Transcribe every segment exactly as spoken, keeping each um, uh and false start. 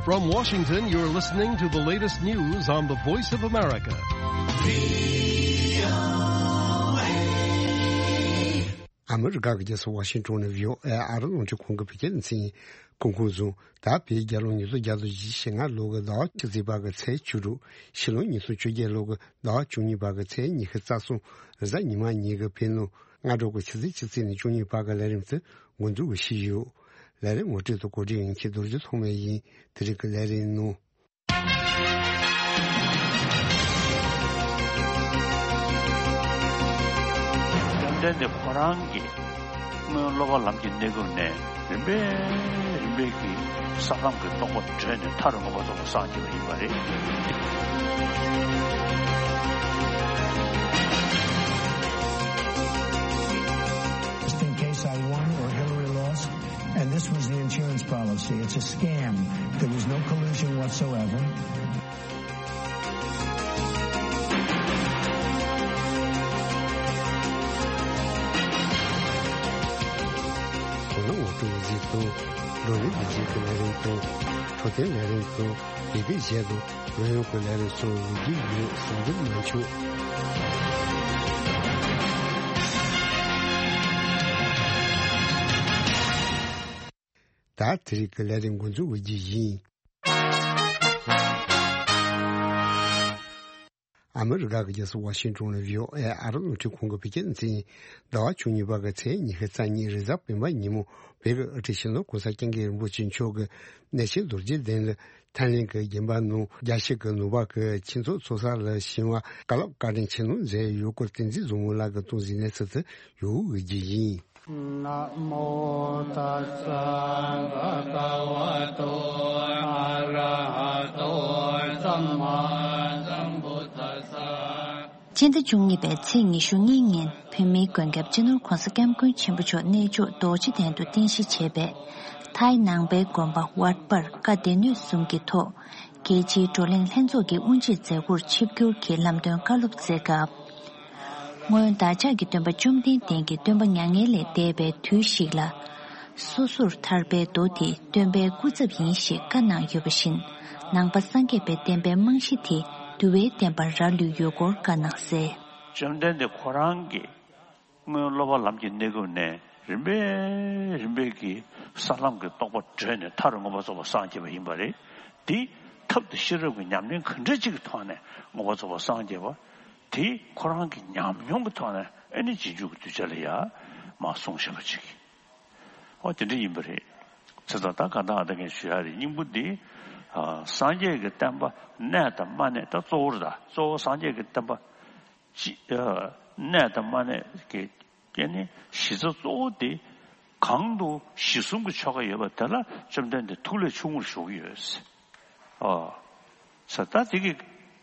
From Washington, you're listening to the latest news on the Voice of America. ཨ་མི་རི་ཀ་གི་རྒྱལ་ས་ཝ་ཤིང་ཊོན་ནས་བྷི་ཨོ་ཨེ་ཨ་རི་རླུང་འཕྲིན་ཁང་གི་བོད་སྐད་སྡེ་ཚན་གྱིས་སྐུ་ཁམས་བཟང་། ད་བོད་རྒྱལ་ལོ་ཉིས་སྟོང་བརྒྱ་དང་བཞི་བཅུ་ཞེ་ལྔ་ལོ་གི་ཟླ་བ་བཅུ་གཅིག་པ་གི་ཚེས་བཅུ་དྲུག་ཕྱི་ལོ་ཉིས་སྟོང་བཅོ་བརྒྱད་ལོ་གི་ཟླ་བ་བཅུ་གཉིས་པ་གི་ཚེས་ཉི་ཤུ་རྩ་གསུམ་རེས་གཟའ་ཉི་མ་ཉིན་གྱི་བོད་ནང་སྔ་དྲོ་གི་ཆུ་ཚོད་བཅུ་གཅིག་ནས་བཅུ་གཉིས་བར་གྱི་ལས་རིམ་དེ་འགོ་འཛུགས་ཞུས་ཡོད། ལས་རིམ་ངོ་སྤྲོད་དང་གོ་སྒྲིག་ཡིན་ཁྱེད་རྡོ་རྗེ་ཐོགས་མེད་ཡིན། དེ་རིང་གི་ལས་རིམ་ནང་། བཅོམ་ལྡན་འདས་ཁོ་རང་གིས་སྔོན་སློབ་པ་ལམ་གྱི་གནས་སྐབས་ནས་རིམ་པས་རིམ་པས་ཀྱིས་ས་ལམ་གྱི་རྟོགས་པ་བགྲོད་ནས་མཐར་མངོན་པར་རྫོགས་པར་སངས་རྒྱས་པ་ཡིན་པ་རེད། Just in case I won or Hillary lost, and this was the insurance policy. It's a scam. There was no collusion whatsoever. དོ་སྣང་ངོ་སྤྲོད་གཟིགས་དང་། བགྲོ་གླེང་བདེ་སྐྱིད་ཀྱི་ལས་རིམ་དང་། འཕྲོད་བསྟེན་ལས་རིམ་དང་། ཡི་གེ་གཞས་དང་། རོལ་དབྱངས་ཀྱི་ལས་རིམ་སོགས་ཡོང་གི་ཡོད། ཟུར་འཛུལ་མ་བྱུང་། ད་དེ་རིང་གི་ལས་རིམ་འགོ་འཛུགས་འོས་རྒྱུ་ཡིན། ཨ་མི་རི་ཀ་གི་རྒྱལ་ས་ཝ་ཤིང་ཊོན་ནས་བྷི་ཨོ་ཨེ་ཨ་རི་རླུང་འཕྲིན་ཁང་གི་བོད་སྐད་སྡེ་ཚན་ཡིན། ཟླ་བ་བཅུ་གཉིས་པ་གི་ཚེས་ཉི་ཤུ་རྩ་གཉིས་རེས་གཟའ་སྤེན་པ་ཉིན་མོ་བོད་ཀྱི་དབུ་ཁྲིད་སྤྱི་ནོར་གོང་ས་སྐྱབས་མགོན་རིན་པོ་ཆེ་མཆོག་གིས་གནས་ཆེན་རྡོ་རྗེ་གདན་ལ་ཐེན་ལིན་གྱི་དགོན་པ་ནང་རྒྱལ་སྤྱི་གི་ནང་པ་གི་ཆོས་ཚོགས་ཚོགས་ས་ལ་ཞིང་བ་བཀའ་སློབ་བཀའ་དྲིན་ཆེན་མོ་མཛད་ཡོད་སྐོར་བསྟན་འཛིན་བཟང་མོ་ལགས་ཀྱིས་གཏོང་གཟིགས་གནས་ཚུལ་དེ་ཡོད་འོས་རྒྱུ་ཡིན། Namo tassa bhagavato arahato sammāsambuddhassa. སྤྱི་ཟླ་བཅུ་གཉིས་པའི་ཚེས་ཉི་ཤུ་གཉིས་ཉིན་བོད་མིའི་མགོན་སྐྱབས་སྤྱི་ནོར་༧གོང་ས་༧སྐྱབས་མགོན་ཆེན་པོ་མཆོག་གནས་མཆོག་རྡོ་རྗེ་གདན་དུ་རྟེན་གཞི་བྱས་པའི་ཐའི་ནང་པའི་དགོན་པ་ཝརྟ་པར་བཀའ་སྡེ་སྣོད་གསུམ་གྱི་ཐོག་རྒྱལ་སྤྱིའི་བགྲོ་གླེང་ལྷན་ཚོགས་ཀྱི་དབུ་འབྱེད་མཛད་སྒོར་ཆིབས་བསྒྱུར་གྱིས་ལམ་སྟོན་བཀའ་སློབ་མཛད་སྐབས། སྔོན་བདག་ཅག་གི་སྟོན་པ་བཅོམ་ལྡན་འདས་ཀྱིས་སྟོན་པ་མྱ་ངན་ལས་འདས་པའི་དུས་ཤིག་ལ། སོ་སོར་ཐར་པའི་མདོ་དེ་སྟོན་པའི་སྐུ་ཚབ་ཡིན་ཞེས་བཀའ་གནང་ཡོད་པ་བཞིན། ནང་པ་སངས་རྒྱས་པའི་བསྟན་པའི་རྨང་གཞི་དེ་འདུལ་བའི་བསྟན་པར་རག་ལུས་ཡོད་སྐོར་བཀའ་གནང་གསལ། བཅོམ་ལྡན་འདས་ཁོ་རང་གིས་སྔོན་སློབ་པ་ལམ་གྱི་གནས་སྐབས་ནས་རིམ་པས་རིམ་པས་ཀྱིས་ས་ལམ་གྱི་རྟོགས་པ་བགྲོད་ནས་མཐར་མངོན་པར་རྫོགས་པར་སངས་རྒྱས་པ་ཡིན་པ་རེད། དེ་ཐབས་དང་ཤེས་རབ་ཀྱི་ཉམས་ལེན་ག་འདྲ་ཅིག་གི་ཐོག་ནས་མངོན་པར་རྫོགས་པར་སངས་རྒྱས་པ། དེ་ཁོ་རང་གི་ཉམས་མྱོང་གི་ཐོག་ནས་ཨེ་ནི་རྗེས་འཇུག་གི་གདུལ་བྱ་ལ་ཡ་མར་གསུངས་བཞག་པ་ཅིག་ཨོ་དེ་འདྲ་ཡིན་པ་རེད། ཚེ་ད་ལྟ་ག་ད་ཨ་ད་ངས་ཞུ་ཡ་རེད། སྙིང་པོ་འདི། ཨ་སངས་རྒྱས་ཀྱི་བསྟན་པ་གནས་དང་མ་གནས་ད་གཙོ་བོ་རེད། ད་གཙོ་བོ་སངས་རྒྱས་ཀྱི་བསྟན་པ་ཅི་ཨ་གནས་དང་མ་གནས་ཀྱི་ཀྱི་ནི་གཞི་རྩ་གཙོ་བོ་དེ་གང་དུ་གཞི་གསུམ་གྱི་ཆོ་ག་ཡོད་པ་དེ་ལ་བཅོམ་ལྡན་འདས་ཐུགས་ལས་ཆུང་ངུར་ཞོག་གི་ཡོད། ཨོ། ས་ད་དེ་གི་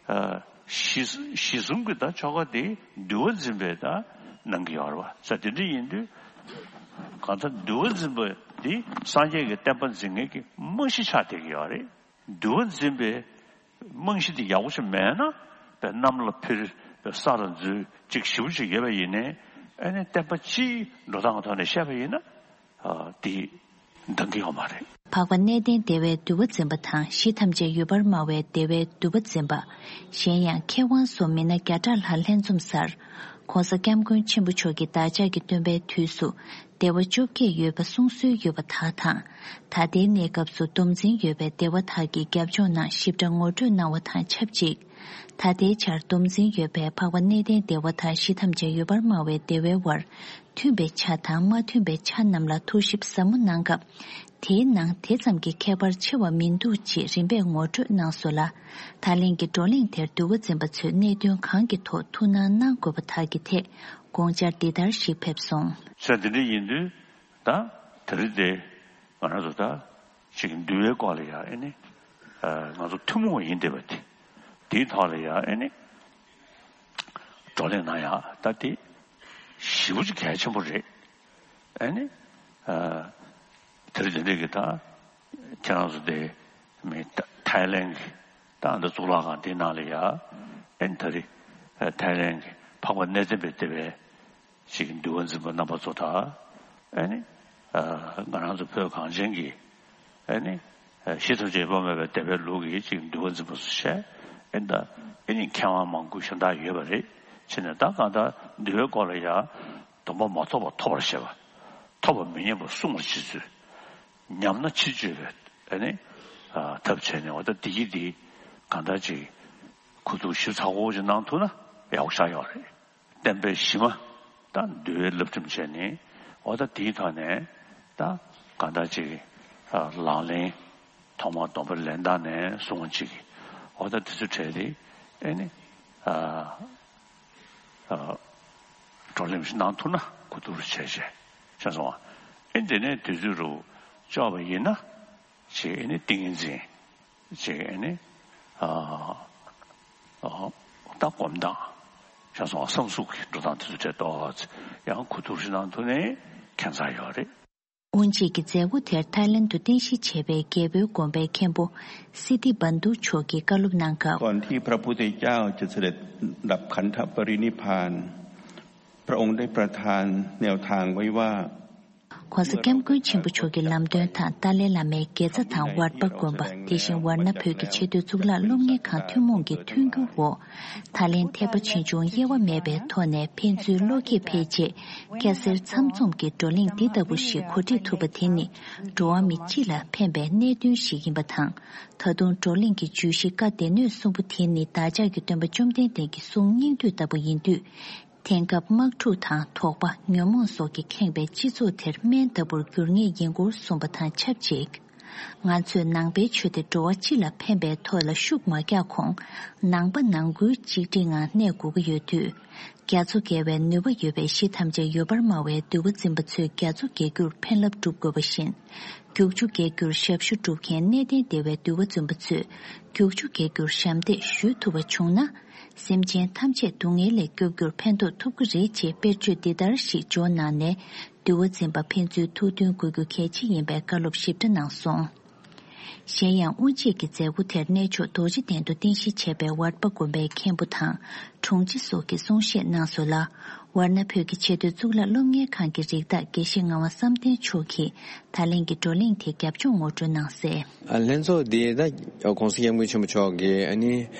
ཨ་གཞི་གཞི་གསུམ་གྱི་ད་ཆོ་ག་དེ་འདུལ་བ་འཛིན་པའི་ད་གནང་གི་ཡོད་རེད་བ། ས་དེ་འདྲ་ཡིན་དུས་གང་ལྟར་འདུལ་བ་འཛིན་པ་དེ་སངས་རྒྱས་ཀྱི་བསྟན་པ་འཛིན་མཁན་གྱི་རྨང་གཞི་ཆགས་བསྡད་ཀྱི་ཡོད་རེད། འདུལ་བ་འཛིན་པའི་རྨང་གཞི་དེ་ཡག་པོ་ཞིག་མེད་ན་པའི་གནམ་ལ་འཕུར་པའི་ས་ལ་འཛུལ་ཅིག་ཞེ་པོ་ཅིག་ཡོད་པ་ཡིན་ནའི་ཨ་ནི་བསྟན་པ་སྤྱིའི་འགྲོ་སྟངས་ཀྱི་ཐོག་ནས་བཤད་པ་ཡིན་ན་ཨ་དེ་འདང་གི་ཡོད་མ་རེད། འཕགས་པ་གནས་བརྟན་བདེ་བའི་འདུལ་བ་འཛིན་པ་དང་གཞི་ཐམས་ཅད་ཡོད་པར་སྨྲ་བའི་བདེ་བའི་འདུལ་བ་འཛིན་པ། གཞན་ཡང་མཁས་དབང་སོགས་མི་སྣ་བརྒྱ་ཕྲག་ལྷག་ལྷན་འཛོམས་སར། ྋགོང་ས་ྋསྐྱབས་མགོན་ཆེན་པོ་མཆོག་གིས་བདག་ཅག་གི་སྟོན་པའི་དུས་སུ་བདེ་བ་བཅོ་བརྒྱད་ཡོད་པ་གསུང་སྲོལ་ཡོད་པ་དག་དང་། ད་ལྟའི་གནས་སྐབས་སུ་སྡོམ་འཛིན་ཡོད་པའི་བདེ་བ་དག་གི་རྒྱབ་ལྗོངས་ནང་ཞིབ་ཕྲ་ངོ་སྤྲོད་གནང་བ་དང་ཆབས་ཅིག་ད་ལྟའི་ཆར་སྡོམ་འཛིན་ཡོད་པའི་འཕགས་པ་གནས་བརྟན་བདེ་བ་དང་གཞི་ཐམས་ཅད་ཡོད་པར་སྨྲ་བའི་བདེ་བའི་དབར་མཐུན་པའི་ཆ་དང་མ་མཐུན་པའི་ཆ་རྣམས་ལ་ཐུགས་ཞིབ་ཟབ་མོ་གནང་སྐབས། དེའི་ནང་དེ་ཙམ་གྱི་ཁྱད་པར་ཆེ་བ་མི་འདུག་ཅེས་རིམ་པས་ངོ་སྤྲོད་གནང་སོང་ལ། ད་ལན་གྱི་བགྲོ་གླེང་དེར་འདུལ་བ་འཛིན་པ་ཚོས་གནད་དོན་གང་གི་ཐོག་ཐུགས་སྣང་གནང་དགོས་པ་དག་གི་ཐད་དགོངས་འཆར་འདི་ལྟར་ཞིག་ཕེབས་སོང་། ས་འདི་འདྲ་ཡིན་དུས་ད་དེ་རིང་དེ་ང་རང་ཚོ་ད་ཅིག་འདུལ་བའི་སྐོར་ལ་ཡ་ཨེ་ནི་ང་ཚོ་ཐུན་མོང་བ་ཡིན་བསྡད་པ་དེ་དེའི་ཐོག་ལ་ཡ་ཨེ་ནི་བགྲོ་གླེང་གནང་ཡ་ད་དེ་ཞེ་པོ་ཅིག་གལ་ཆེན་པོ་རེད། ཨེ་ནི། དེ་རིང་དེ་འདྲས་ཀྱི་ད་ཁྱེད་རང་ཚོ་དེ་མི་ཐའི་ལེན་གྱི་ད་འདི་གཙུག་ལག་ཁང་དེའི་ནང་ལ་ཡ་ཨེ་ནི་ད་རེས་ཐའི་ལེན་གྱི་འཕགས་པ་གནས་བརྟན་པའི་བདེ་བའི་ཅིག་འདུལ་བ་འཛིན་པ་རྣམ་པ་ཚོ་དང་ཨེ་ནི་ང་རང་ཚོ་བོད་གངས་ཅན་གྱི་ཨེ་ནི་ ཞི་ཐམས་ཅད་དབྱེར་མེད་པའི་བདེན་པའི་ལུགས་ཀྱི་ཅིག་འདུལ་བ་འཛིན་པ་སུ་བྱས། ཨེ་ད་ཨེ་ནི་མཁས་དབང་མང་པོ་གཞན་དག་ཡོད་པ་རེད། བྱས་ནས་ད་གང་ལྟར་འདུལ་བའི་སྐོར་ལ་ཡང་སྡོམ་པ་མ་ཐོབ་པ་ཐོབ་པར་བྱེད་པ། ཐོབ་པ་མི་ཉན་པ་བསྲུང་བར་བྱེད་ཚུལ། ཉམས་ན་ཕྱིར་བཅོས་པའི་ཨེ་ནི་ཐབས་བྱས་ནས། འོ་ད་འདི་ཡིས་འདི་གང་ལྟར་ཅིག་གོ་བསྡུར་ཞིབ་ཚགས་པོ་ཅིག་གནང་ཐུབ་ན་ཡག་པོ་ཆགས་ཡོད་རེད། བསྟན་པའི་གཞི་མ་ད་འདུལ་བའི་བསླབ་ཁྲིམས་བྱས་ནས། འོ་ད་དེའི་ཐོག་ནས་ད་གང་ལྟར་ཅིག་ལག་ལེན་ཐོག་མར་སྡོམ་པ་ལེན་སྟངས་ནས་བཟུང་བ་ཅིག་འོ་ད་དེ་ཚོ་གྲས་དེ་ཨེ་ནི་བགྲོ་གླེང་ཞིག་གནང་ཐུབ་ན་གོ་བསྡུར་བྱས་བྱས་བྱས་སོང་བ། ཨེ་འདི་ནས་དུས་ཚོད་རུ་ལྕོགས་པ་ཡིན་ན། ཅིག་ཨེ་ནི་ཏིང་ངེ་འཛིན། ཅིག་ཨེ་ནི་ཨ་ཨ་ད་སྒོམ་སྟངས་བྱས་སོང་བསམ་གཟུགས་ཀྱི་འགྲོ་སྟངས་དེ་ཚོ་དེ་ཏོག་ཙམ་ཡང་གོ་བསྡུར་ཞིག་གནང་ཐུབ་ནའི་ཁྱད་མཚར་ཡོད་རེད། དབུ་འབྱེད་ཀྱི་མཛད་སྒོ་དེར་ཐའི་ལེན་དུ་རྟེན་གཞི་བྱས་པའི་རྒྱལ་པོའི་དགོན་པའི་མཁན་པོ་སི་ཏི་བན་དུ་མཆོག་གིས་བཀའ་སློབ་གནང་སྐབས། ก่อนที่พระพุทธเจ้าจะเสด็จดับขันธปรินิพพาน พระองค์ได้ประทานแนวทางไว้ว่า ྋགོང་ས་ྋསྐྱབས་མགོན་ཆེན་པོ་མཆོག་གི་ལམ་སྟོན་དང་ཏཱ་ལའི་བླ་མའི་དགེ་རྩ་དང་ཝརྟ་པ་དགོན་པ། དེ་བཞིན་ཝར་ན་བོད་ཀྱི་ཆེས་མཐོའི་གཙུག་ལག་སློབ་གཉེར་ཁང་ཐུན་མོང་གི་མཐུན་འགྱུར་འོག་ཐའི་ལེན་ཐེག་པ་ཆེ་ཆུང་དབྱེ་བ་མེད་པའི་ཐོག་ནས་ཕན་ཚུན་བློ་སྐྱེད་འཕེལ་ཆེད། སྐྱ་སེར་ཚང་འཛོམས་ཀྱི་བགྲོ་གླེང་འདི་ལྟ་བུ་ཞིག་གོ་སྒྲིག་ཐུབ་པ་དེ་ནི་འགྲོ་བ་མི་སྤྱི་ལ་ཕན་པའི་གནད་དོན་ཞིག་ཡིན་པ་དང་། ད་དུང་བགྲོ་གླེང་གི་བརྗོད་གཞི་བཀའ་སྡེ་སྣོད་གསུམ་པོ་དེ་ནི་བདག་ཅག་གི་སྟོན་པ་བཅོམ་ལྡན་འདས་ཀྱི་གསུང་སྙིང་བསྡུས་ལྟ་བུ་ཡིན་དུས། དེང་སྐབས་དམག་འཁྲུག་དང་དོགས་པ། ཉོན་མོངས་སོགས་ཀྱིས་ཁེངས་པའི་སྤྱི་ཚོགས་དེར་སྨན་ལྟ་བུར་འགྱུར་ངེས་ཡིན་སྐོར་གསུངས་པ་དང་ཆབས་ཅིག་ང་ཚོས་ནང་པའི་ཆོས་དེ་འགྲོ་བ་སྤྱི་ལ་ཕན་པའི་ཐོག་ལ་ཤུགས་མ་རྒྱག་གོང་། ནང་པ་ནང་ཁུལ་གཅིག་སྒྲིལ་ངང་གནས་དགོས་ཀྱི་ཡོད་དུས། རྒྱ་མཚོ་བརྒལ་བའི་ནུས་པ་ཡོད་པའི་གཞི་ཐམས་ཅད་ཡོད་པར་སྨྲ་བའི་འདུལ་བ་འཛིན་པ་ཚོས་རྒྱ་མཚོ་བརྒལ་རྒྱུར་ཕན་རླབས་སྒྲུབ་དགོས་པ་བཞིན། རྒྱུག་ཆུ་བརྒལ་རྒྱུར་ཞབས་ཞུ་སྒྲུབ་མཁན་གནས་བརྟན་སྡེ་བའི་འདུལ་བ་འཛིན་པ་ཚོས་རྒྱུག་ཆུ་བརྒལ་རྒྱུར་ཞབས་འདེགས་ཞུ་ཐུབ་པ་བྱུང་ན། སེམས་ཅན་ཐམས་ཅད་སྡུག་བསྔལ་ལས་སྐྱོབ་རྒྱུར་ཕན་ཐོགས་ཐུབ་ཀྱི་རེད་ཅེས་དཔེར་བརྗོད་འདི་ལྟར་ཞིག་འཇོག་གནང་ནས། འདུལ་བ་འཛིན་པ་ཕན་ཚུན་ཐུགས་མཐུན་དགོས་རྒྱུ་གལ་ཆེ་ཡིན་པའི་བཀའ་སློབ་ཞིབ་ཕྲ་གནང་སོང་། གཞན་ཡང་། དབུ་འབྱེད་ཀྱི་མཛད་སྒོ་དེར་གནས་མཆོག་རྡོ་རྗེ་གདན་དུ་རྟེན་གཞི་བྱས་པའི་ཝརྟ་པ་དགོན་པའི་མཁན་པོ་དང་། དྲུང་ཆེ་སོགས་ཀྱིས་གསུང་བཤད་གནང་སོང་ལ། ཝར་ན་བོད་ཀྱི་ཆེས་མཐོའི་གཙུག་ལག་སློབ་གཉེར་ཁང་གི་རིགས་བདག་དགེ་བཤེས་ངག་དབང་བསམ་གཏན་མཆོག་གིས་ད་ལན་གྱི་བགྲོ་གླེང་དེ་རྒྱབ་ལྗོངས་ངོ་སྤྲོད་གནང་གསལ། ལྷན་ཚོགས་འདི་ད་ྋགོང་ས་ྋསྐྱབས་མགོན་ཆེན་པོ་མཆོག་གིས་ཨ་ནི་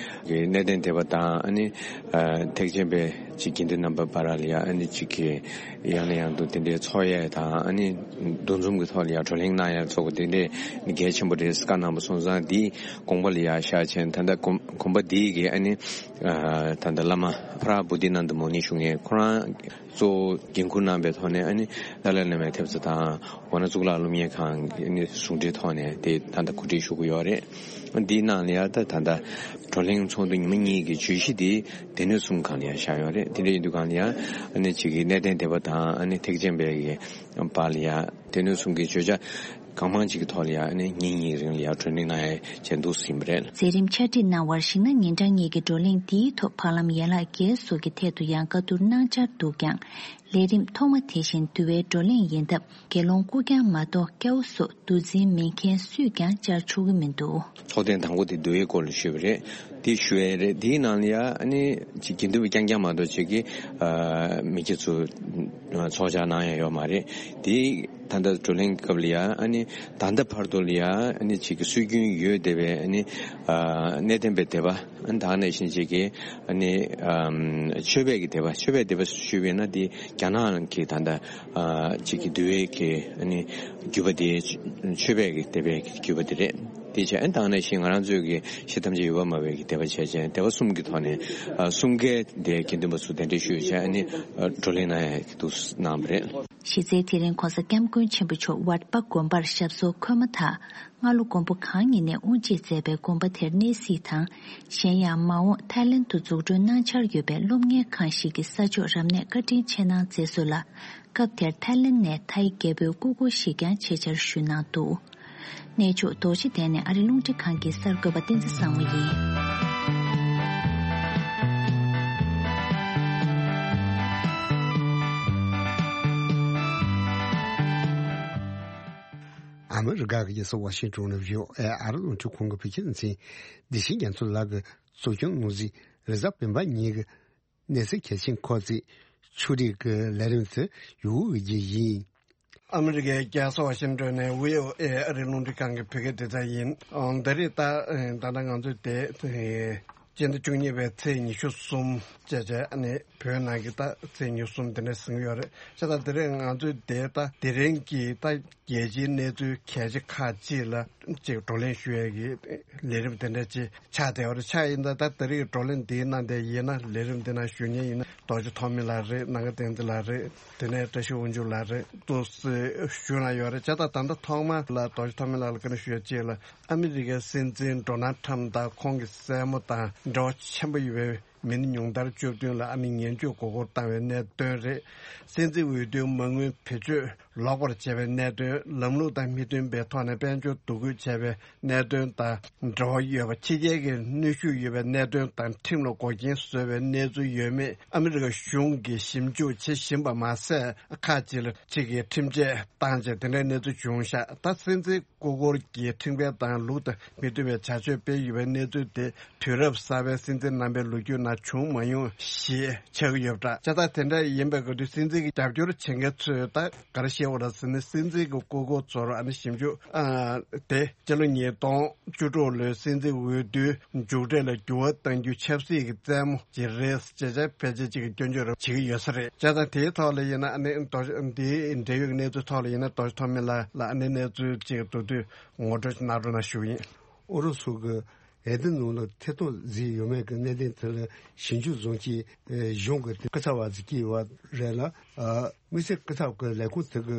གནས་བརྟན་སྡེ་པ་དང་ཨ་ནི་ཐེག་ཆེན་པའི་ཅིག་དགེ་འདུན་རྣམ་པ་བར་ལ་ཡ་ཨ་ནི་ཅིག་གི་ཡང་ནས་ཡང་དུ་དེ་འདྲའི་ཚོགས་ཡས་དང་ཨ་ནི་འདུ་འཛོམས་ཀྱི་ཐོག་ལ་ཡ་བགྲོ་གླེང་གནང་ཡས་ཚོགས་པ་དེ་འདྲས་གལ་ཆེན་པོ་རེད་བཀའ་གནང་པ་སོང་ཙང་འདིའི་དགོངས་པ་ལ་ཡ་བཞག་བྱས་ད་ལྟ་གོམ་གོམ་པ་འདིའི་གི་ཨ་ནི་ད་ལྟ་བླ་མ་ཕ་ར་བོ་དྷི་ནནྡ་མུ་ནི་ཞུ་མཁན་ཁོ་རང་གཙོ་བོ་འགན་འཁུར་གནང་པའི་ཐོག་ནས་ཨ་ནི་ཏཱ་ལའི་བླ་མའི་ཐེབས་རྩ་དང་ཝར་ན་གཙུག་ལག་སློབ་གཉེར་ཁང་གི་ཨ་ནི་ཟུང་འབྲེལ་ཐོག་ནས་དེ་ད་ལྟ་གོ་སྒྲིག་ཞུ་གི་ཡོད་རེད། འདིའི་ནང་ལ་ཡ་ད་ད་ལྟ་བགྲོ་གླེང་ཚོགས་འདུ་ཉི་མ་གཉིས་ཀྱི་བརྗོད་གཞི་དེ་སྡེ་སྣོད་གསུམ་སྒང་ལ་ཡ་བཞག་ཡོད་རེད། དེ་འདྲ་ཡིན་དུས་སྒང་ལ་ཡ་ཨ་ནི་ཅིག་གི་གནས་བརྟན་སྡེ་པ་དང་ཨ་ནི་ཐེག་ཆེན་པའི་གི་བར་ལ་ཡ་སྡེ་སྣོད་གསུམ་གྱི་བརྗོད་བྱ་གང་མང་ཅིག་གི་ཐོག་ལ་ཡ་ཨ་ནི་ཉིན་གཉིས་རིང་ལ་ཡ་བགྲོ་གླེང་གནང་ཡ་བྱས་འདུག་ཟིན་པ་རེད། མཛད་རིམ་ཕྱག་བྲིས་གནང་བར་གཞིགས་ན། ཉིན་གྲངས་གཉིས་ཀྱི་བགྲོ་གླེང་འདིའི་ཐོག་བར་ལམ་ཡན་ལག་བརྒྱད་སོགས་ཀྱི་ཐད་དུ་ཡང་བཀའ་བསྡུར་གནང་འཆར་འདུག་ཀྱང་། ལས་རིམ་ཐོག་མ་དེ་བཞིན་འདུལ་བའི་བགྲོ་གླེང་ཡིན་སྟབས། དགེ་སློང་སྐུ་རྐྱང་མ་གཏོགས་སྐྱ་བོ་སོགས་འདུལ་འཛིན་མིན་མཁན་སུས་ཀྱང་བཅར་ཆོག་གི་མི་འདུག། ཚོགས་ཐེངས་དང་པོ་དེ་འདུལ་བའི་སྐོར་ལ་ཞུས་པ་རེད། དེ་ཞུ་ཡས་རེད། དེའི་ནང་ལ་ཡ་ཨ་ནི་ཅིག་དགེ་འདུན་པ་རྐྱང་རྐྱང་མ་གཏོགས་ཅིག་གིས་མི་སྐྱ་ཚོ་ཚོགས་བཅར་གནང་ཡ་ཡོད་མ་རེད། དེ་ད་ལྟ་བགྲོ་གླེང་སྐབས་ལ་ཡ་ཨ་ནི་ད་ལྟ་བར་དུ་ལ་ཡ་ཨ་ནི་ཅིག་གི་སྲོལ་རྒྱུན་ཡོད་བསྡད་པའི་ཨ་ནི་གནས་བརྟན་པའི་སྡེ་པ་ཨ་ནི་ད་ག་ནང་བཞིན་ཅིག་གི་ཨ་ནི་ཆོས་པའི་གི་སྡེ་པ་ཆོས་པའི་སྡེ་པ་ཞུས་པས་ན་དེ་རྒྱ་ནག་གི་ད་ལྟ་ཅིག་གི་འདུལ་བའི་གི་ཨ་ནི་བརྒྱུད་པ་དེ་ཆོས་པའི་གི་སྡེ་པའི་གི་བརྒྱུད་པ་དེ་རེད། དེ་བྱས་ཨ་ནི་ད་ག་ནང་བཞིན་ང་རང་ཚོའི་གི་གཞི་ཐམས་ཅད་ཡོད་པར་སྨྲ་བའི་གི་སྡེ་པ་བྱས་ཅན་སྡེ་པ་གསུམ་གི་ཐོག་ནས་གསུམ་ཀའི་དེ་དགེ་འདུན་པ་ཚོ་གདན་འདྲེན་ཞུས་བྱས་ཨ་ནི་བགྲོ་གླེང་གནང་ཡ་གི་འདུག་གནང་བ་རེད། གཞི་རྩའི་དེ་རིང་ྋགོང་ས་ྋསྐྱབས་མགོན་ཆེན་པོ་མཆོག་ཝརྟ་པ་དགོན་པར་ཞབས་སོར་འཁོད་མ་ཐག་སྔ་ལོ་མགོན་པོ་གང་ཉིད་ནས་དབུ་འབྱེད་མཛད་པའི་དགོན་པ་དེར་གནས་གཟིགས་དང་། གཞན་ཡང་མ་འོངས་ཐའི་ལེན་དུ་འཛུགས་སྐྲུན་གནང་འཆར་ཡོད་པའི་སློབ་གཉེར་ཁང་ཞིག་གི་ས་ཕྱོགས་རབ་གནས་བཀའ་དྲིན་ཆེ་གནང་མཛད་སོང་ལ། སྐབས་དེར་ཐའི་ལེན་ནས་ཐའི་རྒྱལ་པོའི་སྐུ་འཁོར་ཞིག་ཀྱང་ཆེད་བཅར་ཞུས་གནང་འདུག། གནས་མཆོག་རྡོ་རྗེ་གདན་ནས་ཨ་རི་རླུང་འཕྲིན་ཁང་གི་གསར་འགོད་པ་བསྟན་འཛིན་བཟང་མོ་ཡིན། ཨ་མི་རི་ཀ་གི་རྒྱལ་ས་ཝ་ཤིང་ཏོན་ནས་བྷི་ཨོ་ཨེ་ཨ་རི་རླུང་འཕྲིན་ཁང་གི་བོད་སྐད་སྡེ་ཚན་བདེ་ཆེན་རྒྱ་མཚོ་ལགས་ཀྱིས་གཙོ་སྐྱོང་ནོར་འཛིན་རེས་གཟའ་སྤེན་པ་ཉིན་གྱི་གནས་ཚུལ་གལ་ཆེན་ཁོ་ཚོས་ཕྱོགས་སྒྲིག་གི་ལས་རིམ་དུ་ཡོད་འོས་ཀྱི་ཡིན། ཨ་མི་རི་ཀའི་རྒྱལ་ས་ཝ་ཤིང་ཏོན་ནས་བྷི་ཨོ་ཨེ་ཨ་རིའི་རླུང་འཕྲིན་ཁང་གི་བོད་སྐད་སྡེ་ཚན་ཡིན། ཨང་། ད་རེས་ད་ད་ལྟ་ང་ཚོས་དེ་སྤྱི་ཟླ་བཅུ་གཉིས་པའི་ཚེས་ཉི་ཤུ་གསུམ་བཅས་བྱས་ཨ་ནི་བོད་ནང་གི་ད་ཚེས་ཉི་ཤུ་གསུམ་དེ་འདྲ་ཟིན་གྱི་ཡོད་རེད། བྱས་ཙང་དེ་རིང་ང་ཚོས་དེ་ད་དེ་རིང་གི་ད་རྒྱལ་སྤྱིའི་གནས་ཚུལ་གལ་ཆེ་ཁག་ཅིག་ལ་ཅིག་བགྲོ་གླེང་ཞུ་ཡས་ཀྱི་ལས་རིམ་དེ་འདྲ་ཅིག་ཆགས་བསྡད་ཡོད་རེད། ཆགས་ཡིན་ད་ད་དེ་རིང་གི་བགྲོ་གླེང་འདིའི་ནང་དེ་ཡིན་ན་ལས་རིམ་འདི་ནང་ཞུགས་མཁན་ཡིན་ན་རྡོ་རྗེ་ཐོགས་མེད་ལགས་རེད། ནམ་མཁའ་བསྟན་འཛིན་ལགས་རེད། དེ་ནས་བཀྲ་ཤིས་དབང་ཕྱུག་ལགས་རེད། ཏོག་ཙམ་ཞུ་གནང་ཡོད་རེད། བྱས་ཙང་ད་ལྟ་ཐོག་མ་ལ་རྡོ་རྗེ་ཐོགས་མེད་ལགས་ལ་བཀའ་འདྲི་ཞུ་ཡ་གཅིག་ལ། ཨ་མི་རི་ཀའི་སྲིད་འཛིན་ཌོ་ནལ་ཁྲམ་དང་ཁོང་གི་སྲས་མོ་དང་འབྲེལ་བ་ཆེན་པོ་ཡོད་པའི་མི་སྣ་ཉུང་མཐར་བཅུ་བདུན་ལ་ཨ་ནི་ངན་བྱུས་མགོ་སྐོར་བཏང་བའི་གནད་དོན་རེད། སྲིད་འཛིན་འོས་བསྡུའི་མ་དངུལ་བེད་སྤྱོད་ལོག་པར་བྱས་པའི་གནད་དོན། ལམ་ལུགས་དང་མི་མཐུན་པའི་ཐོག་ནས་དཔལ་འབྱོར་བསྡུ་རྒྱུ་བྱས་པའི་གནད་དོན་དང་འབྲེལ་བ་ཡོད་པ། ཕྱི་རྒྱལ་གྱི་གནོན་ཤུགས་ཡོད་པའི་གནད་དོན་དང་ཁྲིམས་ལ་འགོག་རྐྱེན་བཟོས་པའི་གནས་ཚུལ་ཡོད་མེད་ཨ་མི་རི་ཀ་གཞུང་གིས་ཞིབ་འཇུག་བྱེད་བཞིན་པ་མ་ཟད། ཁག་ཅིག་ལ་ཅིག་གིས་ཁྲིམས་ཆད་བཏང་རྗེས་དེ་འདྲའི་གནས་ཚུལ་བྱུང་ཤག་ད་སྲིད་འཛིན་སྐུ་འཁོར་གྱི་ཁྲིམས་འགལ་དང་ལུགས་དང་མི་མཐུན་པའི་བྱ་སྤྱོད་སྤེལ་ཡོད་པའི་གནས་ཚུལ་དེ་དུས་རབས་གསར་པའི་སྲིད་འཛིན་རྣམ་པའི་ལོ་རྒྱུས་ནང་བྱུང་མ་མྱོང་ཞེས་ཆགས་ཀྱི་ཡོད་པ་འདྲ། བྱས་ཙང་དེ་འདྲ་ཡིན་པའི་སྐབས་དུས་སྲིད་འཛིན་གྱི་རྒྱབ་སྐྱོར་བྱེད་མཁན་ཚོས་ད་ག་རེ་བཤད་པ་རེད་ཟེར་ན། སྲིད་འཛིན་གྱི་སྐུ་འཁོར་ཚོར་ཨ་ནི་ཞིབ་འཇུག་ཨ་དེ་སྤྱི་ལོ་ཉིས་སྟོང་བཅུ་དྲུག་ལོའི་སྲིད་འཛིན་འོས་བསྡུའི་མཇུག་འབྲས་ལ་འགྱུར་བ་གཏང་རྒྱུ་ཆབ་སྲིད་ཀྱི་རྩེད་མོ་ཅིག་རེད་ཅེས་བྱས་ཕལ་ཆེར་ཅིག་གིས་སྐྱོན་བརྗོད་རེ་བྱེད་ཀྱི་ཡོད་ས་རེད། བྱས་ཙང་དེའི་ཐོག་ལ་ཡིན་ན་ཨ་ནི་མདོ་འདིའི་འབྲེལ་ཡོད་ཀྱི་གནས་ཚུལ་ཐོག་ལ་ཡིན་ན་རྡོ་རྗེ་ཐོགས་མེད་ལགས་ལ་ཨ་ནི་གནས་ཚུལ་ཅིག་མདོར་བསྡུས་ངོ་སྤྲོད་གནང་རོགས་གནང་ཞུ་གི་ཡིན། ཨུ་རུ་སུ་གི་འོས་བསྡུ་ནང་ལ་ཐེ་གཏོགས་བཟོས་ཡོད་མེད་ཀྱི་གནད་དོན་དེ་ལ་ཞིབ་འཇུག་བཟོ་མཁན་གཞུང་གི་སྐུ་ཚབ་པ་ཟིག་བསྐོས་ཡོད་པ་རེད་ལ། དམིགས་བསལ་སྐུ་ཚབ་ཀྱི་ལས་ཁུངས་དེ་གི་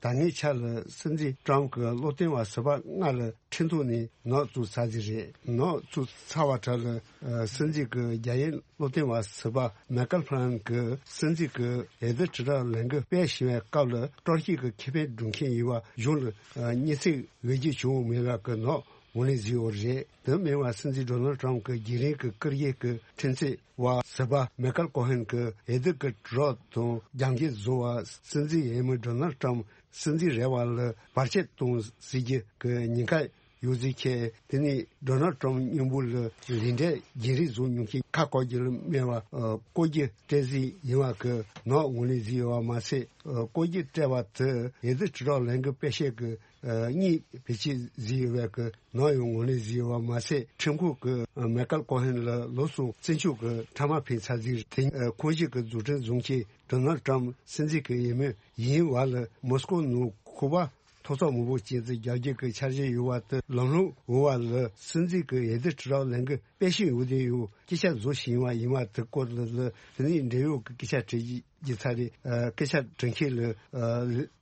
ད་སྔའི་ཆར་ལ་སྲིད་འཛིན་ཀྲམ་གྱི་བློ་བསྟེན་པ་ཟུར་པ་ལྔ་ལ་ཁྲིམས་ཐོག་ནས་ནག་བཙུགས་ཚར་ཟིག་རེད། ནག་བཙུགས་ཚར་བ་གྲས་ལ་སྲིད་འཛིན་གྱི་རྒྱ་ཡན་བློ་བསྟེན་པ་ཟུར་པ་མེ་ཀལ་ཕ་ལན་གྱིས་སྲིད་འཛིན་གྱི་འོས་བསྡུ་དྲིལ་བསྒྲགས་ལས་འགུལ་སྤེལ་བཞིན་པའི་སྐབས་ལ་དཀྲོག་གཞས་ཀྱི་ཁེ་ཕན་སྒྲུབ་མཁན་ཡིན་པ་གཞུང་ལ་སྙན་སེང་འོས་བརྒྱུད་བྱུང་མེད་པ་གི་ནག་ངོས་ལེན་བཟོས་ཡོད་རེད། དེ་མིན་པ་སྲིད་འཛིན་ཌོ་ནལ་ཊམ་གྱི་རྒྱུན་རིང་གི་བཀུར་འོས་ཀྱི་ཁྲིམས་རྩོད་པ་ཟུར་པ་མེ་ཀལ་ཀོ་ཧན་གྱིས་འོས་བསྡུ་གི་དྲིལ་བསྒྲགས་དང་རྒྱབ་འགལ་བཟོ་བ། སྲིད་འཛིན་འོས་མི་ཌོ་ནལ་ཊམ་སྲིད་འཛིན་རེ་བ་ལ་བར་ཆད་གཏོང་སྲིད་རྒྱུ་གི་ཉེན་ཁ་ཡོད་ཚུལ་འཁྱེར། དེ་ནས་ཌོ་ནལ་ཊམ་མཉམ་པོ་ལ་ལས་འབྲས་རྒྱུན་རིང་བཟོ་མྱོང་མཁན་ཁ་བཀག་རྒྱུ་ལ་སྨད་པ་ཨ་བཀོད་རྒྱུ་སྤྲད་རྩིས་ཡིན་པ་གི་ནག་ངོས་ལེན་བཟོས་ཡོད་པ་མ་ཟད། ཨ་བཀོད་རྒྱུ་སྤྲད་པ་དེ་འོས་བསྡུ་དྲིལ་བསྒྲགས་ལས་འགུལ་སྤེལ་ཆེད་ཀྱི་ཨ་གཉིས་བེད་སྤྱོད་བཟོས་ཡོད་པའི་གི་ནག་ཡང་ངོས་ལེན་བཟོས་ཡོད་པ་མ་ཟད། ཁྲིམས་ཁང་གིས་ཨ་མེ་ཀལ་ཀོ་ཧན་ལ་ལོ་གསུམ་བཙོན་འཇུག་གི་ཁྲལ་མ་ཕུད་ཚར་ཟིག་དེ་ཨ་ཁོངས་ཞུགས་ཀྱི་རྫུ་འཕྲུལ་བཟུང་མཁན་ཌོ་ནལ་ཊམ་སྲིད་འཛིན་གྱི་འོས་མི་ཡིན་པ་ལ་མོ་སི་ཀོ་ནང་ཁོ་པ་ཐོབ་ཚོགས་མང་པོ་ཅན་དུ་རྒྱག་རྒྱུ་གི་འཆར་གཞི་ཡོད་པ་དེ་ལམ་ལྷོང་འོང་བ་ལ་སྲིད་འཛིན་གྱི་འོས་བསྡུ་དྲིལ་བསྒྲགས་ལས་འགུལ་སྤེལ་བཞིན་ཡོད་དེ་ཡོད་སྐད་ཆ་བཟོ་བཞིན་པ་ཡིན་པ་དེ་སྐོར་ལ་ལ་དེ་ནས་འབྲེལ་ཡོད་ཀྱི་སྐད་ཆ་དྲི་རྒྱུ་ཚར་རེད། ཨ་སྐད་ཆ་དྲི་མཁན་ལ་ཨ་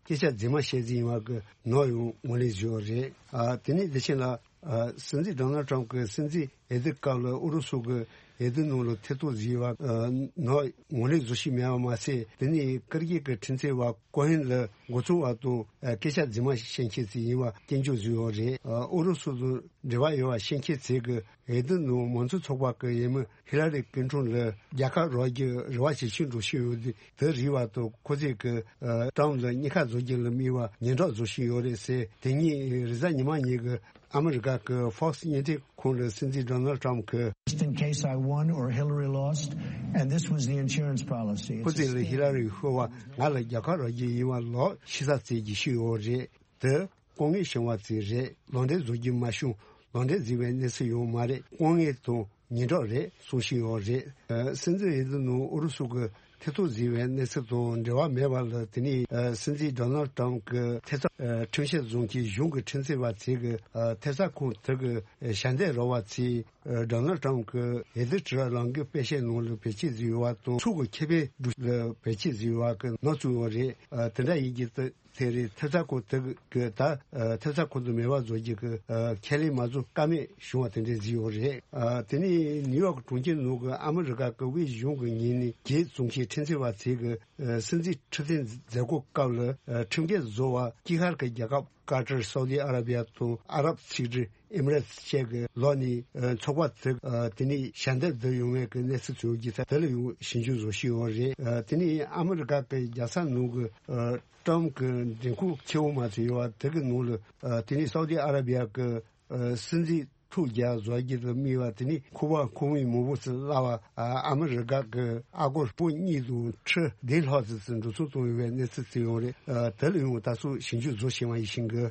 སྐད་ཆ་རྫུན་མ་བཤད་རྩིས་ཡིན་པ་གི་ནག་ཡང་ངོས་ལེན་བཟོས་ཡོད་རེད། ཨ་དེ་ནས་དེ་བཞིན་ལ་ཨ་སྲིད་འཛིན་ཌོ་ནལ་ཊམ་གྱི་སྲིད་འཛིན་འོས་བསྡུ་སྐབས་ལ་ཨུ་རུ་སུ་གི་འོས་བསྡུ་ནང་ལ་ཐེ་གཏོགས་བཟོས་པ་ཨ་ནག་ངོས་ལེན་བཟོ་བཞིན་མེད་པ་མ་ཟད། དེ་ནས་བཀུར་འོས་ཀྱི་ཁྲིམས་རྩོད་པ་ཀོ་ཧན་ལ་མགོ་ཚོས་པ་དང་ཨ་སྐད་ཆ་རྫུན་མ་བཤད་མཁན་ཞིག་ཡིན་པ་སྐྱོན་བརྗོད་བཟོས་ཡོད་རེད། ཨ་ཨུ་རུ་སུ་དང་འབྲེལ་བ་ཡོད་པ་བཤད་མཁན་ཚོས་ཀྱི་འོས་བསྡུ་ནང་མང་གཙོ་ཚོགས་པ་གི་འོས་མི་ཧི་ལ་རི་ཀིན་ཊོན་ལ་རྒྱལ་ཁ་རག་རྒྱུ་རེ་བ་ཇེ་ཆུང་འགྲོ་བཞིན་ཡོད་དུས། དེ་རིགས་པ་དང་ཁོ་ཚོས་ཀྱི་ཨ་ཀྲམ་ལ་གཉིས་ཀ་བཟོ་རྒྱུ་ལ་དམིགས་པ་ཉེན་བརྡ་བཟོ་བཞིན་ཡོད་རེད་ཟེར། དེ་ཉིན་རེས་གཟའ་ཉི་མ་ཉིན་གྱི་ཨ་མི་རི་ཀ་གི་Fox་བརྙན་འཕྲིན་ཁང་ལ་སྲིད་འཛིན་ཌོ་ནལ་ཊམ་གྱིས། Just in case I won or Hillary lost, and this was the insurance policy. ཁོ་ཚོས་ལ་ཧི་ལ་རི་ཤོར་བ་ང་ལ་རྒྱལ་ཁ་རག་རྒྱུ་ཡིན་པ་ལོག་ཤི་ས་བཙལ་རྒྱུ་ཞིག་ཡོད་རེད། དེ་ལྐོག་རྔན་བྱིན་པ་ཙམ་རེད། ལག་འབྲེལ་བཟོ་རྒྱུ་མ་བྱུང་། ལག་འབྲེལ་བཟོས་པའི་གནས་ཚུལ་ཡང་མ་རེད། ལྐོག་རྔན་དང་ཉེན་བརྡ་རེད་གསུང་བཞིན་ཡོད་རེད། ཨ་སྲིད་འཛིན་འོས་བསྡུ་ནང་ཨུ་རུ་སུ་གི་ཐེ་གཏོགས་བཟོས་པའི་གནས་ཚུལ་དང་འབྲེལ་བ་མེད་པ་ལ་དེ་ནས་ཨ་སྲིད་འཛིན་ཌོ་ནལ་ཊམ་གྱི་ཐེབས་རྩ་ཨ་ཁྲིམས་བཤེར་བཟུང་གིས་གཞུང་གི་ཁྲིམས་རྩོད་པ་ཚོས་ཀྱི་ཨ་ཐེབས་རྩ་ཁང་དེ་གི་ཨ་ཞལ་འདེབས་རོགས་པ་ཚོས་ཨ་ཌོ་ནལ་ཊམ་གྱི་འོས་བསྡུ་དྲིལ་བསྒྲགས་ལས་འགུལ་སྤེལ་ཆེད་ནང་ལ་བེད་སྤྱོད་བཟོས་ཡོད་པ་དང་ཚུགས་ཀྱི་ཁེ་ཕན་སྒྲུབ་ལ་བེད་སྤྱོད་བཟོས་ཡོད་པ་གི་ནག་བཙུགས་ཡོད་རེད། ཨ་དེ་འདྲ་ཡིན་གྱི་དེ། དེ་རིང་ཐེབས་རྩ་ཁང་དེ་གི་ད་ཨ་ཐེབས་རྩ་ཁང་དུ་མེད་པ་བཟོ་རྒྱུ་གི་ཨ་ཁས་ལེན་མ་བཟོ་ཀ་མེད་བྱུང་བ་དེ་འདྲ་ཟིག་ཡོད་རེད། ཨ་དེ་ནས་ནིའུ་ཡོག་གྲོང་ཁྱེར་ནང་གི་ཨ་མི་རི་ཀ་གི་དབུས་གཞུང་གི་ངོས་ནས་གྱོད་བཙུགས་མཁན་ཁྲིམས་རྩོད་པ་ཚོས་གི་ཨ་སྲིད་འཛིན་འཁྲབ་སྟོན་མཛད་སྒོ་སྐབས་ལ་ཨ་ཁྲིམས་འགལ་བཟོ་བ་དཀྱིལ་ཤར་གྱི་རྒྱལ་ཁབ་ཀ་ཏར། སའུ་དི་ཨ་ར་བི་ཡ་དང་ཨ་རབ་ཚིག་འབྲུ་ཨེ་མི་རེ་ཊི་བཅས་ཀྱི་ལོགས་ནས་ཨ་ཚོགས་པ་དེ་ཨ་དེ་ནས་ཞལ་འདེབས་བསྡུ་ཡོང་བའི་གི་གནས་ཚུལ་བྱུང་རྒྱུ་ད་དེ་ལ་ཡང་ཞིབ་འཇུག་བཟོ་བཞིན་ཡོད་རེད། ཨ་དེ་ནས་ཨ་མི་རི་ཀ་གི་རྒྱལ་ས་ནང་གི་ཨ་ཀྲམ་གྱི་མགྲོན་ཁང་ཆེ་བོ་མ་ཚད་ཡོད་པ་དེ་གི་ནང་ལ་ཨ་དེ་ནས་སའུ་དི་ཨ་ར་བི་ཡ་གི་ཨ་སྲིད་འཛིན་ ཐུག་རྒྱག་བཟོ་རྒྱུ་དང་མི་བ་དེ་ནི་ཁུ་བ་ཁུ་བའི་མུ་བུ་ཚོ་ལ་བ་ཨ་མི་རི་ཀ་གི་ཨ་སྒོར་སྤུ་གཉིས་དང་ཁྲི་བདུན་ལྷག་ཙམ་ཙམ་འགྲོ་སོང་གཏོང་ཡོད་པའི་གནས་ཚུལ་ཅིག་ཡོད་རེད། དེ་ལ་ཡང་ད་སོ་ཞིབ་འཇུག་བཟོ་བཞིན་པ་ཡིན་ཞིང་གི།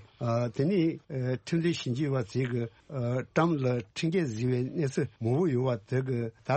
དེ་ནི་ཁྲིམས་འཛིན་ཞིབ་འཇུག་པ་ཚོས་གི་ཀྲམ་ལ་ཁྲིམས་འགལ་བཟོས་པའི་གནས་ཚུལ་མང་པོ་ཡོད་པ་དེ་གི་ད་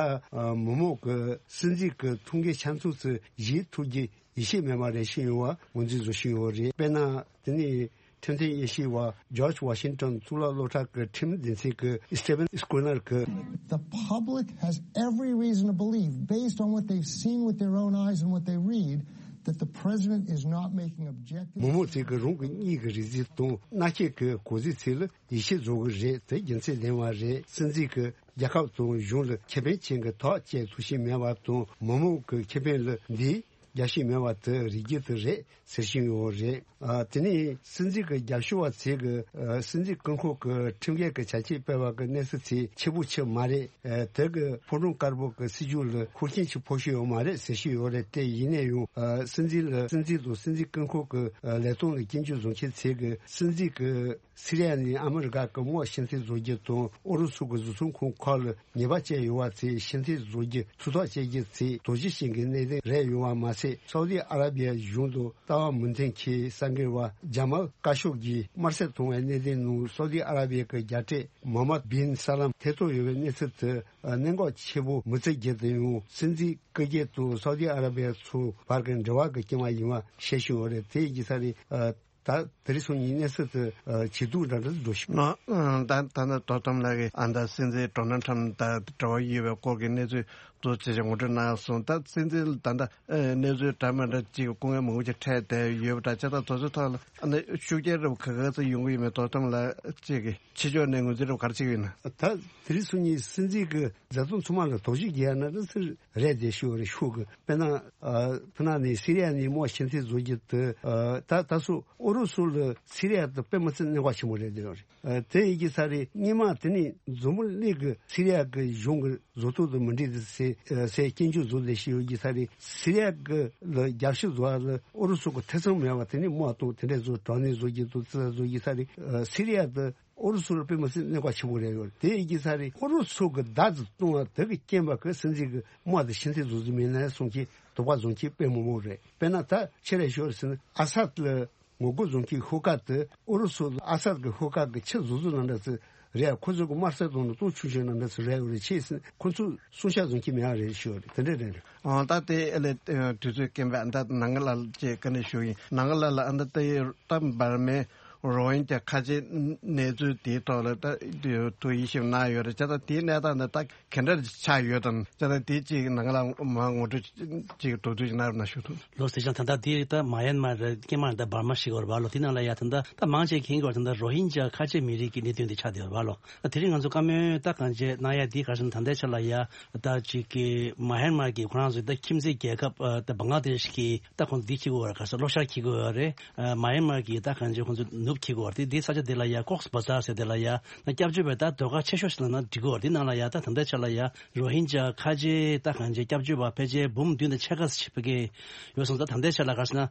མི་མང་གི་སྲིད་འཛིན་གི་ཐུགས་འགན་ཆ་ཚང་ཚོ་བཞེས་ཐུབ་རྒྱུ་ཡིད་ཆེས་མེད་པ་རེད་བཤད་ཡོང་བ་ངོས་འཛིན་བཟོ་བཞིན་ཡོད་རེད། དཔེར་ན་དེ་ནི་ཁྲིམས་མཐུན་དབྱེ་ཞིབ་པ་ཇོརྗ་ཝ་ཤིང་ཊོན་གཙུག་ལག་སློབ་གྲྭ་གི་ཁྲིམས་སྡེ་ཚན་གི་སི་ཊི་ཝན་སྐུ་ནར་གི། The public has every reason to believe, based on what they've seen with their own eyes and what they read, that the president is not making objective མི་མང་ཚོས་གི་རང་གི་མིག་གི་རིག་གཟིགས་དང་རྣ་ཤེས་ཀྱི་གོ་གཟིགས་ཚོ་ལ་ཡིད་ཆེས་བཟོ་གི་རེད། དེ་རྒྱུ་མཚན་ལྡན་པ་རེད། སྲིད་འཛིན་གྱིས་རྒྱལ་ཁབ་དང་གཞུང་ལ་ཁེ་ཕན་ཅན་གྱི་ཐག་བཅད་ཐུབ་བཞིན་མེད་པ་དང་མི་མང་གི་ཁེ་ཕན་ལ་འདི་རྒྱབ་བཞིན་མེད་པ་དེ་རིགས་རྒྱུ་དེ་རེད་ཟེར་བཞིན་ཡོད་རེད། ཨ། དེ་ནས་སྲིད་འཛིན་གྱི་རྒྱབ་སྐྱོར་བ་ཚོས་ཀྱི་ཨ། སྲིད་འཛིན་སྐུ་འཁོར་གྱི་ཁྲིམས་འགལ་གྱི་བྱ་སྤྱོད་སྤེལ་བ་གི་གནས་ཚུལ་ཚོ་ཆེ་པོ་ཆེ་མ་རེད། ཨ། དེ་གི་ཕོ་བྲང་དཀར་པོ་གི་སྲིད་ཇུས་ལ་འཁོར་ཆེན་ཆེ་ཕོག་ཤོས་ཡོད་མ་རེད་ཟེར་བཞིན་ཡོད་རེད། དེ་ཡིན་ན་ཡང་ཨ། སྲིད་འཛིན་ལ་སྲིད་འཛིན་དང་སྲིད་འཛིན་སྐུ་འཁོར་གྱི་ཨ། ལས་དོན་ལ་སྐྱོན་བརྗོད་བཟོ་མཁན་ཚོས་ཀྱི་སྲིད་འཛིན་གྱི་སི་རི་ཡ་ནས་ཨ་མི་རི་ཀ་གི་དམག་ཕྱིར་འཐེན་བཟོ་རྒྱུ་དང་ཨུ་རུ་སུ་གི་བཟོ་ཚོང་ཁང་ཁག་ལ་ཉེས་པ་བཅད་ཡོད་པ་ཚོས་ཕྱིར་འཐེན་བཟོ་རྒྱུ་ཐུགས་ཐག་བཅད་རྒྱུ་ཚོས་དོགས་གཞི་ཅན་གྱི་གནད་དོན་རེད་ཡོད་པ་མ་ཟད། སའུ་དི་ཨ་ར་བི་ཡ་གཞུང་དུ་ལྟ་བ་མི་མཐུན་གྱི་གསར་འགོད་པ་ཇ་མལ་ཀ་ཤོག་གིས་དམར་གསོད་བཏང་བའི་གནད་དོན་ནང་སའུ་དི་ཨ་ར་བི་ཡ་གི་རྒྱལ་གཅེས་མོ་ཧམ་མད་བིན་ས་ལམ་ཐེ་གཏོགས་ཡོད་པའི་གནས་ཚུལ་དེ་གནད་འགག་ཆེ་པོ་མི་བརྩི་རྒྱུ་དེ་ཡང་སྲིད་འཛིན་སྐུ་སྒེར་དང་སའུ་དི་ཨ་ར་བི་ཡ་ཚོའི་བར་གྱི་འབྲེལ་བ་གི་རྐྱེན་པ་ཡིན་པ་བཤད་བཞིན་ཡོད་རེད། དེ་ཡིན་ས་རེད། ད་དེ་རིང་སང་ཉིན་གནས་ཚུལ་དེ་ཇེ་སྡུག་འདྲ་འདྲ་འགྲོ་བཞིན། ད་ད་ད་ལྟ་དོ་དམ་ལགས་ཀྱིས་ཨ་ད་སྲིད་འཛིན་ཌོ་ནལ་ཁྲམ་དང་འབྲེལ་བ་ཡོད་པའི་སྐོར་གྱི་གནས་ཚུལ་དུ་ཇེ་ཆེ་ངོ་སྤྲོད་གནང་སོང་། ད་སྲིད་འཛིན་ད་ལྟ་གནས་ཚུལ་འདྲ་མི་འདྲ་ཅིག་སྐུ་ངལ་མང་པོ་ཅིག་འཕྲད་བསྡད་ཡོད་པ་འདྲ། བྱས་ཙང་དེ་ཚོའི་ཐོག་ལ་ཨ་ནི་ཤུགས་རྐྱེན་རབ་ག་ག་ཚོད་ཡོང་གི་ཡོད་མེད་དོ་དམ་ལགས་ཅིག་གིས་ཕྱི་ཕྱོགས་ནས་ངོས་འཛིན་རབ་ག་རེ་བྱེད་ཀྱི་ཡོད་ན། ད་དེ་རིང་སང་ཉིན་སྲིད་འཛིན་གྱི་མཛད་རྗེས་ཚང་མ་ལ་དོགས་གཞི་རྒྱག་ན་ད་ཚུར་རེད་དེ་ཤོད་རེད་ཤོད་གི། དཔེར་ན་ཨ་ཕུ་ན་ནས་སི་རི་ཡ་ནས་དམག་ཕྱིར་འཐེན་བཟོ་རྒྱུ་དེ་ཨ་ད་ད་སོ་ཨུ་རུ་སུ་ལ་སི་རི་ཡ་དེ་དཔེ་མི་སྲིད་གནད་འགག་ཆེན་པོ་རེད་དེ་ཡོད་རེད། ཨ་དེ་ཡིན་གྱི་ས་རེད། སྔོན་མ་དེ་ནས་འཛམ་བུ་གླིང་གི་སི་རི་ཡ་གི་གཞུང་གི་བཟོ་ཐབས་དང་མི་འགྲིག་དེ་ཟེར་ཟེར་སྐྱོན་བརྗོད་བཟོ་ལས་ཤིག་ཡོད་ཀྱི་ས་རེད། སི་རི་ཡ་གི་ལ་རྒྱབ་སྐྱོར་བཟོ་བ་ལ་ཨུ་རུ་སུ་གི་ཐེ་ཚོམ་མེད་པ་དེ་ནས་དམག་གཏོང་དེ་འདྲས་བཟོ་དྲག་གནོན་བཟོ་རྒྱུ་དང་ཙི་བཟོ་རྒྱུ་ས་རེད། ཨ་སི་རི་ཡ་དེ་ཨུ་རུ་སུ་ལ་དཔེ་མི་སྲིད་གནད་འགག་ཆེན་པོ་རེད་ཡོད། དེ་ཡིན་གྱི་ས་རེད། ཨུ་རུ་སུ་གི་བརྡ་དེ་གཏོང་བ་དེ་གི་རྐྱེན་པ་གི་སྲིད་འཛིན་གི་དམག་དེ་ཕྱིར་འཐེན་བཟོ་རྒྱུ་མིན་ན་གསུང་གི་དོགས་པ་བཟོ་མཁན་དཔེ་མང་པོ་རེད། དཔེར་ན་ད་ཆེ་རེ་ཤོར་ཟིན་ཨ་སད་ལ་ངོ་རྒོལ་བཟོ་མཁན་ཤོག་ཁག་དེ་ཨུ་རུ་སུ་ཨ་སད་གི་ཤོག་ཁག་གི་ཆེས་བཟོ་བཟོ་ནང་འདྲ་ཚོད་རེད། ཁོ་ཚོ་གི་དམར་གསོད་གཏོང་ནི་གཏོང་ཆུང་ཆུང་ནང་འདྲ་ཚོད་རེད་ཡོད་རེད། ཆེས་ཟིན་ཁོ་ཚོ་སྲུང་བྱ་བཟོ་མཁན་མེད་ཨ་རེད་ཤོད་རེད། དེ་འདྲ་རེད་རེད། ཨོ་ད་དེ་ཨེ་ལས་དུས་ཚོད་རྐྱེན་པས་ཨ་ད་ནང་ལ་ཅེས་བཀའ་འདྲི་ཞུ་ཡིན། ནང་ལ་ལ་ཨ་ད་ད་ད་འབར་མའི་རོ་ཧིན་ཇ་ཁ་ཆེ་གནས་ཚུལ་དེའི་ཐོག་ལ་ད་དུ་ཡིད་ཞིབ་གནང་ཡོད་རེད། ཅེས་ད་དེའི་གནས་སྟངས་འདི་ད་ག་འདྲ་ཆགས་ཡོད་དམ། ཅེས་ད་དེ་ཅིག་ནང་ལ་མ་ངོ་སྤྲོད་ཅིག་དོགས་འདོད་ཅིག་གནང་རོགས་གནང་ཞུ་ཐུབ། ལོ་སི་ཅང་ད་ལྟ་དེ་ད་མ་ཡན་མར་རེད། ཀྱེ་མར་ད་འབར་མ་ཞིག་ཡོད་རེད་བ་ལོ། དེ་ནང་ལ་ཡ་ད་ད་ད་མང་ཆེ་མཁྱེན་གྱི་ཡོད་རེད། ད་ད་རོ་ཧིན་ཇ་ཁ་ཆེ་མི་རིགས་ཀྱི་གནད་དོན་དེ་ཆགས་བསྡད་ཡོད་རེད་བ་ལོ། ད་དེ་རིང་ང་ཚོ་བཀའ་མོལ་ད་གང་བྱས་གནང་ཡ་དེ་ག་རེ་ཟེར་ན་ད་ལྟའི་ཆ་ལ་ཡ་ད་ཅིག་གི་མ་ཡན་མར་གྱི་ཁོ་རང་ཚོ་ད་ཁྱིམ་མཚེས་རྒྱལ་ཁབ་ད་བང་ལ་དེ་ཤི་གི་ད་ཁོང་ཚོ་འདི་འཁྱེར་གྱི་ཡོད་རེད། ག་ས་ལྷོ་ཤར་འཁྱེར་གྱི་ཡོད་རེད། མ་ཡན་མར་གྱི་ད་གང་ཅི་ཁོང་ཚོ་ནུབ་འཁྱེར་གྱི་ཡོད་རེད། དེ་དེ་ས་ཆ་དེ་ལ་ཡ་ཀོགས་བ་ཛར་ཟེར་དེ་ལ་ཡ་ན་སྐྱབས་བཅོལ་བའི་ད་ཟློས་གར་ཆེ་ཤོས་ཤིག་ལ་ན་འགྲིག་གི་ཡོད་རེད། དེ་ནང་ལ་ཡ་ད་ད་ལྟའི་ཆ་ལ་ཡ་རོ་ཧིན་ཇ་ཁ་ཆེ་ད་གང་ཅི་སྐྱབས་བཅོལ་བ་ཕལ་ཆེར་འབུམ་བདུན་དང་ཕྱེད་ཀ་ཞིག་ཕ་གི་ཡོད་སོང་། ད་ད་ལྟའི་ཆ་ལ་ག་རེ་ཟེར་ན་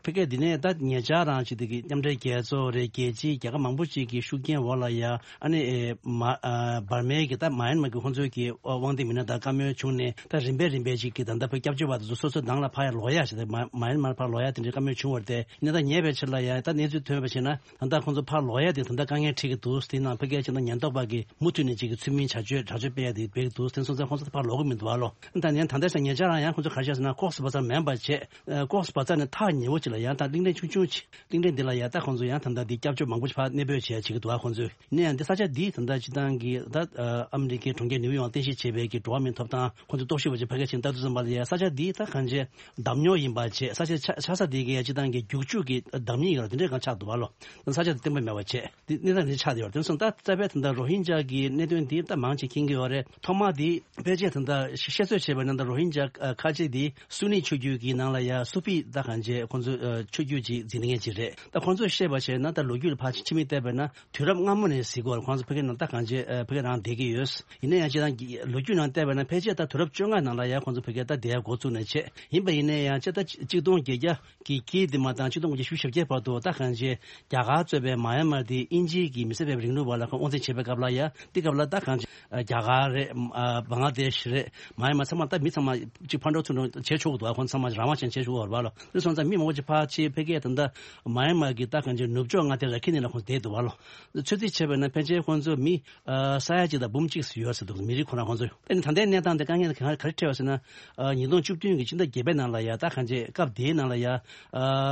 ཕ་གི་འདི་ནས་ད་ཉེ་ཆར་རང་ཅིག་དེ་གི་མཉམ་འབྲེལ་རྒྱལ་ཚོགས་རེད། རྒྱལ་སྤྱིའི་རྒྱལ་ཁབ་མང་པོ་ཅིག་གི་ཤུགས་རྐྱེན་འོག་ལ་ཡ་ཨ་ནི་ཨེ་མ་ཨ་འབར་མའི་གི་ད་མ་ཡན་མར་གི་ཁོང་ཚོའི་གི་དབང་འདུས་མི་སྣ་དང་བཀའ་མོལ་བྱུང་ནས་ད་རིམ་པས་རིམ་པས་ཅིག་གི་ད་ལྟ་ཕ་སྐྱབས་བཅོལ་བ་དེ་ཚོ་སོ་སོའི་ནང་ལ་ཕར་ཡ་ལོག་ཡ་ཞིག་དང་མ་མ་ཡན་མར་ཕར་ལོག་ཡ་དེ་འདྲའི་བཀའ་མོལ་བྱུང་བ་རེད་དེ། ཡིན་ན་ད་ཉེ་བའི་ཆར་ལ་ཡ་ད་གནས་ཚུལ་ཐོན་པ་བྱས་ན་ད་ལྟ་ཁོང་ཚོ་ཕར་ལོག་ཡ་དེ་ད་ལྟ་དཀའ་ངལ་འཕྲད་ཀྱི་འདུག་དེ་ནང་ཕ་གིའི་ཕྱི་ནང་ཉེན་རྟོག་པ་གིས་མུ་མཐུད་ནས་ཅིག་གི་ཚུལ་མིན་བྱ་སྤྱོད་དྲག་སྤྱོད་སྤེལ་ཡ་དེ་སྤེལ་གྱི་འདུག་དེ་སོང་ཙང་ཁོང་ཚོ་ད་ཕར་ལོག་གི་མི་འདུག་ཨ་ལོ། ད་ནས་ད་ལྟ་ས་ཉེ་ཆར་རང་ཡང་ཁོང་ཚོ་ག་རེ་བྱས་ཟེར་ན་ཀོགས་བ་ཛར་མིན་པ་བྱས། ཨ་ཀོགས་བ་ཛར་ནས་ཐག་ཉེ་བོ་ཅིག་ལ་ཡང་ད་གླིང་ཕྲན་ཆུང་ཆུང་ཅིག་གླིང་ཕྲན་འདི་ལ་ཡང་ད་ཁོང་ཚོ་ཡང་ད་ལྟ་འདི་སྐྱབས་བཅོལ་མང་པོ་ཞིག་ཕར་གནས་སྤོས་བྱས་བྱེད་ཀྱི་འདུག་ཨ། ཁོང་ཚོས་ཡིན་ན་ཡང་འདི་ས་ཆ་འདི་ད་ལྟ་སྤྱི་བཏང་གི་ད་ཨ་ཨ་མི་རི་ཀའི་གྲོང་ཁྱེར་ནིའུ་ཡོག་རྟེན་གཞི་བྱས་པའི་གི་འགྲོ་བ་མིའི་ཐོབ་ཐང་ཁོང་ཚོ་རྟོག་ཞིབ་པ་ཅིག་ཕ་གི་ཕྱིན་ལྟ་དུས་ཙམ་པ་ལ་ཡང་ས་ཆ་འདི་ད་གང་བྱས་འདམ་ཉོག་ཡིན་པ་བྱས། ས་ཆ་ཆ་ཆགས་ས་འདི་གི་ཡང་སྤྱི་བཏང་གི་རྒྱུག་ཆུ་གི་འདམ་ཉིད་ཡོད་ར་དེ་འདྲས་གང་ཆགས་འདུག་ཨ་ལོ། ས་ཆ་འདི་བརྟན་པོ་མེད་པ་བྱས། འདི་གནས་སྟངས་འདི་ཆགས་བསྡད་ཡོད་རེད། དེ་སོང་ད་རྩ་བའི་ད་ལྟ་རོ་ཧིན་ཇ་གི་གནད་དོན་འདི་ད་མང་ཆེ་མཁྱེན་གྱི་ཡོད་རེད། ཐོག་མ་འདི་ཕལ་ཆེར་ད་ལྟ་བཤད་ཚོད་བྱས་པ་ཡིན་ན་ད་རོ་ཧིན་ཇ་ཨ་ཁ་ཆེ་འདི་སུ་ནི་ཆོས་བརྒྱུད་ཀྱི་ནང་ལ་ཡ་སུ་ཕི་ད་གང་བྱས་ཁོང་ཚོ་ཨ་ཆོས་བརྒྱུད་ཅིག་འཛིན་མཁན་ཅིག་རེད། ད་ཁོང་ཚོས་བཤད་པ་བྱས་ན་ད་ལོ་རྒྱུས་ལ་ཕར་ཕྱི་མིག་བལྟས་པ་ཡིན་ན་དུས་རབས་སྔ་མོ་ནས་གཟིགས་དགོས་རེད། ཁོང་ཚོ་ཕ་གི་ནང་ད་གང་བྱས་ཨ་ཕ་གི་རང་བསྡད་ཀྱི་ཡོད། ཡིན་ན་ཡང་སྤྱིར་བཏང་གི་ལོ་རྒྱུས་ནང་བལྟས་པ་ཡིན་ན་ཕལ་ཆེར་ད་དུས་རབས་བཅོ་ལྔ་ནང་ལ་ཡ་ཁོང་ཚོ་ཕ་གི་ད་བསྡད་ཡ་འགོ་བཙུགས་ནས་བྱས། ཡིན་པ་ཡིན་ན་ཡང་སྤྱིར་ད་གཅིག་སྟོང་བརྒྱད་བརྒྱ་གི་དཀྱིལ་དེ་མ་བཏང་ཆིག་སྟོང་དགུ་བརྒྱ་བཞི་བཅུ་ཞེ་བརྒྱད་བར་དུ་ད་གང་བྱས་རྒྱ་ རྒྱ་གར་གཙོས་པའི་མ་ཡན་མར་དེ་དབྱིན་ཇི་གི་མི་སེར་སྤེལ་བའི་རིང་ལུགས་པ་ལ་ཁོང་དབང་འཛིན་བྱེད་པའི་སྐབས་ལ་ཡ་དེ་སྐབས་ལ་ད་གང་ཅི་རྒྱ་གར་རེད། ཨ་བང་ལ་དེ་ཤི་རེད། མ་ཡན་མར་ཚང་མ་ད་མི་ཚང་མ་གཅིག་ཕར་འགྲོ་ཚུར་འགྲོ་བྱེད་ཆོག་གི་འདུག་ཁོང་ཚང་མ་རང་དབང་ཅན་བྱེད་ཆོག་གི་རེད་བ་ལོ། དེ་སོང་ཙང་མི་མང་པོ་ཅིག་ཕར་ཕྱིན་ཕ་གིར་ད་ལྟ་མ་ཡན་མར་གི་ད་གང་ཅི་ནུབ་ཕྱོགས་མངའ་སྡེ་ར་ཁི་ནི་ལ་ཁོང་བསྡད་འདུག་བ་ལོ། ཚོད་རྩིས་བྱས་པ་ན་ཕལ་ཆེར་ཁོང་ཚོ་མི་ཨ་ས་ཡ་གཅིག་དང་འབུམ་གཅིག་ཡོད་ཟེར་འདུག་མི་རིགས་ཁོ་རང་ཁོང་ཚོ། ཨ་ནི་ད་ལྟའི་གནས་སྟངས་དེ་དཀའ་ངལ་ག་རེ་འཕྲད་པ་ཟེར་ན། ཨ་ཉིས་སྟོང་བཅུ་བདུན་གྱི་ཕྱི་ཟླ་བརྒྱད་པའི་ནང་ལ་ཡ་ད་གང་ཅི་སྐབས་དེའི་ནང་ལ་ཡ་ཨ་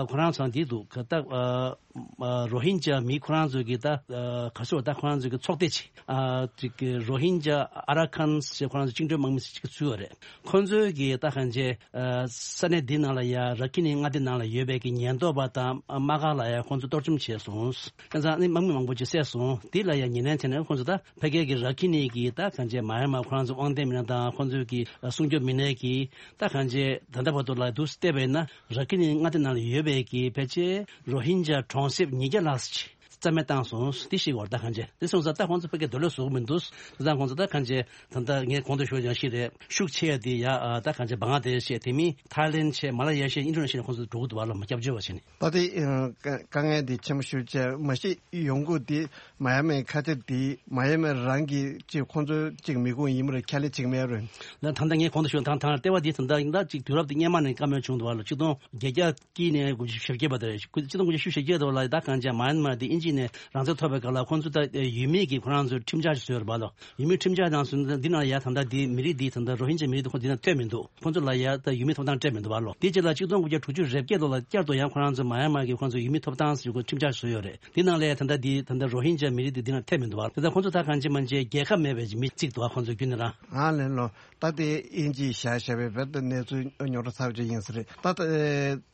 ཁོ་རང་ཚོ་འདི་འདུག་ག་ད་ཨ་ཨ་རོ་ཧིན་ཇཱ་མི་ཁོ་རང་ཚོ་གི་ད་ཨ་ག་ཚོད་ད་ཁོ་རང་ཚོ་གི་ཚོགས་སྡེ་ཅིག་ཨ་ཅིག་གི་རོ་ཧིན་ཇཱ་ཨ་ར་ཁཱན་ཞེས་ཁོ་རང་ཚོ་བཅིངས་འགྲོལ་དམག་མི་ཞིག་ཚུད་ཡོད་རེད། ཁོ་ཚོའི་གི་ད་གང་ཅི་ཨ་ས་གནས་འདི་ནང་ལ་ཡ་ར་ཁི་ནི་མངའ་སྡེ་ནང་ལ་ཡོད་པའི་གི་ཉེན་རྟོག་པ་དང་དམག་སྒར་ལ་ཡ་ཁོང་ཚོ་གཏོར་བཅོམ་བྱས་སོང་། ཁ་སང་ནི་དམག་མི་མང་པོ་ཅིག་བསད་སོང་། འདི་ལ་ཡ་ཉེ་ལན་བྱས་ནས་ཁོང་ཚོ་ད་ཕ་གིའི་གི་ར་ཁི་ནི་གི་ད་གང་ཅི་མ་ཡན་མར་ཁོ་རང་ཚོ་དབང་ལྡན་མི་སྣ་དང་ཁོང་ཚོའི་གི་སྲུང་སྐྱོབ་མི་སྣས་གི་ད་གང་ཅི་ད་ལྟ་བར་དུ་ལ་དུ་བལྟས་པས་ན་ར་ཁི་ནི་མངའ་སྡེ་ནང་ལ་ཡོད་པའི་གི་ཕལ་ཆེར་རོ་ཧིན་ཇཱ་གྲོང་གསེབ་ཉིས་བརྒྱ་ལྷག་ཅིག་རྩ་མེད་བཏང་སོང་། འདི་ཞིག་བར་ད་གང་ཅི་འདི་སོང་ཙང་ད་ཁོང་ཚོ་ཕ་གིར་སྡོད་ལོས་བཟོ་གི་མི་འདུག་དེ་ཙང་ཁོང་ཚོ་ད་གང་ཅི་ད་ལྟ་ངས་གོང་དུ་ཞུས་ཡང་ཞིག་རེད། ཤུགས་ཆེ་ཡ་དེ་ཡ་ཨ་ད་གང་ཅི་བང་ལ་དེ་ཤེས་དེ་མིན་ཐའི་ལེན་ཆེ་མ་ལ་ཡ་ཤེས་ཨིན་ཌོ་ནེ་ཤི་ཡ་ཁོང་ཚོ་འགྲོ་གི་འདུག་བ་ལ་མ་སྐྱབས་བཅོལ་བ་བྱས་ནས། ད་དེ་ཨ་དཀའ་དཀའ་ངལ་དེ་ཆེན་པོ་ཞིག་བྱས་མ་གཞི་ཡོང་སྒོ་དེ་མ་ཡ་མའི་ཁ་ཆེ་དེ་མ་ཡ་མའི་རང་གི་ཅིག་ཁོང་ཚོ་ཅིག་མི་ཁུངས་ཡིན་པ་རེད། ཁས་ལེན་བྱེད་ཀྱི་མེད་རེད། ད་ད་ལྟ་ངས་གོང་དུ་ཞུས་ད་ད་ལྟ་ལྟེ་བ་དེ་ད་ལྟ་ཡིན་ད་ཅིག་དུས་རབས་དེ་སྔོན་མ་ནས་བཀའ་མོལ་བྱུང་འདུག་བ་ལ་ཆིག་སྟོང་བརྒྱད་བརྒྱ་དཀྱིལ་ནས་དགུ་བཅུ་ཞེ་བརྒྱད་བར་དུ་རེད། དགུ་ཆིག་སྟོང་དགུ་བཅུ་ཞེ་བརྒྱད་དུ་ལ་ད་གང་ཅི་མ་ཡན་མར་དེ་དབྱིན་ཇི་ནས་རང་བཙན་ཐོབ་པའི་སྐབས་ལ་ཁོང་ཚོ་ད་ཡུལ་མིའི་གི་ཁོ་རང་ཚོའི་ཁྲིམས་འཆར་ཞིག་བཟོས་ཡོད་རེད་བ་ལོ། ཡུལ་མིའི་ཁྲིམས་འཆར་ནང་སོང་ན་འདི་ནང་ཡ་ད་ལྟ་འདི་མི་རིགས་འདི་ད་ལྟ་རོ་ཧིན་ཇཱ་མི་རིགས་འདི་ཁོ་འདི་ནང་ཐོན་མི་འདུག་ཁོང་ཚོ་ལ་ཡ་ད་ཡུལ་མིའི་ཐོབ་ཐང་སྤྲད་མི་འདུག་བ་ལོ། དེ་རྗེས་ལ་ཆིག་སྟོང་དགུ་བརྒྱ་དྲུག་ཅུ་རེ་བརྒྱད་ལོ་ལ་བསྐྱར་དུ་ཡང་ཁོ་རང་ཚོ་མ་ཡན་མར་གི་ཁོང་ཚོ་ཡུལ་མིའི་ཐོབ་ཐང་ཟེར་ཁོ་ཁྲིམས་འཆར་བཟོས་ཡོད་རེད། འདི་ནང་ལ་ཡ་ད་ལྟ་འདི་ད་ལྟ་རོ་ཧིན་ཇཱ་མི་རིགས་འདི་འདི་ནང་ཐོན་མི་འདུག་བ། དེ་ལྟར་ཁོང་ཚོ་ད་གང་ཅི་མ་ཅི་རྒྱལ་ཁབ་མེད་པའི་མི་གཅིག་འདུག་བ། ཁོང་ཚོ་རྒྱུན་ནས་རང་། ཨ་ལན་ལོ། ད་དེ་དབྱིན་ཇིས་བཞག་བཞག་པའི་བེད་དུ་གནས་ཚུལ་རྙོག་དྲ་ཚ་བ་ཅིག་ཡིན་ས་རེད། ད་ད་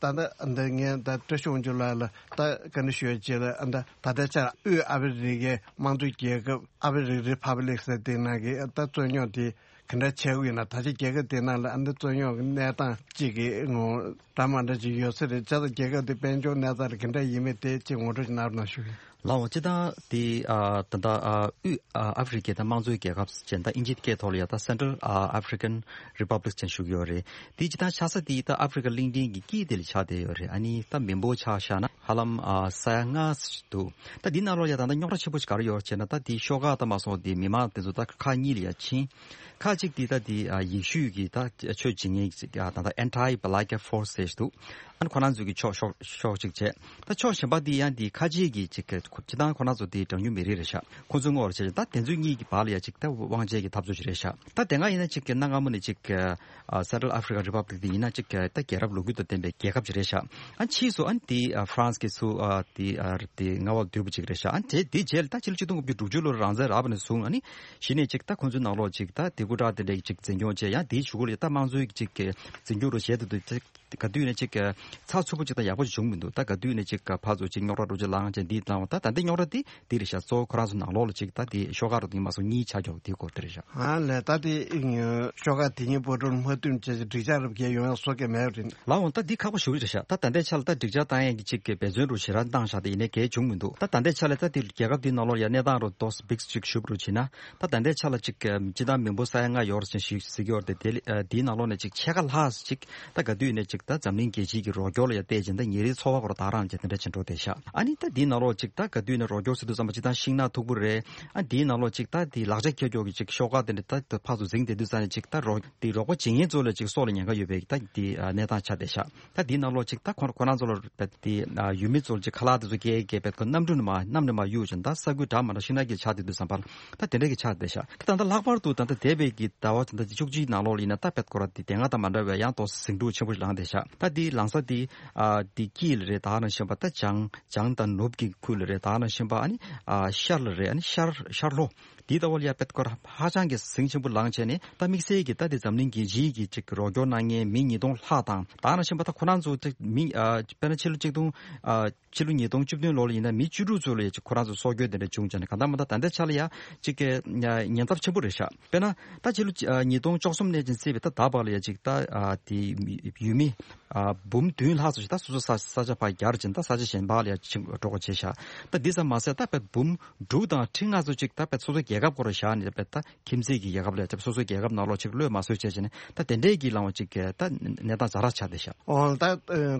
ད་ད་འདི་ངས་ད་བཀྲ་ཤིས་དབང་ཕྱུག་ལགས་ལ་ད་བཀའ་འདྲི་ཞུ་ཡ་ཅིག་ལ་ཨ་ད་ད་ལྟའི་ཆར་དབུས་ཨ་ཧྥེ་རི་ཁའི་དམངས་གཙོའི་རྒྱལ་ཁབ་ཨ་ཧྥེ་རི་ཁ་རི་ཕབ་ལིག་ཟེར་དེ་ནང་གི་ད་རྩོད་རྙོག་དེ་ག་འདྲ་ཆགས་ཀྱི་ཡོད་ན། ད་ཆ་རྒྱལ་ཁབ་དེ་ནང་ལ་ཨ་ད་རྩོད་རྙོག་གི་གནས་སྟངས་གཅིག་གི་ངོ་འདྲ་མ་འདྲ་ཅིག་ཡོད་ས་རེད། བྱས་ཙང་རྒྱལ་ཁབ་དེ་དཔལ་འབྱོར་གནས་སྟངས་ལ་ག་འདྲ་ཡིན་མིན་དེ་ཅིག་ངོ་སྤྲོད་ཅིག་གནང་རོགས་གནང་ཞུ་གི་ཡིན། ལའོ་སྤྱི་བཏང་དེ་ཨ་ད་ལྟ་ཨ་དབུས་ཨ་ཨ་ཧྥེ་རི་ཁའི་ད་དམངས་གཙོའི་རྒྱལ་ཁབ་ཅན་ད་དབྱིན་ཇིའི་སྐད་ཐོག་ལ་ཡ་ད་Central African Republic ཅན་ཞུ་གི་ཡོད་རེད། དེ་སྤྱི་བཏང་ཆགས་ས་དེ་ད་ཨ་ཧྥེ་རི་ཁ་གླིང་ཕྲན་གྱི་དཀྱིལ་དེ་ལ་ཆགས་བསྡད་ཡོད་རེད། ཨ་ནི་ད་མི་འབོར་ཆ་བཞག་ན་ཧ་ལམ་ཨ་ས་ཡ་ལྔ་ཞིག་འདུག་ད་འདི་ནང་ལོགས་ཡ་ད་ད་རྙོག་དྲ་ཆེན་པོ་ཞིག་ག་རེ་ཡོད་ཅེ་ན། ད་དེ་ཤོག་ཁག་ད་མ་སོང་དེ་མི་མང་དེ་ཚོ་ད་ཁག་གཉིས་ལ་ཡ་ཕྱིན། ཁག་གཅིག་དེ་ད་དེ་ཨ་ཡེ་ཤུ་གི་ད་ཆོས་བྱེད་མཁན་ཅིག་ཨ་ད་ད་Anti-Balaka Force ཞེས་འདུག་ཨ་ནི་ཁོ་རང་ཚོའི་གི་ཕྱོགས་ཕྱོགས་ཕྱོགས་གཅིག་བྱས། ད་ཕྱོགས་གཞན་པ་འདི་ཡང་འདི་ཁ་ཆེ་གི་ཅིག་གི་སྤྱི་བཏང་ཁོ་རང་ཚོ་འདི་གྲངས་ཉུང་མི་རིགས་རེད་ཤག་ཁོ་ཚོའི་ངོ་བོར་བྱས་ད་དེ་ཚོའི་གཉིས་ཀྱི་བར་ལ་ཡ་ཅིག་ད་དབང་ཆའི་གི་འཐབ་རྩོད་ཅིག་རེད་ཤག་ད་དེ་སྔ་ཡིན་ན་ཅིག་གི་གནའ་སྔ་མོ་ནས་ཅིག་གི་ཨ་Central African Republic འདི་ཡིན་ན་ཅིག་གི་ད་རྒྱལ་རབས་ལོ་རྒྱུས་དང་ལྡན་པའི་རྒྱལ་ཁབ་ཅིག་རེད་ཤག་ཨ་ཕྱིས་སུ་ཨ་འདི་ཨ་ཧྥ་རན་སི་གི་ཚུ་ཨ་འདི་ཨ་འདི་མངའ་འོག་བསྡུས་པ་ཅིག་རེད་ཤག་ཨ་དེ་དེ་རྗེས་ལ་ད་ཕྱི་ལོ་ཆིག་སྟོང་དགུ་བརྒྱ་དྲུག་ཅུ་ལོར་རང་བཙན་རག་པ་ནས་བཟུང་ཨ་ནི་གཞི་ནས་ཅིག་ད་ཁོ་ཚོའི་ནང་ལོགས་ཅིག་ད་དེ་ཀུ་ད་དེ་འདྲའི་ཅིག་འཛིན་སྐྱོང་བྱས། ཡང་དེའི་གཞུག་གུ་ལ་ད་དམངས་གཙོའི་ཅིག་གི་འཛིན་སྐྱོང་རུ་བྱས་དུས་དུས་ཅིག་ག་དུས་ནས་ཅིག་ཚགས་ཚུད་པོ་ཅིག་དང་ཡག་པོ་ཅིག་བྱུང་མི་འདུག་ད་ག་དུས་ནས་ཅིག་ཕར་ཚུར་ཅིག་རྙོག་དྲ་འགྲོ་ཅིག་ལངས་ཅིག་འདི་བཏང་བ་ད་ད་འདི་རྙོག་དྲ་འདི་འདི་རེད་ཤག་གཙོ་བོ་ཁོ་རང་ཚོ་ནང་ལོགས་ལ་ཅིག་ད་འདི་ཤོག་ཁག་རུ་འདི་མ་སོང་གཉིས་ཆགས་ཀྱོག་འདི་སྐོར་དེ་རེད་ཤག་ཨ་ལས་ད་འདི་ཤོག་ཁག་དེ་གཉིས་བར་དུ་མ་མཐུན་བྱས་ཅིག་འགྲིག་ཆགས་རབ་རྒྱས་ཡོང་ཡག་བཟོ་གི་མེད་རེད། ལའོ་ད་འདི་ཁག་པོ་ཞེ་པོ་ཅིག་རེད་ཤག་ད་ད་ལྟའི་ཆ་ལ་ད་འགྲིག་ཆགས་བཏང་ཡག་གི་ཅིག་གི་འབད་བརྩོན་རུ་ཞེ་དྲག་བཏང་ཤག་ད་ཡིན་ནའི་གལ་བྱུང་མི་འདུག་ད་ད་ལྟའི་ཆ་ལ་ད་འདི་རྒྱལ་ཁབ་འདིའི་ནང་ལོགས་ཡ་གནས་སྟངས་རུ་ཏོག་ཙམ་འབིགས་ཅིག་ཞུ་བ་རུ་བྱས་ན། ད་ད་ལྟའི་ཆ་ལ་ཅིག་སྤྱི་བཏང་མི་འབོར་ས་ཡ་ལྔ་ཡོད་རེད་ཅེས་ཞིག་ཟེར་གྱི་ཡོད་རེད་དེ། དེ་ལ་དེའི་ནང་ལོགས་ནས་ཅིག་ཕྱེད་ཀ་ལྷག་ཅིག་ད་ག་དུས་ནས་ཅིག་ད་འཛམ་གླིང་རྒྱལ་སྤྱིའི་གི་རོགས་སྐྱོར་ལ་ཡ་བལྟས་ཅིང་ད་ཉིན་རེའི་འཚོ་བ་སྐོར་ད་རང་ཅིག་དེ་འདྲ་ཅིག་འགྲོ་བསྡད་ཤག་ཨ་ནི་ད་དེའི་ནང་ལོགས་ཅིག་ད་ག་དུས་ནས་རོགས་སྐྱོར་ཟེར་དུས་ཙམ་པ་སྤྱི་བཏང་ཤིང་ནགས་མཐུག་པོ་རེད། ཨ་དེའི་ནང་ལོགས་ཅིག་ད་དེ་ལག་ཆ་འཁྱེར་ཀྱོག་གི་ཅིག་ཤོག་ཁག་དེ་འདྲ་ད་ཕར་ཚུར་འཛིང་བསྡད་དུས་ཙང་ནས་ཅིག་ད་རོགས་དེ་རོགས་པ་བྱེད་མཁན་ཚོ་ལ་ཅིག་སྲོག་ལ་ཉེན་ཁ་ཡོད་པའི་ད་དེ་གནས་སྟངས་ཆགས་བསྡད་ཤག་ད་དེའི་ནང་ལོགས་ཅིག་ད་ཁོ་ཁོ་རང་ཚོ་ལ་དེ་ཡུལ་མི་ཚོ་ལ་ཅིག་ཁ་ལག་དེ་ཚོ་སྐྱེལ་སྐྱེལ་བས་ཁོ་གནམ་གྲུ་ནས་མ་གནམ་ནས་མ་གཡུག་ཅིང་ད་ས་ཁུལ་འདྲ་མ་འདྲ་ཤིང་ནགས་ཀྱི་ཆགས་བསྡད་དུས་ཙམ་པར་ད་དེ་འདྲ་གི་ཆགས་བསྡད་ཤག་ད་ད་ལྟ་ལྷག་པར་དུ་ད་ལྟ་འདས་པའི་གི་ཟླ་བ་ད་ལྟ་བཅུ་གཅིག་ནང་ལོགས་ལ་ཡིན་ན་ད་དཔེ་སྐོར་དེ་དེ་སྔ་དང་མ་འདྲ་བའི་ཡང་ཏོག་ཙམ་ཟིང་འཁྲུག་ཆེན་པོ་ཞིག་ལངས་བསྡད་ཤག་ད་དེ་ལངས་ས་དེ་ཨ་དེ་དཀྱིལ་ལ་རེད། ད་ག་ནང་བཞིན་པ་ད་བྱང་བྱང་དང་ནུབ་ཀྱི་ཁུལ་ལ་རེད། ད་ག་ནང་བཞིན་པ་ཨ་ནི་ཨ་ཤར་ལ་རེད། ཨ་ནི་ཤར་ཤར་ལྷོ། དེའི་ལྟ་བ་ལ་ཡ་དཔེ་སྐོར་ཧ་ཅང་གི་ཟིང་ཆེན་པོ་ལངས་བྱས་ནས་ད་དམིགས་བསལ་གྱི་ད་དེ་འཛམ་གླིང་རྒྱལ་སྤྱིའི་གི་ཅིག་རོགས་སྐྱོར་གནང་མཁན་མི་ཉིས་སྟོང་ལྷག་དང་། ད་ག་ནང་བཞིན་པ་ད་ཁོ་རང་ཚོ་ཅིག་མི་ཨ་དཔེར་ན་ཕྱི་ལོ་གཅིག་སྟོང་ཨ་ཕྱི་ལོ་ཉིས་སྟོང་བཅུ་བདུན་ལོ་ལ་ཡིན་ན་མི་བཅུ་དྲུག་ཚོ་ལ་ཡ་ཅིག་ཁོ་རང་ཚོ་སྲོག་སྐྱོན་དེ་འདྲ་བྱུང་བྱས་ནས་གང་ལྟར་མ་ད་ད་ལྟའི་ཆ་ལ་ཡ་ཅིག་གི་ཉེན་ཚབས་ཆེན་པོ་རེད་ཤག་དཔེར་ན་ད་ཕྱི་ལོ་ཉིས་སྟོང་བཅུ་གསུམ་ནས་ཅིག་བརྩིས་པའི་ད་ད་བར་ལ་ཡ་ཅིག་ད་ཨ་དེ་ཡུལ་མི་ ཨ་འབུམ་བདུན་ལྷག་ཙམ་ཞིག་ད་སོ་སོ་ས་ས་ཆ་ཕར་གྱར་ཅིང་ད་ས་ཆ་གཞན་པ་ལ་ཡང་ཕྱིན་འགྲོ་དགོས་བྱས་ཤག་ད་འདི་ཙམ་མ་ཟད་ད་དཔེ་འབུམ་དྲུག་དང་ཁྲི་ལྔ་ཙམ་ཅིག་ད་དཔེ་སོ་སོའི་རྒྱལ་ཁབ་སྐོར་བཞག་ནས་དཔེ་ད་ཁྱིམ་མཚེས་ཀྱི་རྒྱལ་ཁབ་ལ་ཡང་སོ་སོའི་རྒྱལ་ཁབ་ནང་ལོགས་ཅིག་གློད་མ་བཟོད་བྱས་བྱས་ནས་ད་དེ་འདྲའི་གི་ལངས་པ་ཅིག་ད་གནས་སྟངས་ཛ་དྲག་ཆགས་བསྡད་ཤག་ཨོ་ད་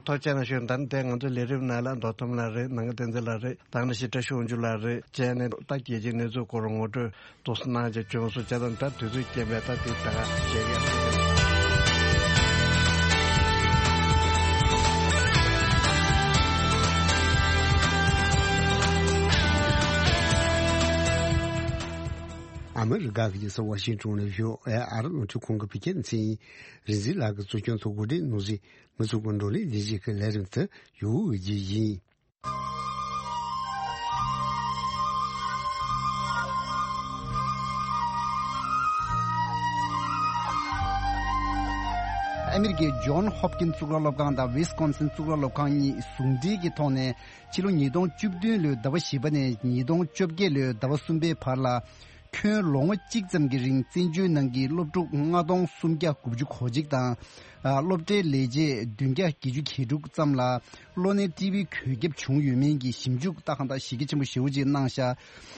ཐུགས་རྗེ་གནང་ཞུ། ད་འདི་ང་ཚོའི་ལས་རིམ་ནང་ལ་མདོ་ཁམས་ལགས་རེད། ནང་པ་བསྟན་འཛིན་ལགས་རེད། ད་ནི་ཤི་བཀྲ་ཤིས་དབང་ཕྱུག་ལགས་རེད། བཅས་ནས་ད་རྒྱལ་སྤྱིའི་གནས་ཚུལ་སྐོར་ངོ་སྤྲོད་ཏོག་ཙམ་གནང་བྱས་བྱུང་སོང་། བྱས་ཙང་ད་དུས་ཚོད་རྐྱེན་པས་ད་དེ་ད་ག་བཤད་ཀྱི་ཡོད། ཨ་མི་རི་ཀ་གི་རྒྱལ་ས་ཝ་ཤིང་ཊོན་ནས་བྷི་ཨོ་ཨེ་ཨ་རི་རླུང་འཕྲིན་ཁང་གི་བོད་སྐད་སྡེ་ཚན་རིག་འཛིན་ལགས་ཀྱིས་གཙོ་སྐྱོང་དུ་གོ་སྒྲིག་གནང་ཞིང་། ང་ཚོ་གི་བགྲོ་གླེང་ལས་གཞི་གི་ལས་རིམ་དེ་ཡོད་རྒྱུ་ཡིན། ཨ་མི་རི་ཀའི་ཇོན་ཧོབ་ཀིན་གཙུག་ལག་སློབ་ཁང་དང་ཝིས་ཀོན་སིན་གཙུག་ལག་སློབ་ཁང་གཉིས་ཟུང་འབྲེལ་གྱི་ཐོག་ནས་ཕྱི་ལོ་ཉིས་སྟོང་བཅུ་བདུན་ལོའི་ཟླ་བ་བཞི་པ་ནས་ཉིས་སྟོང་བཅོ་བརྒྱད་ལོའི་ཟླ་བ་གསུམ་པའི་བར་ལ། ཁྱོན་ལོ་ངོ་གཅིག་ཙམ་གྱི་རིང་བཙན་བྱོལ་ནང་གི་སློབ་ཕྲུག་ལྔ་སྟོང་སུམ་བརྒྱ་དགུ་བཅུ་གོ་གཅིག་དང་། ཨ་སློབ་གྲྭའི་ལས་བྱེད་བདུན་བརྒྱ་བརྒྱད་ཅུ་གྱ་དྲུག་ཙམ་ལ་གློ་ནད་ཊི་བི་འགོས་ཁྱབ་བྱུང་ཡོད་མིན་གྱི་ཞིབ་འཇུག་ད་གང་ལྟར་གཞི་རྒྱ་ཆེན་པོ་ཞེ་པོ་ཅིག་གནང་ཤག་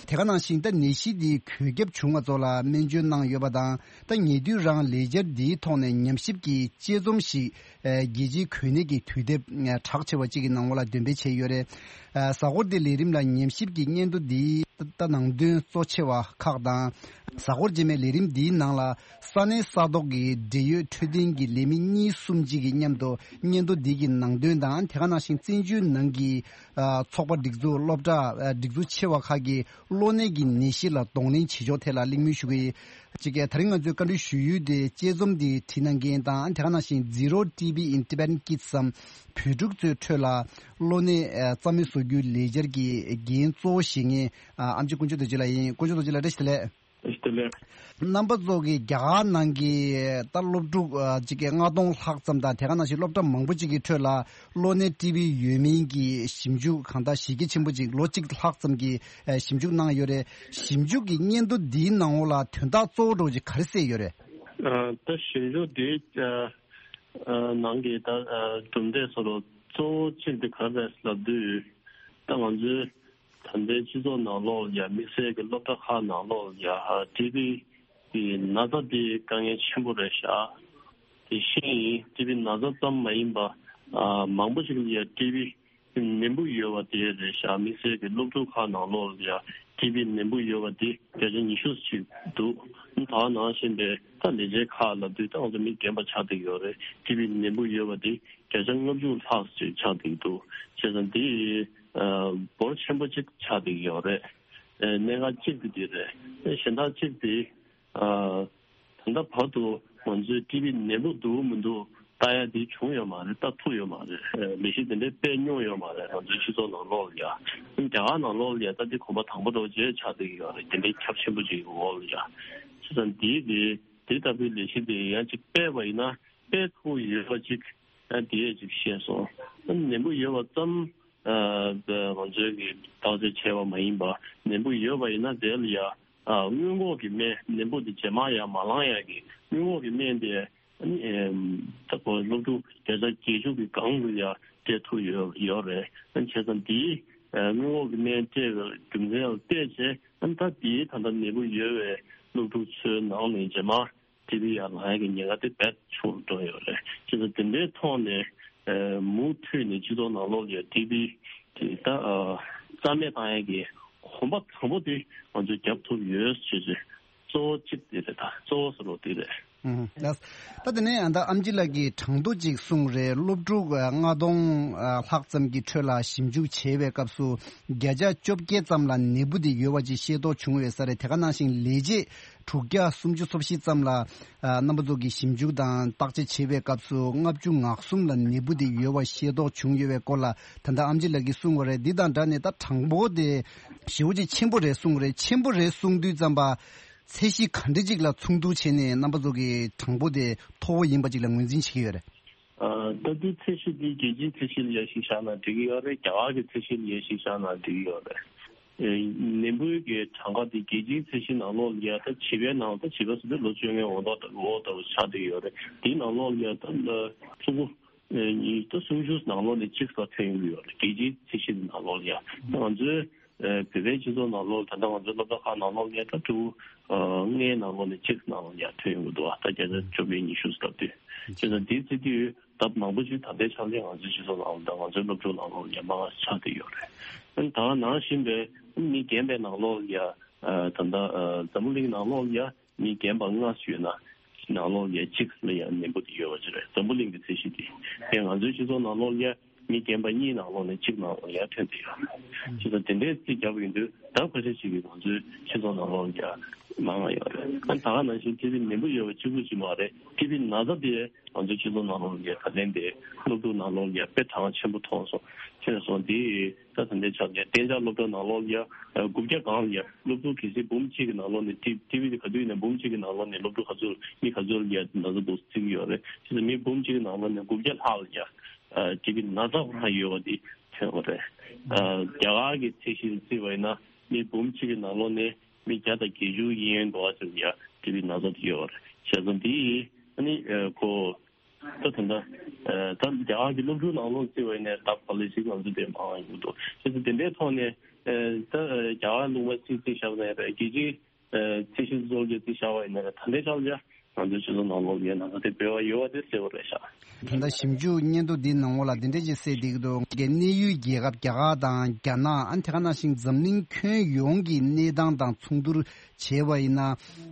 དེ་ག་ནང་བཞིན་ད་ནད་གཞི་འདི་འགོས་ཁྱབ་བྱུང་བ་ཚོ་ལ་སྨན་བཅོས་གནང་ཡོད་པ་དང་། ད་ཉེ་དུས་རང་ལས་འཆར་འདིའི་ཐོག་ནས་ཉམས་ཞིབ་ཀྱི་དཔྱད་རྩོམ་ཞིག་ཨ་རྒྱལ་སྤྱིའི་འགོས་ནད་ཀྱི་དུས་དེབ་ཨ་གྲགས་ཆེ་བ་གཅིག་གི་ནང་ལོགས་ལ་འདོན་སྤེལ་བྱས་ཡོད་རེད། ཨ་གཟའ་འཁོར་འདིའི་ལས་རིམ་ལ་ཉམས་ཞིབ་ཀྱི་སྙན་ཐོ་འདིའི་ད་ནང་དོན་གཙོ་ཆེ་བ་ཁག་དང་། གཟའ་འཁོར་རྗེས་མའི་ལས་རིམ་འདིའི་ནང་ལ་ས་གནས་ས་ཐོག་གི་འབྲེལ་ཡོད་འཕྲོད་བསྟེན་གྱི་ལས་མི་གཉིས་གསུམ་གཅིག་གིས་མཉམ་དུ་སྙན་ཐོ་འདི་གི་ནང་དོན་དང་། དེ་ག་ནང་བཞིན་བཙན་བྱོལ་ནང་གི་ཨ་ཚོགས་པ་སྒྲིག་འཛུགས་སློབ་གྲྭ་ཨ་སྒྲིག་འཛུགས་ཆེ་བ་ཁག་གི་གློ་ནད་ཀྱི་ནད་གཞི་ལ་གདོང་ལེན་བྱེད་ཕྱོགས་ཐད་ལ་གླེང་མོལ་ཞུ་གི་ཡིན། གཅིག་གིས་ད་རིང་ང་ཚོས་བཀའ་འདྲི་ཞུ་ཡུལ་དེ་དཔྱད་རྩོམ་འདི་བྲིས་གནང་མཁན་དང་། དེ་ག་ནང་བཞིན་Zero T B in Tibetan Kids སམ་བོད་ཕྲུག་ཚོའི་ཁྲོད་ལ་གློ་ནད་ཨ་རྩ་མེད་བཟོ་རྒྱུའི་ལས་འཆར་གྱི་འགན་གཙོ་བོ་བཞེས་མཁན་ཨ་ཨེམ་ཆི་དཀོན་མཆོག་རྡོ་རྗེ་ལགས་ཡིན། དཀོན་མཆོག་རྡོ་རྗེ་ལགས་བཀྲ་ཤིས་བདེ་ལེགས། བཀྲ་ཤིས་བདེ་ལེགས། རྣམ་པ་ཚོ་གི་རྒྱ་གར་ནང་གི་ད་སློབ་ཕྲུག་ཨ་གཅིག་གི་ལྔ་སྟོང་ལྷག་ཙམ་དང་། དེ་ག་ནང་བཞིན་སློབ་གྲྭ་མང་པོ་གཅིག་གི་ཁྲོད་ལ་གློ་ནད་ཊི་བི་ཡོད་མིན་གྱི་ཞིབ་འཇུག་གང་ལྟར་གཞི་རྒྱ་ཆེན་པོ་ཅིག་ལོ་གཅིག་ལྷག་ཙམ་གྱི་ཨ་ཞིབ་འཇུག་གནང་ཡོད་རེད། ཞིབ་འཇུག་གི་སྙན་ཐོ་འདིའི་ནང་ལོགས་ལ་དོན་དག་གཙོ་བོ་འདྲ་བོ་ཅིག་ག་རེ་གསལ་ཡོད་རེད། ཨ་ད་ཞིབ་འཇུག་འདིའི་ཨ་ཨ་ནང་གི་ད་ཨ་གྲུབ་འབྲས་སོགས་ལ་གཙོ་བོ་གཅིག་དེ་ག་རེ་རེད་ལབ་དུས། ད་ང་ཚོའི་ད་ལྟའི་སྤྱི་ཚོགས་ནང་ལོགས་ལ་ཡ་དམིགས་བསལ་གྱི་སློབ་གྲྭ་ཁག་ནང་ལོགས་ལ་ཡ་ཊི་བི་གི་ན་ཚ་དེ་དཀའ་ངལ་ཆེན་པོ་རེད་ཤག་དེ་བཞིན་ཊི་བི་ན་ཚ་ཙམ་མ་ཡིན་པ་ཨ་མང་པོ་ཞིག་ལ་ཡ་ཊི་བི་ནད་འབུ་ཡོད་པ་དེ་རེད་ཤག་དམིགས་བསལ་གྱི་སློབ་ཕྲུག་ཁག་ནང་ལོགས་ལ་ཡ་ཊི་བི་ནད་འབུ་ཡོད་པ་དེ་བརྒྱ་ཆ་ཉི་ཤུ་ཅིག་འདུག་ད་ནང་བཞིན་པའི་ད་ལས་བྱེད་ཁག་ལབ་དུས་ད་ང་ཚོ་མི་རྒན་པ་ཆགས་བསྡད་ཡོད་རེད། ཊི་བི་ནད་འབུ་ཡོད་པ་དེ་བརྒྱ་ཆ་ལྔ་བཅུ་ལྷག་ཅིག་ཆགས་བསྡད་འདུག་བྱས་ཙང་དེ་ཨ་འབོར་ཆེན་པོ་ཅིག་ཆགས་བསྡད་ཡོད་རེད། ཨ་གནད་འགག་གཅིག་དེ་དེ་རེད། གཞན་དག་གཅིག་དེ་ཨ་ད་ལྟ་བར་དུ་ང་ཚོའི་ཊི་བི་ནད་འབུ་འདུག་མི་འདུག་ལྟ་ཡ་དེ་བྱུང་ཡོད་མ་རེད། ལྟ་ཐུབ་ཡོད་མ་རེད། ལས་གཞི་དེ་འདྲའི་སྤེལ་མྱོང་ཡོད་མ་རེད། ང་ཚོའི་སྤྱི་ཚོགས་ནང་ལོགས་ལ་ཡ། རྒྱ་གར་ནང་ལོགས་ལ་ཡ་ད་འདི་གོམ་པ་དང་པོ་འདྲ་བོ་ཅིག་ཆགས་བསྡད་ཀྱི་ཡོད་རེད། དེ་འདྲའི་ཁྱབ་ཆེན་པོ་ཅིག་གི་འོག་ལ་ཡ། བྱས་ཙང་འདིའི་དེ་དེ་ལྟ་བུའི་ལས་གཞི་དེ་ཡང་ཅིག་སྤེལ་བ་ཡིན་ན་སྤེལ་ཐུབ་ཡོད་པ་ཅིག་ཨ་དེ་ཅིག་བཤད་སོང་། ནད་འབུ་ཡོད་པ་ཙམ་ཨ་ང་ཚོས་ཀྱི་བརྟག་དཔྱད་བྱས་པ་མ་ཡིན་པ། ནད་འབུ་ཡོད་པ་ཡིན་ན་དེ་ལ་ཡ་ཨ་སྔོན་འགོག་གི་སྨན། ནད་འབུ་དེ་རྗེས་མ་ཡ་མ་ལངས་ཡ་གི་སྔོན་འགོག་གི་སྨན་དེ་ཨ་ནི་ཨེམ་ད་ཁོ་སློབ་ཕྲུག་བརྒྱ་ཆ་བརྒྱད་ཅུ་གི་སྒང་དུ་ཡ་སྤྲད་ཐུབ་ཡོད་ཡོད་རེད། ཨ་བྱས་ཙང་དེའི་ཨ་སྔོན་འགོག་གི་སྨན་སྤྲད་པའི་རྒྱུ་མཚན་ལ་བལྟས་བྱས། ཨ་ནི་ད་དེའི་ད་ལྟ་ནད་འབུ་ཡོད་པའི་སློབ་ཕྲུག་ཚོའི་ནང་ནས་རྗེས་མ་ཊི་བི་ཡར་ལངས་ཡག་གི་ཉེན་ཁ་དེ་རྦད་ཆུང་རུ་འགྲོ་ཡོད་རེད། བྱས་ཙང་དེ་འདྲའི་ཐོག་ནས་ཨ་མུ་མཐུད་ནས་སྤྱི་ཚོགས་ནང་ལོགས་ལ་ཡ་ཊི་བི་དེ་ད་ཨ་རྩ་མེད་བཏང་ཡག་གི་གོམ་པ་དང་པོ་དེ་ང་ཚོས་རྒྱབ་ཐུབ་ཡོད་ཅེས་ཅེས་གཙོ་བོ་གཅིག་དེ་རེད། ད་གཙོ་བོ་ཟེར་བ་དེ་རེད། ཨུམ། ལགས། ད་དེ་ནས་ཨ་ད་ཨེམ་ཆི་ལགས་ཀྱིས་གྲངས་ཐོ་གཅིག་གསུངས་རེད། སློབ་ཕྲུག་ཨ་ལྔ་སྟོང་ཨ་ལྷག་ཙམ་གྱི་ཁྲོད་ལ་ཞིབ་འཇུག་བྱས་པའི་སྐབས་སུ་བརྒྱ་ཆ་བཅོ་བརྒྱད་ཙམ་ལ་ནད་འབུ་དེ་ཡོད་པ་ཅིག་ཤེས་རྟོགས་བྱུང་ཡོད་ས་རེད། དེ་ག་ནང་བཞིན་ལས་བྱེད་དྲུག་བརྒྱ་སུམ་ཅུ་སོ་བཞི་ཙམ་ལ་ཨ་རྣམ་པ་ཚོ་གིས་ཞིབ་འཇུག་དང་བརྟག་དཔྱད་བྱས་པའི་སྐབས་སུ་ལྔ་བཅུ་ང་གསུམ་ལ་ནད་འབུ་དེ་ཡོད་པ་ཤེས་རྟོགས་བྱུང་ཡོད་པའི་སྐོར་ལ་ད་ལྟ་ཨེམ་ཆི་ལགས་ཀྱིས་གསུངས་པ་རེད། འདི་དང་སྦྲགས་ནས་ད་གྲངས་འབོར་དེ་ཞེ་པོ་ཅིག་ཆེན་པོ་རེད་གསུངས་རེད། ཆེན་པོ་རེད་གསུངས་དུས་ཙམ་པ། ཚད་གཞི་ག་འདྲ་ཅིག་ལ་ཚོགས་འདུ་བྱས་ནས་རྣམ་པ་ཚོ་གི་གྲངས་འབོར་དེ་མཐོ་བོ་ཡིན་པ་ཅིག་ལ་ངོས་འཛིན་བྱེད་ཀྱི་ཡོད་རེད། ཨ་ད་དུང་ཚད་གཞི་འདི་རྒྱལ་སྤྱིའི་ཚད་གཞི་ལ་ཡར་ཞིག་བཞག་ན་འགྲིག་གི་ཡོད་རེད། རྒྱ་གར་གྱི་ཚད་གཞི་ལ་ཡར་ཞིག་བཞག་ན་འགྲིག་གི་ཡོད་རེད། ཨེ་ནད་འབུའི་གི་གྲངས་ཀ་འདི་རྒྱལ་སྤྱིའི་ཚད་གཞི་ནང་ལོགས་ལ་ཡ་ད་བྱིས་པའི་ནང་ད་བྱིས་པ་ཟེར་དུས་ལོ་བཅོ་ལྔའི་འོག་ཏུ་འོག་ཏུ་ཆགས་བསྡད་ཡོད་རེད། དེའི་ནང་ལོགས་ལ་ཡ་ད་ཕྲུ་གུ་ ཉིས་སྟོང་སུམ་ཅུ་ནང་ལོགས་ནས་གཅིག་ལ་ཐོན་ཡོང་གི་ཡོད་རེད། རྒྱལ་སྤྱིའི་ཚད་གཞི་ནང་ལོགས་ལ་ཡ། ང་ཚོའི་བོད་པའི་སྤྱི་ཚོགས་ནང་ལོགས། ད་ལྟ་ང་ཚོའི་སློབ་གྲྭ་ཁག་ནང་ལོགས་ལ་ཡ། ད་ཕྲུ་གུ་ལྔའི་ནང་ལོགས་ནས་གཅིག་ནང་ལོགས་ལ་ཡ་ཐོན་ཡོང་གི་འདུག་ད་བརྒྱ་ཆ་བཅོ་བརྒྱད་ཉི་ཤུ་ལབ་དུས། བྱས་ཙང་དེའི་ཚེ་དུས་ད་མང་པོ་ཞིག་ད་ལྟའི་ཆ་ལ་ང་ཚོའི་སྤྱི་ཚོགས་ནང་ལོགས། ད་ང་ཚོའི་སློབ་ཕྲུག་ནང་ལོགས་ལ་ཡ་མང་ཆགས་བསྡད་ཡོད་རེད། ཨ་ནི་ད་ནང་བཞིན་པའི་མི་རྒན་པའི་ནང་ལོགས་ལ་ཡ། ད་ལྟ་འཛམ་བུ་གླིང་ནང་ལོགས་ལ་ཡ། མི་རྒན་པ་ལྔ་ཡོད་ན་ནང་ལོགས་ལ་ཡ་གཅིག་ལ་ཡ་ནད་འབུ་དེ་ཡོད་པ་ཅིག་རེད། འཛམ་བུ་གླིང་གི་ཚད་གཞི་དེ། དེ་ང་ཚོའི་སྤྱི་ཚོགས་ནང་ལོགས་ལ་ཡ་མི་རྒན་པ་གཉིས་ནང་ལོགས་ནས་གཅིག་ནང་ལོགས་ལ་ཡ་ཐོན་བསྡད་ཡོད་རེད། བྱས་ཙང་དེ་འདྲའི་རྩིས་བརྒྱབ་ཡོང་དུས་ལྡབ་ཁ་ཤས་ཤིག་གིས་ང་ཚོའི་སྤྱི་ཚོགས་ནང་ལོགས་ལ་ཡ་མང་བ་ཡོད་རེད། ཨ་ནི་ད་ག་ནང་བཞིན་ཊི་བི་ནད་འབུ་ཡོད་པ་གཅིག་པུ་ཅིག་མ་རེད། ཊི་བི་ན་ཚ་དེ་ང་ཚོའི་སྤྱི་ཚོགས་ནང་ལོགས་ལ་ཡ་ད་ལན་དེ་སློབ་ཕྲུག་ནང་ལོགས་ལ་ཡ་དཔེ་གྲངས་ཆེན་པོ་མཐོང་སོང་། ཐོན་སོང་། དེ་ད་ད་ལྟའི་ཆ་ལ་གཏན་འཇགས་སློབ་གྲྭ་ནང་ལོགས་ལ་ཡ་དགུ་བརྒྱ་སྒང་ལ་ཡ་སློབ་ཕྲུག་གལ་སྲིད་འབུམ་གཅིག་གི་ནང་ལོགས་ནས། ཊི་ཊི་བི་དེ་ག་དུས་ཡིན་ན་འབུམ་གཅིག་གི་ནང་ལོགས་ནས་སློབ་ཕྲུག་ག་ཚོད། མི་ག་ཚོད་ལ་ཡ་ན་ཚ་འདུག་རྩིས་ཀྱི་ཡོད་རེད། བྱས་ཙང་མི་འབུམ་གཅིག་གི་ནང་ལོགས་ནས་དགུ་བརྒྱ་ལྷག་ལ་ཡ་ཊི་བི་ན་ཚ་ཁོ་རང་ཡོད་པ་དེ་ཐོན་པ་རེད། རྒྱ་གར་གྱི་ཚད་གཞི་རྩིས་པ་ཡིན་ན་མི་འབུམ་གཅིག་གི་ནང་ལོགས་ནས་མི་བརྒྱ་དང་བརྒྱད་ཅུ་ཡན་འགྲོ་བ་ཙམ་ཡ་ཊི་བི་ན་ཚ་དེ་ཡོད་པ་རེད། བྱས་ཙང་དེ་ཨ་ནི་ཁོ། ད་ད་ལྟ་ད་རྒྱ་གར་གྱི་སློབ་ཕྲུག་ནང་ལོགས་བརྩིས་པ་ཡིན་ན་ལྡབ་ག་ལེ་ཞིག་ང་ཚོ་དེ་མང་ཡོང་གི་འདུག་བྱས་ཙང་དེ་འདྲའི་ཐོག་ནས་ད་རྒྱ་གར་ལུང་པ་རྩིས་རྩིས་བཞག་པ་ཡིན་ན་རྒྱལ་སྤྱིའི་ཚད་གཞི་གཙོ་བོ་རྩིས་བཞག་པ་ཡིན་ན་ད་ལྟའི་ཆར་ལ་ང་ཚོའི་སྤྱི་ཚོགས་ནང་ལོགས་ལ་ན་ཚ་དེ་འབོལ་བ་ཡོད་པ་དེ་གསལ་པོ་རེད་ཤག་ད་ལྟ་ཞིབ་འཇུག་སྙན་ཐོ་འདིའི་ནང་ལོགས་ལ་འདི་འདྲ་ཞིག་གསལ་བསྡད་ཀྱི་འདུག་གནས་ཡུལ་རྒྱལ་ཁབ་རྒྱ་གར་དང་རྒྱ་ནག་ཨ་ནི་དེ་ག་ནང་བཞིན་འཛམ་གླིང་ཁྱོན་ཡོངས་ཀྱི་གནས་སྟངས་དང་མཚུངས་བསྡུར་བྱས་པ་ཡིན་ན།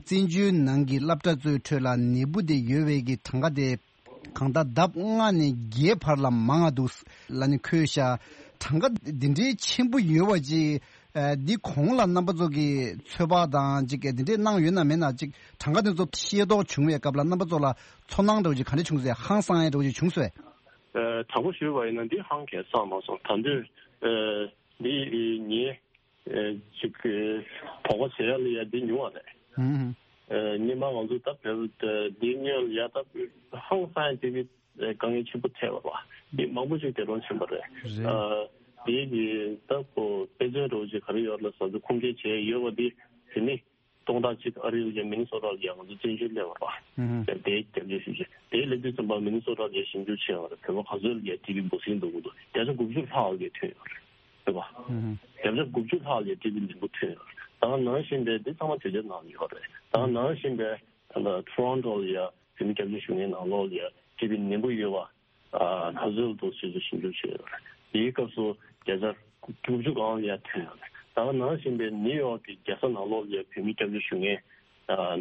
བཙན་བྱོལ་ནང་གི་སློབ་གྲྭ་ཚོའི་ཁྲོད་ལ་ནད་འབུ་དེ་ཡོད་པའི་གི་གྲངས་ཀ་དེ་གང་ལྟར་ལྡབ་ལྔ་ནས་བརྒྱད་བར་ལ་མང་བ་འདུག་ལབ་ནས་འཁོད་ཤག་གྲངས་ཀ་འདི་འདྲའི་ཆེན་པོ་ཡོད་པ་ཅིག་ཨ། འདི་གོང་ལ་རྣམ་པ་ཚོ་གིས་ཚོད་དཔག་དང་ཅིག་འདི་འདྲས་གནང་ཡོད་ན་མེད་ན། ཅིག་གྲངས་ཀ་འདི་ཚོ་ཤེས་རྟོགས་བྱུང་བའི་སྐབས་ལ་རྣམ་པ་ཚོ་ལ་ཚོར་སྣང་འདྲ་བོ་ཅིག་ག་འདྲ་བྱུང་ཟེར། ཧང་སང་ཡ་འདྲ་བོ་ཅིག་བྱུང་སོང་། ཨ། དྲང་པོ་ཞུས་པ་ཡིན་ན་འདི་ཧང་གས་སང་མ་སོང་། ད་དུང་ཨ། འདི་ངས་ཨ། ཅིག་དོགས་པ་བྱེད་ཡ་ལ་ཡ་འདི་ཉུང་བ་རེད། ཧུམ། ཨ། སྔོན་མ་ང་ཚོ་ད་བོད་འདི་སྔོན་ལ་ཡ་ད་ཧང་སང་ཡ་ཅིག་གི་དཀའ་ངལ་ཆེན་པོ་འཕྲད་པ་རེད། འདི་མང་པོ་ཞིག་འདས་གྲོངས་ཕྱིན་པ་རེད། རེད། ཨ། འདི་གི་ད་ཁོ་དཔེ་མཚོན་འདྲ་བོ་ཅིག་ག་རེ་ཡོད་ལ་བཟོ་རྒྱུ་ཁུངས་སྐྱེལ་བྱས་ཡོད་པ་འདི། དེ་ནི་སྟོང་ཕྲག་གཅིག་ཨ་རིའི་ཡ་མི་ནི་སོ་ཊ་ལ་ཡ་ང་ཚོ་བཙན་བྱོལ་སླེབས་པ་རེད། ཧུམ། དེ་སྐྱབས་བཅོལ་ཞིབ་བཤེར་དེ་སླེབས་དུས་ཙམ་པ་མི་ནི་སོ་ཊ་ལ་ཡ་ཞིབ་འཇུག་བྱས་པ་རེད། བོད་པ་ག་ཚོད་ལ་ཡ་ཊི་བི་འབུ་སྲིན་འདུག་གི་འདུག་བརྒྱ་ཆ་དགུ་བཅུ་ལྷག་ལ་ཡ་ཐོན་ཡོད་རེད། རེད་པ། ཧུམ། བརྒྱ་ཆ་དགུ་བཅུ་ལྷག་ལ་ཡ་ཊི་བི་ནད་འབུ་ཐོན་ཡོད་རེད། ད་ནང་བཞིན་པའི་འདི་ཚང་མ་བྱས་རྗེས་གནང་ཡོད་རེད། ད་ནང་བཞིན་པའི་ད་ལྟ་ཊོ་རོན་ཊོ་ལ་ཡ་བོད་མི་སྐྱབས་བཅོལ་ཞུ་མཁན་ནང་ལོགས་ལ་ཡ་ཊི་བི་ནད་འབུ་ཡོད་པ། ཨ། ན་ཚ་འདུག་ཟེར་ཞིབ་འཇུག་བྱས་ཡོད་རེད། དེའི་སྐབས་སུ་བརྒྱ་ཆ་དགུ་བཅུ་སྒང་ལ་ཡ་ཐོན་ཡོད་རེད། ད་ག་ནང་བཞིན་པའི་ནིའུ་ཡོག་གི་རྒྱལ་ས་ནང་ལོགས་ལ་ཡ་བོད་མི་སྐྱབས་བཅོལ་ཞུ་མཁན་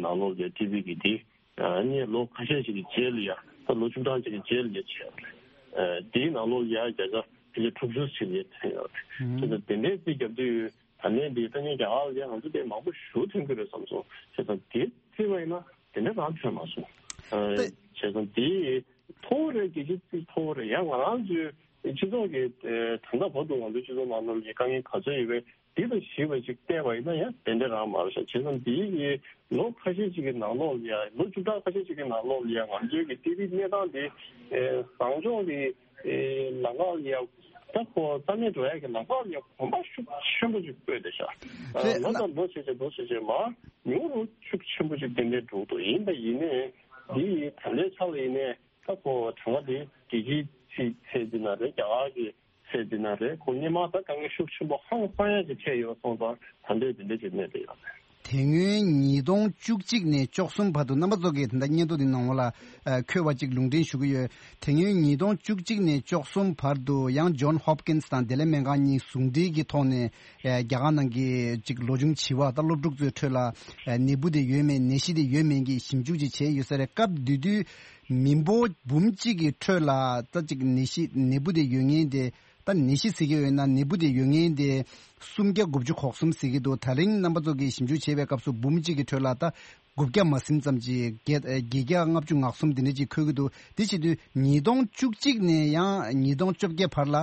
ནང་ལོགས་ལ་ཡ་ཊི་བི་གི་དེ་ཨ་ནི་ལོ་ཁ་ཤས་ཤིག་གི་རྗེས་ལ་ཡ། ད་ལོ་བཅུ་གྲངས་ཤིག་གི་རྗེས་ལ་ཡ་བྱས་ཡོད་རེད། ཨ། དེའི་ནང་ལོགས་ལ་ཡ་བརྒྱ་ཆ་ཕལ་ཆེར་དྲུག་ཅུ་ཞིག་ལ་ཡ་ཐོན་ཡོད་རེད། ཧུམ། དེ་ནས་དེ་འདྲའི་རྩིས་རྒྱབ་དུས་ད་ནས་འདི་ད་ནི་རྒྱ་གར་ལ་ཡ་ང་ཚོ་དེ་མང་པོ་ཞེ་པོ་ཐོན་གྱི་རེད་བསམ་སོང་། བྱས་ཙང་དེ་བརྩིས་པ་ཡིན་ན་དེ་འདྲ་རང་ཐོན་མ་སོང་། ཨ། ཏེ། བྱས་ཙང་དེ་མཐོ་བོ་རེད། རྒྱལ་སྤྱིའི་རྩིས་མཐོ་བོ་རེད། ཡང་ང་རང་ཚོའི་སྤྱི་ཚོགས་ཀྱི་ཨ། ད་ལྟ་བར་དུ་ང་ཚོའི་སྤྱི་ཚོགས་ནང་ལོགས་ཀྱི་དཀའ་ངལ་ག་ཚོད་ཡོད་པའི་འདི་དང་གཞིགས་པ་ཅིག་བལྟས་པ་ཡིན་ན་ཡང་དེ་འདྲ་རང་མ་རེད་ཤག་བྱས་ཙང་འདི་ཡི་ལོ་ཁ་ཤས་ཤིག་གི་ནང་ལོགས་ལ་ཡ། ལོ་བཅུ་ཕྲག་ཁ་ཤས་ཤིག་གི་ནང་ལོགས་ལ་ཡ་ང་ཚོའི་གི་ཊི་བི་གནས་སྟངས་འདི་ཨ། བཟང་ཕྱོགས་ཀྱི་ཨེ། ལམ་ཁ་ལ་ཡ། ད་ཁོ་རྩ་མེད་འགྲོ་ཡ་གི་ལམ་ཁ་ལ་ཡ་གོམ་པ་ཤུགས་ཆེན་པོ་ཞིག་སྤོས་བསྡད་ཤག་རེད། ལོ་དང་ལོ་བྱས་བྱས་ལོ་བྱས་བྱས་མར་ཉུང་རུ་ཤུགས་ཆེན་པོ་ཞིག་ཏན་ཏན་འགྲོ་གི་འདུག་ཡིན་པ་ཡིན་ནའི་འདི་ཡི་ད་ལྟའི་ཆ་ལ་ཡིན་ནའི་ད་ཁོ་གྲངས་ཀ་དེ་རྒྱལ་སྤྱིའི་ཚད་འདི་ན་རེད། རྒྱ་གར་གྱི་ཚད་འདི་ན་རེད། ཁོ་སྔོན་མ་ད་དཀའ་ངལ་ཤུགས་ཆེན་པོ་ཧང་སང་ཡ་ཞིག་འཕྲད་ཡོད་སོང་ཙང་ད་ལྟའི་འདི་འདྲ་ཞིག་གནས་བསྡད་ཡོད་རེད། དེ་སྔོན་ཉིས་སྟོང་བཅུ་གཅིག་ནས་བཅུ་གསུམ་བར་དུ་རྣམ་པ་ཚོ་གིས་ད་ལྟ་སྙན་ཐོ་འདི་ནང་ལ་ཨ། འཁོད་པ་ཅིག་ལུང་འདྲེན་ཞུ་གི་ཡོད། དེ་སྔོན་ཉིས་སྟོང་བཅུ་གཅིག་ནས་བཅུ་གསུམ་བར་དུ་ཡང་ཇོན་ཧོབ་ཀིན་སི་དང་བདེ་ལེགས་སྨན་ཁང་གཉིས་ཟུང་འབྲེལ་གྱི་ཐོག་ནས་ཨ། རྒྱ་གར་ནང་གི་ཅིག་ལོ་ཆུང་བྱིས་པ་དང་སློབ་ཕྲུག་ཚོའི་ཁྲོད་ལ་ཨ། ནད་འབུ་དེ་ཡོད་མེད། ནད་གཞི་དེ་ཡོད་མེད་ཀྱི་ཞིབ་འཇུག་ཅིག་བྱས་ཡོད་ས་རེད། སྐབས་དེ་དུས་མི་འབོར་འབུམ་གཅིག་གི་ཁྲོད་ལ་ད་ཅིག་ནད་གཞི་ནད་འབུ་དེ་ཡོད་མཁན་དེ། ད་ནད་གཞི་ཟེར་གྱི་ཡོད་ན་ནད་འབུ་དེ་ཡོད་མཁན་དེ་སུམ་བརྒྱ་དགུ་བཅུ་གོ་གསུམ་ཟེར་གྱི་འདུག་ད་རིང་རྣམ་པ་ཚོ་གིས་ཞིབ་འཇུག་བྱས་པའི་སྐབས་སུ་འབུམ་གཅིག་གི་ཁྲོད་ལ་ད་དགུ་བརྒྱ་མ་ཟིན་ཙམ་ཅིག་བརྒྱད་བརྒྱད་བརྒྱ་ལྔ་བཅུ་ང་གསུམ་དེ་འདྲ་ཅིག་འཁོད་ཀྱི་འདུག་དེ་བྱེད་དུས་ཉིས་སྟོང་བཅུ་གཅིག་ནས་ཡང་ཉིས་སྟོང་བཅོ་བརྒྱད་བར་ལ་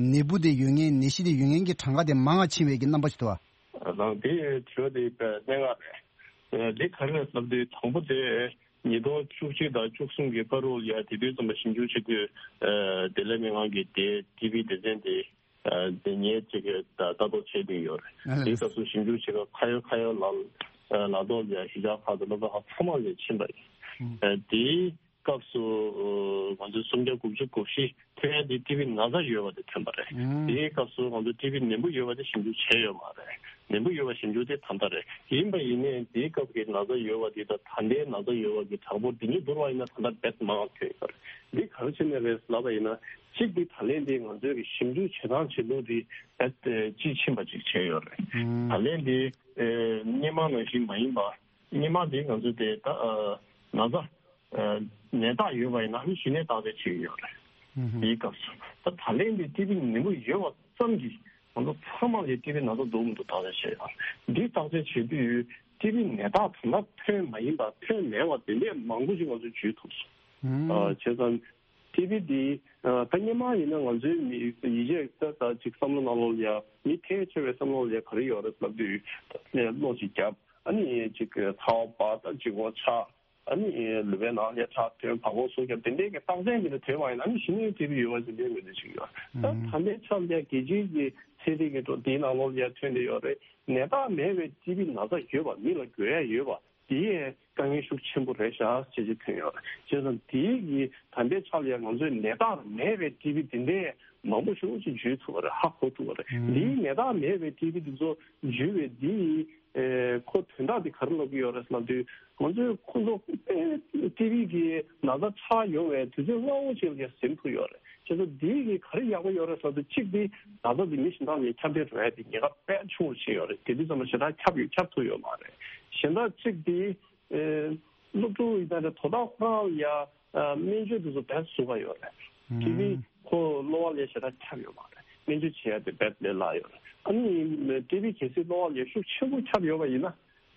ནད་འབུ་དེ་ཡོད་མཁན་ནད་གཞི་དེ་ཡོད་མཁན་གྱི་གྲངས་ཀ་དེ་མང་བ་ཕྱིན་པའི་གི་རྣམ་པ་ཞིག་འདུག་ཨ། རང་དེ་དྲི་བ་དེ་དཔེ་གནད་འགག་རེད། འདི་ག་རེ་རེད་ལབ་དུས་དང་པོ་དེ། ཉིས་སྟོང་བཅུ་གཅིག་དང་བཅུ་གསུམ་གྱི་བར་དུ་ལ་ཡ་དེ་དུས་ཙམ་པ་ཞིབ་འཇུག་བྱེད་དུས། ཨ། བདེ་ལེགས་སྨན་ཁང་གི་དེ་ཊི་བི་སྡེ་ཚན་དེ། ཨ། དེ་ངས་ཅིག་ལྟ་རྟོག་བྱེད་བསྡད་ཡོད་རེད། ཨ་ལས། དེའི་སྐབས་སུ་ཞིབ་འཇུག་བྱེད་སྐབས་ཁ་ཡོད་ཁ་ཡོད་ལ་ལ་དོག་ལ་ཡ་གཞིས་ཆགས་ཁག་དང་སློབ་གྲྭ་ཁག་ཚང་མ་ལ་ཕྱིན་པ་ཡིན། ཨ། དེའི་ སྐབས་སུ་ང་ཚོས་སུམ་བརྒྱ་དགུ་བཅུ་གོ་བཞི་ཐོན་ཡ་དེ་ཊི་བི་ན་ཚ་ཡོད་པ་དེ་ཐོན་པ་རེད། དེའི་སྐབས་སུ་ང་ཚོས་ཊི་བི་ནད་འབུ་ཡོད་པ་དེ་ཞིབ་འཇུག་བྱས་ཡོད་མ་རེད། ནད་འབུ་ཡོད་པ་ཞིབ་འཇུག་དེ་ད་ལྟ་རེད། ཡིན་པ་ཡིན་ནའི་དེའི་སྐབས་ཀྱི་ན་ཚ་ཡོད་པ་དེ་དང་ད་ལྟའི་ན་ཚ་ཡོད་པ་གི་གྲངས་འབོར་དེ་གཉིས་བསྡུར་བ་ཡིན་ན་ད་ལྟ་རྦད་མང་བ་ཐོན་ཡོད་རེད། འདི་ག་རེ་བྱས་ནས་རེད་ལབ་པ་ཡིན་ན། གཅིག་འདི་ད་ལན་འདི་ང་ཚོས་ཀྱི་ཞིབ་འཇུག་བྱེད་སྟངས་བྱེད་ལུགས་འདི་རྦད་དཔྱིས་ཕྱིན་པ་ཅིག་བྱས་ཡོད་རེད། ད་ལན་འདི་སྔོན་མ་ནང་བཞིན་མ་ཡིན་པ། སྔོན་མ་འདི་ང་ཚོས་དེ་ད་ན་ཚ་ནད་རྟགས་ཡོད་པ་ཡིན་ན་ཨ་ནི་གཞི་ནས་བརྟག་དཔྱད་བྱེད་ཀྱི་ཡོད་རེད། དེའི་སྐབས་སུ་ད་ད་ལན་འདི་ཊི་བི་ནད་འབུ་ཡོད་པ་ཙམ་གྱིས་ང་ཚོ་ཚང་མ་ལ་ཊི་བི་ན་ཚ་འདུག་མི་འདུག་བརྟག་དཔྱད་བྱས་ཡོད་རེད། འདི་བརྟག་དཔྱད་བྱེད་དུས་ཊི་བི་ནད་རྟགས་ད་ལྟ་ཐོན་མ་ཡིན་པ་ཐོན་མེད་པ་དེ་འདྲས་མང་པོ་ཞིག་ང་ཚོས་བརྗོད་ཐུབ་སོང་། བྱས་ཙང་། ཊི་བི་འདི། ད་སྔོན་མ་ཡིན་ན་ང་ཚོའི་མི་ཡིད་ཆེས་ད་ད་ཅིག་བསམ་བློ་ནང་ལོགས་ལ་ཡ་མི་ཕལ་ཆེ་བའི་བསམ་བློ་ལ་ཡ་ག་རེ་ཡོད་རེད་ལབ་དུས་ད་ནས་གློ་ཅིག་བརྒྱབ། ཨ་ནི་ཅིག་ཚ་བ་འབར། ད་ལྗིད་ཁོག་ཆག། ཨ་ནི་ལུས་པའི་ནང་ལ་ཡ་ཁྲག་ཐོན། བ་ཀོ་སོ་བརྒྱབ། དེ་འདྲའི་གི་རྟགས་མཚན་དེ་འདྲ་ཐོན་པ་ཡིན་ན་ཨ་ནི་གཞི་ནས་ཊི་བི་ཡོད་པ་ཅིག་ལས་མི་འདུག་ཅིག་ཡོད། ད་ད་ལྟའི་ཆར་ལ་ཡ་རྒྱལ་སྤྱིའི་གི་ཚན་རིག་གི་འགྲོ་དེའི་ནང་ལོགས་ལ་ཡ་ཐོན་བསྡད་ཡོད་རེད། ནད་རྟགས་མེད་པའི་ཊི་བི་ན་ཚ་ཡོད་པ། མི་ལ་འགོས་ཡ་ཡོད་པ། དེ་ཡང་དཀའ་ངལ་ཤུགས་ཆེན་པོ་རེད་ཤག་ཅེས་ཅིག་ཐོན་ཡོད་རེད། བྱས་ཙང་དེའི་གི་ད་ལྟའི་ཆ་ལ་ཡང་ང་ཚོས་ནད་རྟགས་མེད་པའི་ཊི་བི་དེ་འདྲའི་མང་པོ་ཞིག་ཅིག་བརྗོད་ཐུབ་པ་རེད། ཧ་གོ་ཐུབ་པ་རེད། འདིའི་ནད་རྟགས་མེད་པའི་ཊི་བི་དེ་ཚོ་བརྗོད་པའི་འདིའི་ཨེ་ཁོ་དོན་དག་དེ་ག་རེ་ལབ་ཀྱི་ཡོད་རེད་ལབ་དུས། ང་ཚོས་ཁོ་ཚོ་ཨེ་ཊི་བི་གི་ན་ཚ་ཆགས་ཡོང་བའི་དུས་ཚོད་སྔ་བོ་ཅིག་ལ་ཟིན་ཐུབ་ཡོད་རེད། བྱས་ཙང་འདི་གི་ག་རེ་ཡག་པོ་ཡོད་རེད་ཟེར་དུས། གཅིག་འདི་ན་ཚ་འདི་མི་གཞན་དག་ལ་ཁྱབ་གདལ་འགྲོ་ཡ་དེ་ཉེན་ཁ་དཔེ་ཆུང་རུ་ཕྱིན་ཡོད་རེད། དེ་དུས་ཙམ་པ་ཞེ་དྲག་ཁྱབ་ཡོད་ཁྱབ་ཐུབ་ཡོད་མ་རེད། གཞན་དག་གཅིག་འདི་ཨེ་སློབ་ཕྲུག་ཡིན་ན་རེད། དོ་བདག་ཁོ་རང་ལ་ཡ་ཨ་སྨན་བཅོས་དེ་ཚོ་དཔེ་ཟུག་ག་ཡོད་རེད། ཊི་བི་ཁོ་གློ་བ་ལ་ཞེ་དྲག་ཁྱབ་ཡོད་མ་རེད། སྨན་བཅོས་བྱེད་ཡ་དེ་དཔེ་ལས་སླ་ཡོད་རེད། ཨ་ནི་ཊི་བི་གལ་སྲིད་གློ་བ་ལ་ཤུགས་ཆེན་པོ་ཁྱབ་ཡོད་པ་ཡིན་ན།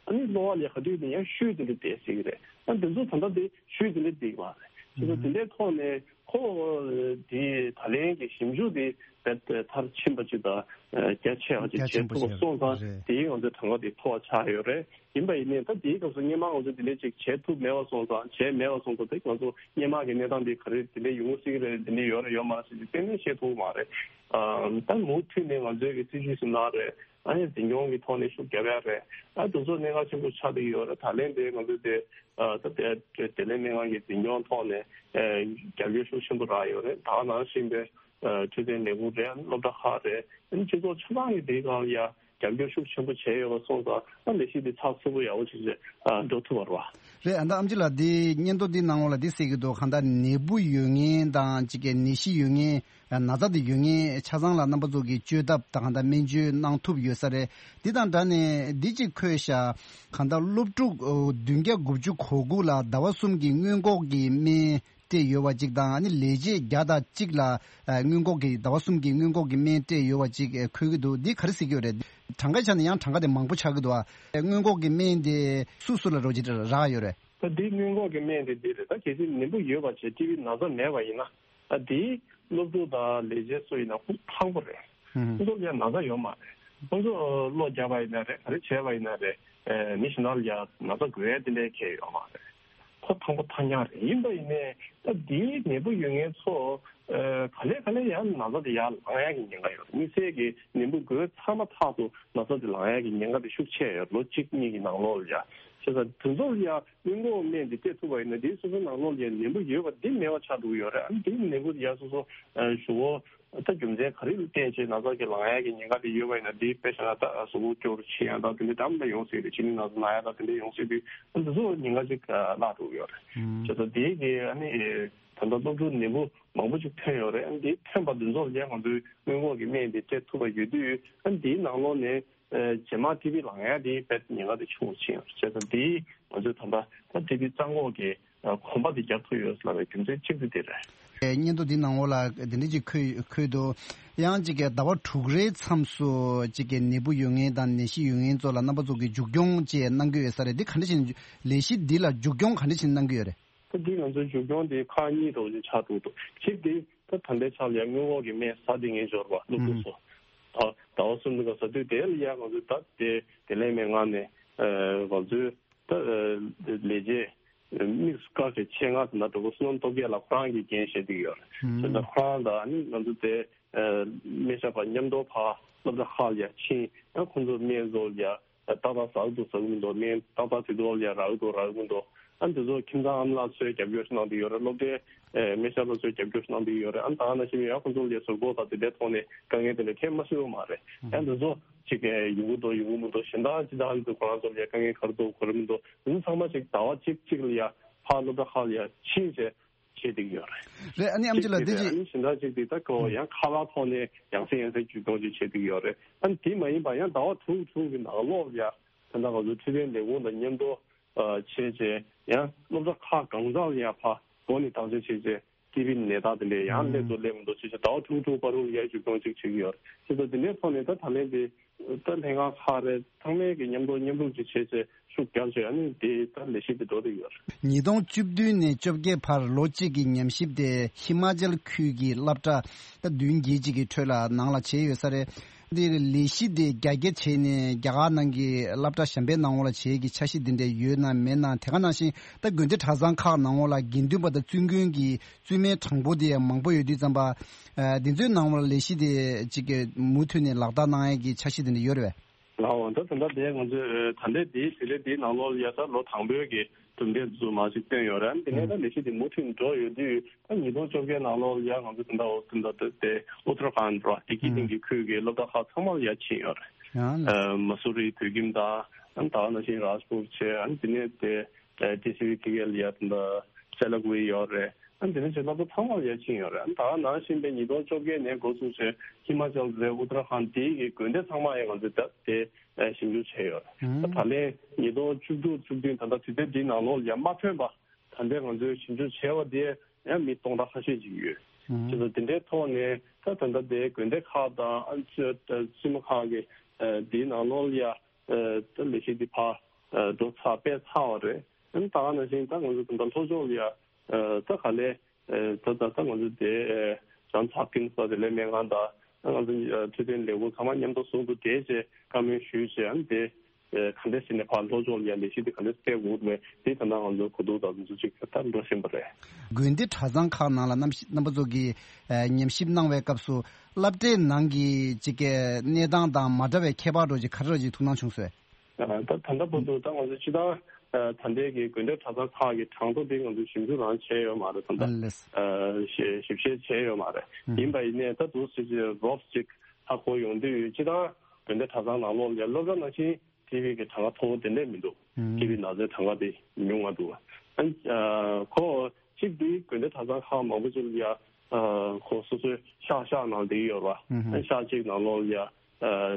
ཨ་ནི་གློ་བ་ལ་ག་དུས་ནས་ཡང་ཤུལ་དེ་འདྲ་བསྡད་སྲིད་ཀྱི་རེད། ཨ་འདི་ཚོ་ད་ལྟ་དེ་ཤུལ་དེ་འདྲ་བསྡད་ཀྱི་མ་རེད། བྱས་ཙང་དེ་འདྲའི་ཐོག་ནས་ཁོ་དེ་ད་ལན་གྱི་ཞིབ་འཇུག་དེ་རྦད་དེ་མཐར་ཕྱིན་པ་ཅིག་དང་རྒྱ་ཆེ་བ་ཅིག་རྒྱ་ཆེན་པོ་བྱས་ཐུབ་པ་ཞིག་སོང་ཙང་རེད། དེའི་ང་ཚོའི་གྲངས་ཀ་དེ་མཐོ་བ་ཆགས་ཡོད་རེད། ཡིན་པ་ཡིན་ནའི་ད་དེའི་སྐབས་སུ་སྔོན་མ་ང་ཚོ་དེ་འདྲ་ཅིག་བྱས་ཐུབ་མེད་པ་སོང་ཙང་། བྱས་མེད་པ་སོང་ཙང་དེ་ང་ཚོ་སྔོན་མ་གི་གནས་སྟངས་དེ་ག་རེ་དེ་འདྲ་ཡོང་སྲིད་ཀྱི་རེད། དེ་འདྲ་ཡོད་རེད་ཡོད་མ་རེད་ཟེར་དེ་གཏན་ནས་བཤད་ཐུབ་ཀྱི་མ་རེད། ཨ་ད་མུ་མཐུད་ནས་ང་ཚོའི་གི་སྲིད་ཇུས་སུ་གནང་རེད། ཨ་ནི་འཛིན་སྐྱོང་གི་ཐོག་ནས་ཤུགས་རྒྱབ་ཡ་རེད། ཨ་དེ་ཚོ་གནད་འགག་ཆེན་པོ་ཆགས་བསྡད་ཡོད་རེད། ད་ལན་དེ་ང་ཚོ་དེ་ཨ་ད་དེ་དེ་ལན་སྨན་ཁང་གི་འཛིན་སྐྱོང་ཐོག་ནས་ཨ་རྒྱབ་སྐྱོར་ཤུགས་ཆེན་པོ་རག་ཡོད་རེད། ད་ག་ནང་བཞིན་པའི་ཨ་འཕྲོད་བསྟེན་ལས་ཁུངས་རེད། སློབ་གྲྭ་ཁག་རེད། ཨ་ནི་སྤྱི་ཚོགས་ཆ་ཚང་གི་དེའི་སྒང་ལ་ཡ་རྒྱབ་སྐྱོར་ཤུགས་ཆེན་པོ་བྱས་ཡོད་པ་སོང་ཙང་། ཨ་ལས་གཞི་དེ་ཚགས་ཚུད་པོ་ཡག་པོ་ཞིག་ཨ་འགྲོ་ཐུབ་པ་རེད་བ། རེད། ཨ་ད་ཨམ་ཆི་ལགས་འདི་སྙན་ཐོ་འདི་ནང་ལོགས་ལ་འདི་གསལ་གྱི་འདུག་གང་ལྟར་ནད་འབུ་ཡོད་མཁན་དང་གཅིག་གི་ནད་གཞི་ཡོད་མཁན། ན་ཚ་དེ་ཡོད་མཁན་ཆ་ཚང་ལ་རྣམ་པ་ཚོ་གིས་བཅོས་ཐབས་དང་གང་ལྟར་སྨན་བཅོས་གནང་ཐུབ་ཡོད་ས་རེད། འདི་དང་སྦྲགས་ནས་འདི་གཅིག་འཁོད་ཤག་གང་ལྟར་སློབ་ཕྲུག་བདུན་བརྒྱ་དགུ་བཅུ་གོ་དགུ་ལ་ཟླ་བ་གསུམ་གྱི་སྔོན་འགོག་གི་སྨན་སྤྲད་ཡོད་པ་གཅིག་དང་། ཨ་ནི་ལས་བྱེད་བརྒྱ་དང་གཅིག་ལ་སྔོན་འགོག་གི་ཟླ་བ་གསུམ་གྱི་སྔོན་འགོག་གི་སྨན་སྤྲད་ཡོད་པ་གཅིག་འཁོད་ཀྱི་འདུག་འདི་ག་རེ་ཟེར་གྱི་ཡོད་རེད། གྲངས་ཀ་ཆ་ནས་ཡང་གྲངས་ཀ་དེ་མང་པོ་ཆགས་ཀྱི་འདུག་ཨ་སྔོན་འགོག་གི་སྨན་དེ་སུ་སུ་ལ་རོགས་ཀྱི་རག་ཡོད་རེད། ད་འདི་སྔོན་འགོག་གི་སྨན་དེ་འདི་རེད། ད་གལ་སྲིད་ནད་འབུ་ཡོད་པ་བྱས་ཊི་བི་ན་ཚ་མེད་པ་ཡིན་ན། ཨ་དེའི་སློབ་ཕྲུག་དང་ལས་བྱེད་སུ་ཡིན་ན་ཁོ་ཚོ་ཐང་པོ་རེད། ཁོ་ཚོ་ལ་ཡང་ན་ཚ་ཡོད་མ་རེད། ཁོ་ཚོ་གློ་བརྒྱབ་པ་ཡིན་ན་རེད། ག་རེ་བྱས་པ་ཡིན་ན་རེད། ཨེ་མི་གཞན་དག་ལ་ཡང་ན་ཚ་འགོས་ཡ་དེ་འདྲའི་གལ་ཡོད་མ་རེད། ཁོ་ཐང་པོ་ཐང་རྐྱང་རེད། ཡིན་པ་ཡིན་ནའི་ད་དེའི་ནད་འབུ་ཡོད་མཁན་ཚོ་ཨེ་ག་ལེ་ག་ལེ་ཡང་ན་ཚ་དེ་ཡར་ལངས་ཡ་གི་ཉེན་ཁ་ཡོད་རེད། དམིགས་བསལ་གྱི་ནད་འབུ་འགོས་ཚར་མ་ཐག་ཏུ་ན་ཚ་དེ་ལངས་ཡ་གི་ཉེན་ཁ་དེ་ཤུགས་ཆེ་ཡོད། ལོ་གཅིག་གཉིས་ཀྱི་ནང་ལོགས་ལ་ཡ། བྱས་ཙང་དེ་ཚོ་ལ་ཡ་སྔོན་འགོག་སྨན་འདི་སྤྲད་ཐུབ་པ་ཡིན་ན། དེའི་སོ་སོའི་ནང་ལོགས་ལ་ཡ་ནད་འབུ་ཡོད་པ་འདི་མེད་པ་ཆགས་འགྲོ་གི་ཡོད་རེད། ཨ་ནི་དེའི་ནད་འབུ་ཡ་སོ་སོ་ཨ་ཞུ་བོ་ད་རྒྱུ་མཚན་ག་རེ་ལ་བརྟེན་བྱས་ན་ཚ་གི་ལངས་ཡ་གི་ཉེན་ཁ་དེ་ཡོད་པ་ཡིན་ན། དེ་དཔེ་བཞག་ན་ད་གཟུགས་པོ་སྐྱོ་རུ་ཕྱིན་ཡ་ད་དེ་འདྲ་འདྲ་མི་འདྲ་ཡོང་སྲིད་རེད། གཅིན་སྙི་ན་ཚ་ན་ཡ་ད་དེ་འདྲ་ཡོང་སྲིད་དུས། ཨ་འདི་ཚོ་ཉེན་ཁ་ཅིག་བརླག་འགྲོ་གི་ཡོད་རེད། བྱས་ཙང་དེའི་གི་ཨ་ནི་ད་ལྟ་སློབ་ཕྲུག་ནད་འབུ་མང་པོ་ཅིག་ཐོན་ཡོད་རེད། ཨ་ནི་དེ་ཐོན་པ་འདི་ཚོ་ལ་ཡ་ང་ཚོས་སྔོན་འགོག་གི་སྨན་དེ་སྤྲད་ཐུབ་པ་ཡོད་དུས། ཨ་ནི་དེའི་ནང་ལོགས་ནས། ཨ་རྗེས་མ་ཊི་བི་ལངས་ཡ་དེ་དཔེ་ཉེན་ཁ་དེ་ཆུང་རུ་ཕྱིན་ཡོད་རེད། བྱས་ཙང་དེ་ང་ཚོས་ད་ལྟ་ད་ཊི་བི་རྩ་འགོག་གི་ཨ་གོམ་པ་དེ་རྒྱག་ཐུབ་ཡོད་ལབ་པའི་རྒྱུ་མཚན་གཅིག་དེ་དེ་རེད། སྙན་ཐོ་འདི་ནང་ལོགས་ལ་དེ་འདྲ་ཅིག་འཁོད་འཁོད་འདུག་ཡང་ཅིག་གི་ཟླ་བ་དྲུག་རེའི་མཚམས་སུ་ཅིག་གི་ནད་འབུ་ཡོད་མཁན་དང་ནད་གཞི་ཡོད་མཁན་ཚོ་ལ་རྣམ་པ་ཚོ་གི་མཇུག་སྐྱོང་བཅས་གནང་གི་ཡོད་ས་རེད། འདི་ག་འདྲ་བྱས་ནས་ལས་གཞི་འདི་ལ་མཇུག་སྐྱོང་ག་འདྲ་བྱས་ནས་གནང་གི་ཡོད་རེད། ད་འདི་ང་ཚོའི་མཇུག་སྐྱོང་དེ་ཁག་གཉིས་འདྲ་བོ་ཅིག་ཆགས་འདུག་གཅིག་དེ་ད་ད་ལྟའི་ཆ་ལ་ཡ་སྔོན་འགོག་གི་སྨན་ཟ་བསྡད་མཁན་འབྱོར་བ་སློབ་ཕྲུག་ཚོ། ད་ཟླ་བ་གསུམ་འདི་ག་ཟ་དུས་དེ་ལ་ཡ་ང་ཚོས་ད་དེ་དེ་ལས་མེད་ངང་ནས་ང་ཚོའི་ད་ལས་བྱེད་དམིགས་སུ་བཀར་བའི་ཆེད་མངགས་དེ་འདྲ་བོ་བསོད་ནམས་སྟོབས་རྒྱས་ལགས་ཁོ་རང་གིས་འགན་བཞེས་བསྡད་ཀྱི་ཡོད་རེད། བྱས་ཙང་ཁོ་རང་དང་ཨ་ནི་ང་ཚོ་དེ་སྨན་ཞབས་པ་མཉམ་དུ་ཕར་སློབ་གྲྭ་ཁག་ལ་ཡ་ཕྱིན། ད་ཁོང་ཚོ་སྨན་བཟོ་ལ་ཡ། ཏག་ཏག་ཟ་གི་འདུག་ཟ་གི་མི་འདུག་སྨན་ཏག་ཏག་དུས་ཐོག་ལ་ཡ་རག་གི་འདུག་རག་གི་མི་འདུག་ཨ་ནི་དེ་ཚོ་ཁྱིམ་ཚང་ཨ་མ་ལགས་ཚོས་རྒྱབ་སྐྱོར་ཞིག་གནང་བསྡད་ཡོད་རེད། སློབ་གྲྭའི་ཨེ་སྨན་ཞབས་ལགས་ཚོས་རྒྱབ་སྐྱོར་ཞིག་གནང་བསྡད་ཡོད་རེད། ཨ་ནི་ད་ག་ནང་བཞིན་ཡང་ཁོང་ཚོ་ལ་ཡ་གཟུགས་པོ་དང་དེ་འདྲའི་ཐོག་ནས་དཀའ་ངལ་དེ་འདྲ་ཐེབས་མ་སྲིད་པ་མ་རེད། ཨ་ནི་དེ་ཚོ་ཅིག་ཨེ་ཡོང་གི་འདུག་ཡོང་གི་མི་འདུག་གཞན་དག་ཅི་ལྟར་ཨ་ནི་ཁོ་རང་ཚོ་ལ་ཡ་དཀའ་ངལ་ག་རེ་འདུག་ག་རེ་མི་འདུག་དེ་ཚོ་ཚང་མ་ཅིག་ཟླ་བ་གཅིག་གཅིག་ལ་ཡ་ཕར་སློབ་གྲྭ་ཁག་ལ་ཡ་ཕྱིན་བྱས་བྱེད་བསྡད་ཀྱི་ཡོད་རེད། རེད། ཨ་ནི་ཨམ་ཆི་ལགས་འདི་ཅིག་ཨ་ཅིག་ནི་གཞན་དག་ཅིག་དེ་ད་ཁོ་ཡང་ཁ་པར་ཐོག་ནས་ཡང་སེ་ཡང་སེ་བརྒྱུད་གཏོང་ཅིག་བྱེད་བསྡད་ཀྱི་ཡོད་རེད། ཨ་ནི་དེ་མ་ཡིན་པ་ཡང་ཟླ་བ་དྲུག་དྲུག་གི་ནང་ལོགས་ལ་ཡ་ད་ལྟ་ང་ཚོ་འཕྲོད་བསྟེན་ལས་ཁུངས་དང་མཉམ་དུ་ཨ་བྱས་བྱས་ཡང་སློབ་གྲྭ་ཁག་གང་ཟག་ལ་ཡ་ཕར་སྒོ་ནས་བརྟག་དཔྱད་བྱས་བྱས་ཊི་བི་ནད་རྟགས་དེ་འདྲས་ཡང་སླེབས་འདུག་སླེབས་མི་འདུག་བྱས་བྱས་ཟླ་བ་དྲུག་དྲུག་བར་དུ་ལ་ཡ་བརྒྱུད་གཏོང་ཅིག་བྱེད་ཀྱི་ཡོད་རེད། བྱས་ཙང་དེ་འདྲའི་ཐོག་ནས་ད་ད་ལན་དེ། ད་ལྷན་ཁང་ཁག་རེད། ཚང་མས་ཀྱི་མཉམ་དུ་མཉམ་རུབ་ཅིག་བྱས་བྱས་ཤུགས་རྒྱག་བྱས་ཨ་ནི་དེ་ད་ལས་གཞི་དེ་འགྲོ་བསྡད་ཡོད་རེད། ཉིས་སྟོང་བཅུ་བདུན་ནས་བཅོ་བརྒྱད་བར་ལོ་གཅིག་གི་ཉམས་ཞིབ་དེ་ཧི་མ་ཅལ་ཁུལ་གྱི་སློབ་གྲྭ་ད་བདུན་བརྒྱད་ཅིག་གི་ཁྲོད་ལ་ནང་ལ་བྱས་ཡོད་ས་རེད། འདིར་ལས་གཞི་དེ་རྒྱ་སྐྱེད་བྱས་ནས་རྒྱ་གར་ནང་གི་སློབ་གྲྭ་གཞན་པའི་ནང་ལ་བྱེད་ཀྱི་འཆར་གཞི་དེ་འདྲ་ཡོད་ན་མེད་ན། དེ་ག་ནང་བཞིན་ད་དགོན་སྡེ་གྲྭ་ཚང་ཁག་ནང་ལ་དགེ་འདུན་པ་དང་བཙུན་དགོན་གྱི་བཙུན་མའི་གྲངས་འབོར་དེ་ཡང་མང་པོ་ཡོད་དུས་ཙམ་པ། ཨ་འདི་ཚོའི་ནང་ལ་ལས་གཞི་དེ་གཅིག་གི་མུ་མཐུད་ནས་ལག་བསྟར་གནང་ཡས་ཀྱི་འཆར་གཞི་དེ་འདྲ་ཡོད་རེད་པས། ལགས་འོང་། ད་ད་ལྟ་དེ་ང་ཚོས་ད་ལྟའི་དེའི་དུས་ཚོད་འདིའི་ནང་ལོགས་ལ་ཡ་ད་ལོ་དང་པོའི་གི་གྲུབ་འབྲས་ཚོ་མར་ཅིག་བཏོན་ཡོད་རེད། ཨ་ནི་དེ་ནས་ད་ལས་གཞི་དེ་མུ་མཐུད་འགྲོ་ཡོད་དུས་ད་ཉིས་སྟོང་བཅོ་བརྒྱད་ནང་ལོགས་ལ་ཡ་ང་ཚོ་ད་ལྟ་འོ་ད་ལྟ་དེ་ཨུ་ཏར་ཁཱན་ར་ལྡི་ཀི་སྟེང་གི་ཁུལ་གི་སློབ་གྲྭ་ཁག་ཚང་མ་ལ་ཡ་ཕྱིན་ཡོད་རེད། ཡང་ལགས། ཨ་མ་སུ་རི་བོད་ཁྱིམ་དང་ཨ་ནི་ད་ག་ནང་བཞིན་རཱཇ་པུར་བྱས། ཨ་ནི་དེ་ནས་དེ་ཨ་ཊི་སི་ཝི་ཕི་ཀེ་ལ་ཡ་ད་ལྟ་སེ་ལ་ཀུ་ཝེ་ཡོད་རེད། ཨ་ནི་དེ་ནས་ཅིག་སློབ་གྲྭ་ཚང་མར་ཡར་ཕྱིན་ཡོད་རེད། ཨ་ནི་ད་ག་ནང་བཞིན་པའི་ཉིས་སྟོང་བཅོ་བརྒྱད་ནས་འགོ་བཙུགས་བྱས་ཧི་མ་ཅལ་རེད། ཨུ་ཏར་ཁཱན་དེའི་གི་དགོན་སྡེ་ཚང་མ་ཡང་ང་ཚོས་ད་དེ་ཞིབ་འཇུག་བྱས་ཡོད་རེད། ད་ད་ལན་ཉིས་སྟོང་བཅུ་དྲུག་བཅུ་བདུན་ད་ལྟ་དུས་ཚོད་འདིའི་ནང་ལོགས་ལ་ཡང་མ་ཐོན་པ་ད་ལྟའི་ང་ཚོས་ཞིབ་འཇུག་བྱས་པ་དེ་ཡང་མི་སྟོང་ཕྲག་ཁ་ཤས་ཅིག་ཡོད། བྱས་ཙང་དེ་འདྲའི་ཐོག་ནས་ད་ད་ལྟ་དེ་དགོན་སྡེ་ཁག་དང་ཨ་ནི་བཙུན་མ་ཁག་གི་དེའི་ནང་ལོགས་ལ་ཡ་ད་ལས་གཞི་འདི་ཕར་འགྲོ་ཚར་སྤེལ་ཚར་བ་རེད། ཨ་ནི་ད་ག་ནང་བཞིན་ད་ང་ཚོ་ད་ལྟ་ལྷོ་ཕྱོགས་ལ་ཡ། ད་ག་ལས། ད་ད་ད་ང་ཚོ་དེ་ཇོན་སི་ཧོབ་ཀིན་སི་ལ་དེ་ལས་སྨན་ཁང་དང་ང་ཚོ་འཕྲོད་བསྟེན་ལས་ཁུངས་ཚང་མ་མཉམ་དུ་ཟུང་དུ་འབྲེལ་བྱས་བཀའ་མོལ་ཞུས་བྱས། ཨ་ནི་དེ་ག་འདྲ་བྱས་ནས་ཕར་ལྷོ་ཕྱོགས་ལ་ཡ་ལས་གཞི་དེ་ག་འདྲ་སྤེལ་དགོས་མེད་དེ་ད་ལྟ་ང་ཚོ་གོ་བསྡུར་དང་དེ་ཚོ་ཅིག་ད་འགྲོ་བཞིན་པ་རེད། དགོན་སྡེ་གྲྭ་ཚང་ཁག་ནང་ལ་རྣམ་རྣམ་པ་ཚོ་གིས་ཉམས་ཞིབ་གནང་བའི་སྐབས་སུ་སློབ་གྲྭའི་ནང་གི་ཅིག་གི་གནས་སྟངས་དང་མ་འདྲ་བའི་ཁྱད་པར་འདྲ་ཅིག་ག་རེ་འདྲ་ཅིག་ཐུགས་སྣང་བྱུང་སོང་། ད་ད་ལྟ་བར་དུ་ད་ང་ཚོ་སྤྱིར་བཏང་ད་ལྟའི་གི་དགོན་སྡེ་གྲྭ་ཚང་ཁག་གི་གྲངས་ཐོ་དེ་ང་ཚོ་ཞིབ་འཇུག་རང་བྱས་ཡོད་མ་རེད། ད་ལྟ་ཨ་ལས། ཞིབ་ཞིབ་བཤེར་བྱས་ཡོད་མ་རེད། ཨུ། ཡིན་པ་ཡིན་ནའི་ད་འདུག་སེ་ཅིག་རོབ་ཅིག་ཧ་གོ་ཡོང་དུས་སྤྱིར་བཏང་དགོན་སྡེ་གྲྭ་ཚང་ནང་ལོགས་ལ་སློབ་གྲྭ་ནང་བཞིན་ཊི་བི་གི་གྲངས་ཀ་མཐོ་བོ་དེ་འདྲས་མི་འདུག་ཨུ། ཊི་བི་ན་ཚའི་གྲངས་ཀ་དེ་ཉུང་བ་འདུག་ཨ་ཨ་ཁོ་གཅིག་དེ་དགོན་སྡེ་གྲྭ་ཚང་ཁག་མང་པོ་ཅིག་ལ་ཡ་ཨ་ཁོ་སོ་སོའི་ཤག་ཤག་ནང་བསྡད་ཡོད་རེད་པ། ཨུ། ཨ་ཤག་གཅིག་ནང་ལོགས་ལ་ཡ། ཨ་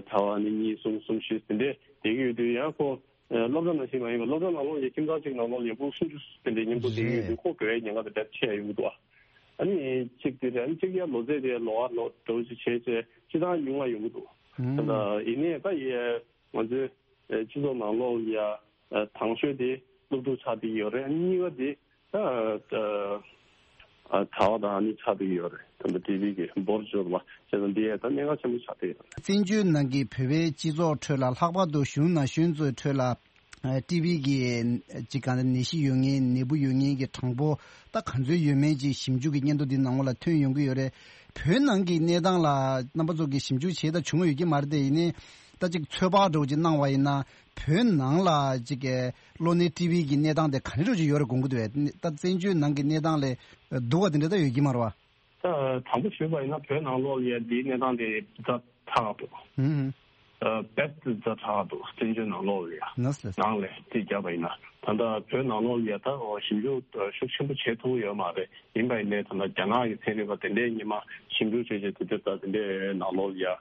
གྲྭ་པ་ནི་གཉིས་གསུམ་གསུམ་བཞི་དེ་འདྲས་བསྡད་ཀྱི་ཡོད་དུས་ཡང་ཁོ་ཨ་སློབ་གྲྭ་ནང་བཞིན་མ་ཡིན་པར་སློབ་གྲྭ་ནང་ལོགས་ཡ་ཁྱིམ་ཚང་གཅིག་ནང་ལོགས་ལ་ཡ་ཕྲུ་གུ་སུམ་ཅུ་དེ་འདྲས་མཉམ་དུ་བསྡད་ཀྱི་ཡོད་དུས་ཁོ་དགོས་ཡ་ཉེན་ཁ་དེ་འདྲ་ཆེ་ཡ་ཡོང་གི་འདུག་ཨ་ནི་གཅིག་དེ་རེད། ཨ་ནི་གཅིག་ཡ་ལོ་ཚད་དེ་ལོ་བ་ལོ་འདྲ་བོ་ཅིག་བྱས་བྱས་སྤྱིར་བཏང་ཉུང་བ་ཡོང་གི་འདུག་ཨུ། ད་ལྟ་ཡིན་ནའི་ད་ཡ་ང་ཚོའི་ཨ་སྤྱི་ཚོགས་ནང་ལོགས་ལ་ཡ་ཨ་དང་ཤོས་དེ་སློབ་ཕྲུག་ཆགས་བསྡད་ཡོད་རེད། ཨ་ནི་གཉིས་པ་དེ། ད་ཨ་གྲྭ་པ་དང་ཨ་ནི་ཆགས་བསྡད་ཡོད་རེད། ད་ལྟ་ཊི་བི་གི་འབོར་འབྱོར་བ་བྱས་ཙང་འདི་ཡང་ད་གནད་འགག་ཆེན་པོ་ཆགས་བསྡད་ཡོད་རེད། བཙན་བྱོལ་ནང་གི་བོད་པའི་སྤྱི་ཚོགས་ཁྲོད་ལ་ལྷག་པར་དུ་གཞུང་ན་གཞོན་ཚོའི་ཁྲོད་ལ་ཨ་ཊི་བི་གི་ཅིག་གང་ནད་གཞི་ཡོད་མཁན་ནད་འབུ་ཡོད་མཁན་གྱི་གྲངས་འབོར་ད་ག་ཚོད་ཡོད་མེད་ཅིག་ཞིབ་འཇུག་གི་སྙན་ཐོ་འདི་ནང་ལ་ཐོན་ཡོང་གི་ཡོད་རེད། བོད་ནང་གི་གནས་སྟངས་ལ་རྣམ་པ་ཚོ་གིས་ཞིབ་འཇུག་བྱས་ད་བྱུང་ཡོད་ཀྱི་མ་རེད་དེ། ཡིན་ནའི་ད་ཅིག་ཚོད་དཔག་འདྲ་བོ་ཅིག་གནང་བ་ཡིན་ན། བོད་ནང་ལ་ཅིག་གི་གློ་ནད་ཊི་བི་གི་གནས་སྟངས་དེ་ག་འདྲ་ཅིག་ཡོད་རེད་དགོངས་ཀྱི་འདུག་པས། ད་བཙན་བྱོལ་ནང་གི་གནས་སྟངས་ལས་སྡུག་པ་དེ་འདྲ་ད་ཡོད་ཀྱི་མ་རེད་པ། ད་དང་པོ་ཞུས་པ་ཡིན་ན་བོད་ནང་ལོགས་ལ་ཡ་འདིའི་གནས་སྟངས་དེ་ཛ་དྲག་འདུག་ཨུ་ཧུམ། ཨ་དཔེ་ཛ་དྲག་འདུག་བཙན་བྱོལ་ནང་ལོགས་ལ་ཡ། ནས་ལས། ནང་ལས་རྩིས་བརྒྱབ་པ་ཡིན་ན་ད་ལྟ་བོད་ནང་ལོགས་ལ་ཡ་ད་ཞིབ་འཇུག་ཤུགས་ཆེན་པོ་བྱེད་ཐུབ་ཡོད་མ་རེད། ཡིན་པ་ཡིན་ནའི་ད་ལྟ་རྒྱ་ནག་གི་ཚན་རིག་པ་དེ་འདྲའི་ཉི་མ་ཞིབ་འཇུག་བྱས་བྱས་དེ་འདྲའི་ད་དེ་འདྲའི་ནང་ལོགས་ལ་ཡ་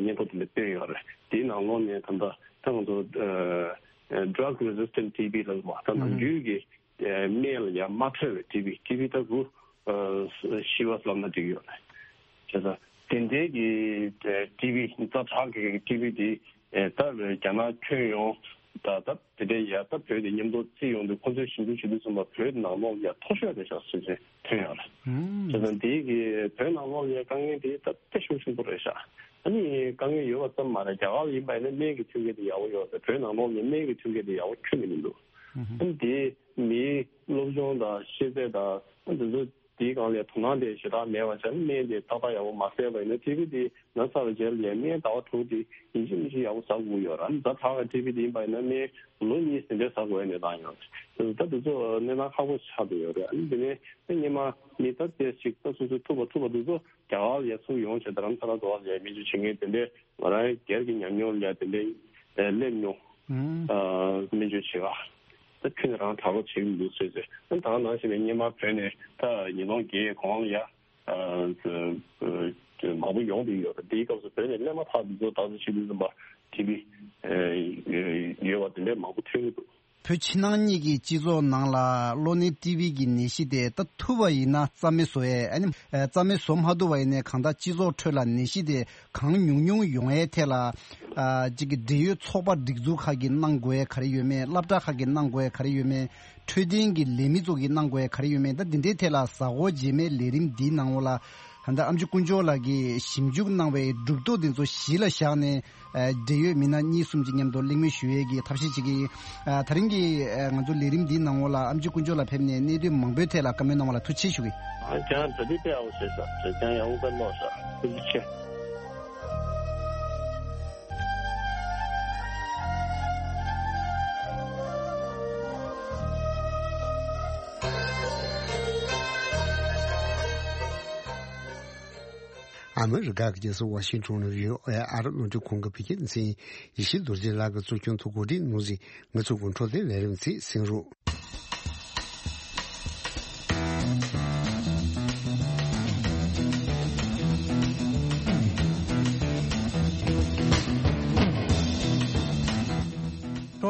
སྙན་ཐོ་དེ་འདྲ་བཏོན་ཡོད་རེད། དེའི་ནང་ལོགས་ནས་ད་ལྟ་ད་ང་ཚོ་ཨ་drug resistant T B ལབ་པ་ད་ནམ་རྒྱུན་གྱི་སྨན་ལ་ཡང་མ་འཕྲོད་པའི་ཊི་བི། ཊི་བི་ད་རུ་ཤི་བ་ལབ་ན་འགྲིག་ཡོད་རེད། བྱས་ཙང་དེ་འདྲའི་གི་ཊི་བི་ཛ་དྲག་གི་ཊི་བི་དེ་ད་རྒྱ་ནག་ཁྱོན་ཡོངས་ད་ད་དེ་འདྲའི་ཡ་ད་བོད་དེ་མཉམ་དུ་བརྩིས་ཡོང་དུས་ཁོང་ཚོས་ཞིབ་འཇུག་བྱེད་དུས་ཙམ་པ་བོད་ནང་ལོགས་ལ་ཡ་མཐོ་ཤོས་རེད་ཤག་ཟེར་བྱས་ཐོན་ཡོད་རེད། བྱས་ཙང་དེའི་གི་བོད་ནང་ལོགས་ལ་ཡ་དཀའ་ངལ་དེ་ད་དཔེ་ཤུགས་ཆེན་པོ་རེད་ཤག་ཨ་ནི་དཀའ་ངལ་ཡོད་པ་ཙམ་མ་རེད། རྒྱ་གར་ལ་ཡིན་པ་ཡིན་ན་སྨན་གྱི་མཐུན་རྐྱེན་དེ་ཡག་པོ་ཡོད་རེད། བོད་ནང་ལོགས་ལ་སྨན་གྱི་མཐུན་རྐྱེན་དེ་ཡག་པོ་ཁྱོན་ནས་མི་འདུག་ཨ་ནི་དེ་མིའི་སློབ་སྦྱོང་དང་ཤེས་ཚད་དང་ཨ་འདི་ཚོ་ དེའི་སྒང་ལ་དོ་སྣང་དེ་ཞེ་དྲག་མེད་པ་བྱས་ན། སྨན་དེ་ཏག་ཏག་ཡག་པོ་མ་བཟས་པ་ཡིན་ན། ཊི་བི་དེ་ན་ཚར་བའི་རྗེས་ལ་ཡང་སྨན་ཟླ་བ་དྲུག་དེ་ཡིན་གཅིག་མིན་གཅིག་ཡག་པོ་ཟ་དགོས་ཡོད་རེད། ཛ་དྲག་གི་ཊི་བི་དེ་ཡིན་པ་ཡིན་ན་སྨན་ལོ་གཉིས་དེ་འདྲ་ཟ་དགོས་ཡ་གནས་སྟངས་ཡོད་རེད། ད་དེ་ཚོ་གནས་སྟངས་ཁག་པོ་ཆགས་བསྡད་ཡོད་རེད། ཨ་ནི་དེ་ནས་སྔོན་མ་མི་ད་དེ་ཞིག་ད་སོ་སོའི་ཐུག་པ་ཐུག་པ་དེ་ཚོ་རྒྱ་གར་ལ་ཡ་ཚུར་ཡོང་བྱས། རྡ་རམ་ས་ལ་འགྲོ་བ་ལ་ཡ་སྨན་བཅོས་བྱེད་མཁན་དེ་འདྲས། ང་རང་སྒེར་གྱི་ཉམས་མྱོང་ལ་ཡ་དེ་འདྲས་སླེབས་མྱོང་། ཨ་སྨན་བཅོས་བྱེད་ག་ད་ཁྱོན་ནས་རང་དྲག་པོ་བྱེད་ཀྱི་འདུག་ཟེར་ཟེར། ཨ་ད་ག་ནང་བཞིན་པའི་སྔོན་མ་བོད་ནས་ད་ཉིས་སྟོང་བརྒྱད་གོང་ལ་ཡ་ཨ་མང་པོ་ཡོང་བསྡད་ཡོད་རེད། དེའི་སྐབས་སུ་བོད་ནས་སླེབས་མ་ཐག་དེ་ཚོ་ད་གཟོད་ཆེད་དུ་འཛིན་པ་ཊི་བི་ཡོད་པ་དེ་འདྲས་མང་པོ་ཐོན་གྱི་འདུག་བོད་ཕྱི་ནང་གཉིས་ཀྱི་སྤྱི་ཚོགས་ནང་ལ་གློ་ནད་ཊི་བི་གི་ནད་གཞི་དེ་ད་ཐུབ་པ་ཡིན་ན་རྩ་མེད་བཟོ་ཡས། ཨ་ནི་རྩ་མེད་བཟོ་མ་ཐུབ་པ་ཡིན་ནའི་གང་ལྟར་སྤྱི་ཚོགས་ཁྲོད་ལ་ནད་གཞི་དེ་གང་ཉུང་ཉུང་ཡོང་ཡས་ཐད་ལ། ཨ་གཅིག་གི་འབྲེལ་ཡོད་ཚོགས་པ་སྒྲིག་འཛུགས་ཁག་གིས་གནང་དགོས་ཡས་ག་རེ་ཡོད་མེད། སློབ་གྲྭ་ཁག་གིས་གནང་དགོས་ཡས་ག་རེ་ཡོད་མེད། འཕྲོད་བསྟེན་གྱི་ལས་མི་ཚོ་གིས་གནང་དགོས་ཡས་ག་རེ་ཡོད་མེད། ད་འདི་འདྲའི་ཐད་ལ་གཟའ་འཁོར་རྗེས་མའི་ལས་རིམ་འདིའི་ནང་ལོགས་ལ། ད་ལྟ་ཨམ་ཆི་དཀོན་མཆོག་ལགས་ཀྱིས་ཞིབ་འཇུག་གནང་བའི་གྲུབ་ཐོབ་དེ་ཚོ་གཞི་ལ་བཞག་ནས། ཨ་འབྲེལ་ཡོད་མི་སྣ་གཉིས་གསུམ་གྱི་མཉམ་དུ་གླེང་མོལ་ཞུ་ཡས་ཀྱི་ཐབས་ཤེས་བྱེད་ཀྱི་ཡིན། ཨ་དེ་རིང་གི་ཨ་ང་ཚོ་ལས་རིམ་འདིའི་ནང་ལོགས་ལ་ཨམ་ཆི་དཀོན་མཆོག་ལགས་ཕེབས་ནས་གནད་དོན་མང་པོའི་ཐད་ལ་བཀའ་མོལ་གནང་བ་ལ་ཐུགས་རྗེ་ཆེ་ཞུ་གི་ཡིན། ཨ་ཁྱེད་རང་གྲ་སྒྲིག་དཔེ་ཡག་པོ་བྱས་ཤག་ཁྱེད་རང་ཡག་པོ་དཔེ་ཀློག་ཤག་ཐུགས་རྗེ་ཆེ། ཨ་མི་རི་ཀ་གི་རྒྱལ་ས་ཝ་ཤིང་ཊོན་ནས་བྷི་ཨོ་ཨེ་ཨ་རི་རླུང་འཕྲིན་ཁང་གི་བོད་སྐད་སྡེ་ཚན་ཡིན། ཡེ་ཤེས་རྡོ་རྗེ་ལགས་ཀྱིས་གཙོ་སྐྱོང་དུ་གོ་སྒྲིག་གནང་ཟིན། ང་ཚོ་གི་འཕྲོད་བསྟེན་ལས་རིམ་ཚིག་གསན་རོགས།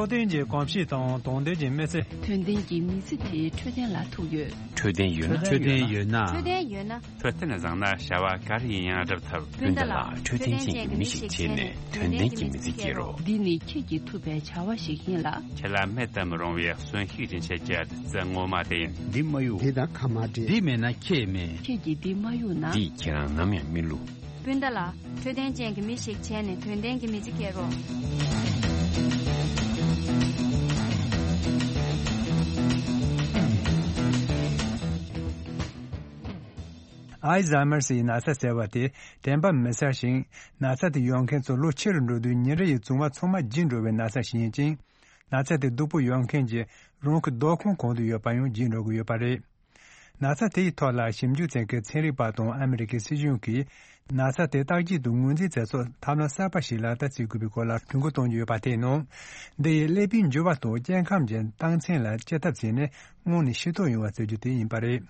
འཕྲོད་བསྟེན་གྱི་གོམས་གཤིས་དང་དོན་ལྡན་གྱི་མི་ཚེ། དོན་ལྡན་གྱི་མི་ཚེ་དེའི་འཕྲོད་བསྟེན་ལ་ཐུག་ཡོད། འཕྲོད་བསྟེན་ཡོད་ན། འཕྲོད་བསྟེན་ཡོད་ན། འཕྲོད་བསྟེན་ཡོད་ན། འཕྲོད་བསྟེན་བཟང་ན་བྱ་བ་ག་རེ་ཡིན་ཡང་སྒྲུབ་ཐུབ། སྤུན་ཟླ་ལགས། འཕྲོད་བསྟེན་ཅན་གྱི་མི་ཞིག་བྱས་ནས་དོན་ལྡན་གྱི་མི་ཚེ་སྐྱེལ་རོགས། འདི་ནི་ཁྱེད་ཀྱིས་ཐུབ་པའི་བྱ་བ་ཞིག་ཡིན་ལ། ཁྱེད་ལ་མེད་དུ་མི་རུང་བའི་གསོན་ཤུགས་རིན་ཆེན་གྱི་རྩེ་ངོ་མ་དེ་ཡིན། འདི་མ་གཡུག་འདི་དང་ཁ་མ་འབྲལ། འདི་མེད་ན་ཁྱེད་མེད། ཁྱེད་ཀྱིས་འདི་མ་གཡུག་ན། འདིས་ཁྱེད་རང་ནམ་ཡང་མི་བསླུ། སྤུན་ཟླ་ལགས། འཕྲོད་བསྟེན་ཅན་གྱི་མི་ཞིག་བྱས་ནས་དོན་ལྡན་གྱི་མི་ཚེ་སྐྱེལ་རོགས། ཨལ་ཛཱི་མར་སི་ཡི་ན་ཚ་ཟེར་བ་དེ་དྲན་པ་མི་གསལ་ཞིང་། ན་ཚ་དེ་ཡོད་མཁན་ཚོ་ལོ་ཆེ་རུ་འགྲོ་དུས་ཉིན་རེ་ཡི་བྱུང་བ་ཚང་མ་བརྗེད་འགྲོ་བའི་ན་ཚ་ཞིག་ཡིན་ཅིང་། ན་ཚ་དེ་སྡུག་པོ་ཡོད་མཁན་གྱི་རང་གི་སྡོད་ཁང་གང་དུ་ཡོད་པ་ཡང་བརྗེད་འགྲོ་གི་ཡོད་པ་རེད། ན་ཚ་དེའི་ཐོག་ལ་ཞིབ་འཇུག་བྱེད་མཁན་ཚན་རིག་པ་དང་ཨ་མི་རི་ཀའི་སྲིད་གཞུང་གིས་ན་ཚ་དེ་བརྟག་དཔྱད་དང་ངོས་འཛིན་བྱེད་ཕྱོགས་ཐབས་ལམ་གསར་པ་ཞིག་ལག་བསྟར་བྱེད་དགོས་པའི་སྐོར་ལ་གྲོས་འགོ་གཏོང་རྒྱུ་ཡོད་པ་དེའི་ནང་། འདི་ཡིས་ཀླད་པའི་འགྱུར་བ་དང་སྐྱེ་ཁམས་ཀྱི་རྟགས་མཚན་ལ་དཔྱད་ཐབས་བྱས་ནས་སྔོན་ནས་ཤེས་རྟོགས་ཡོང་བ་བྱེད་རྒྱུ་དེ་ཡིན་པ་རེད།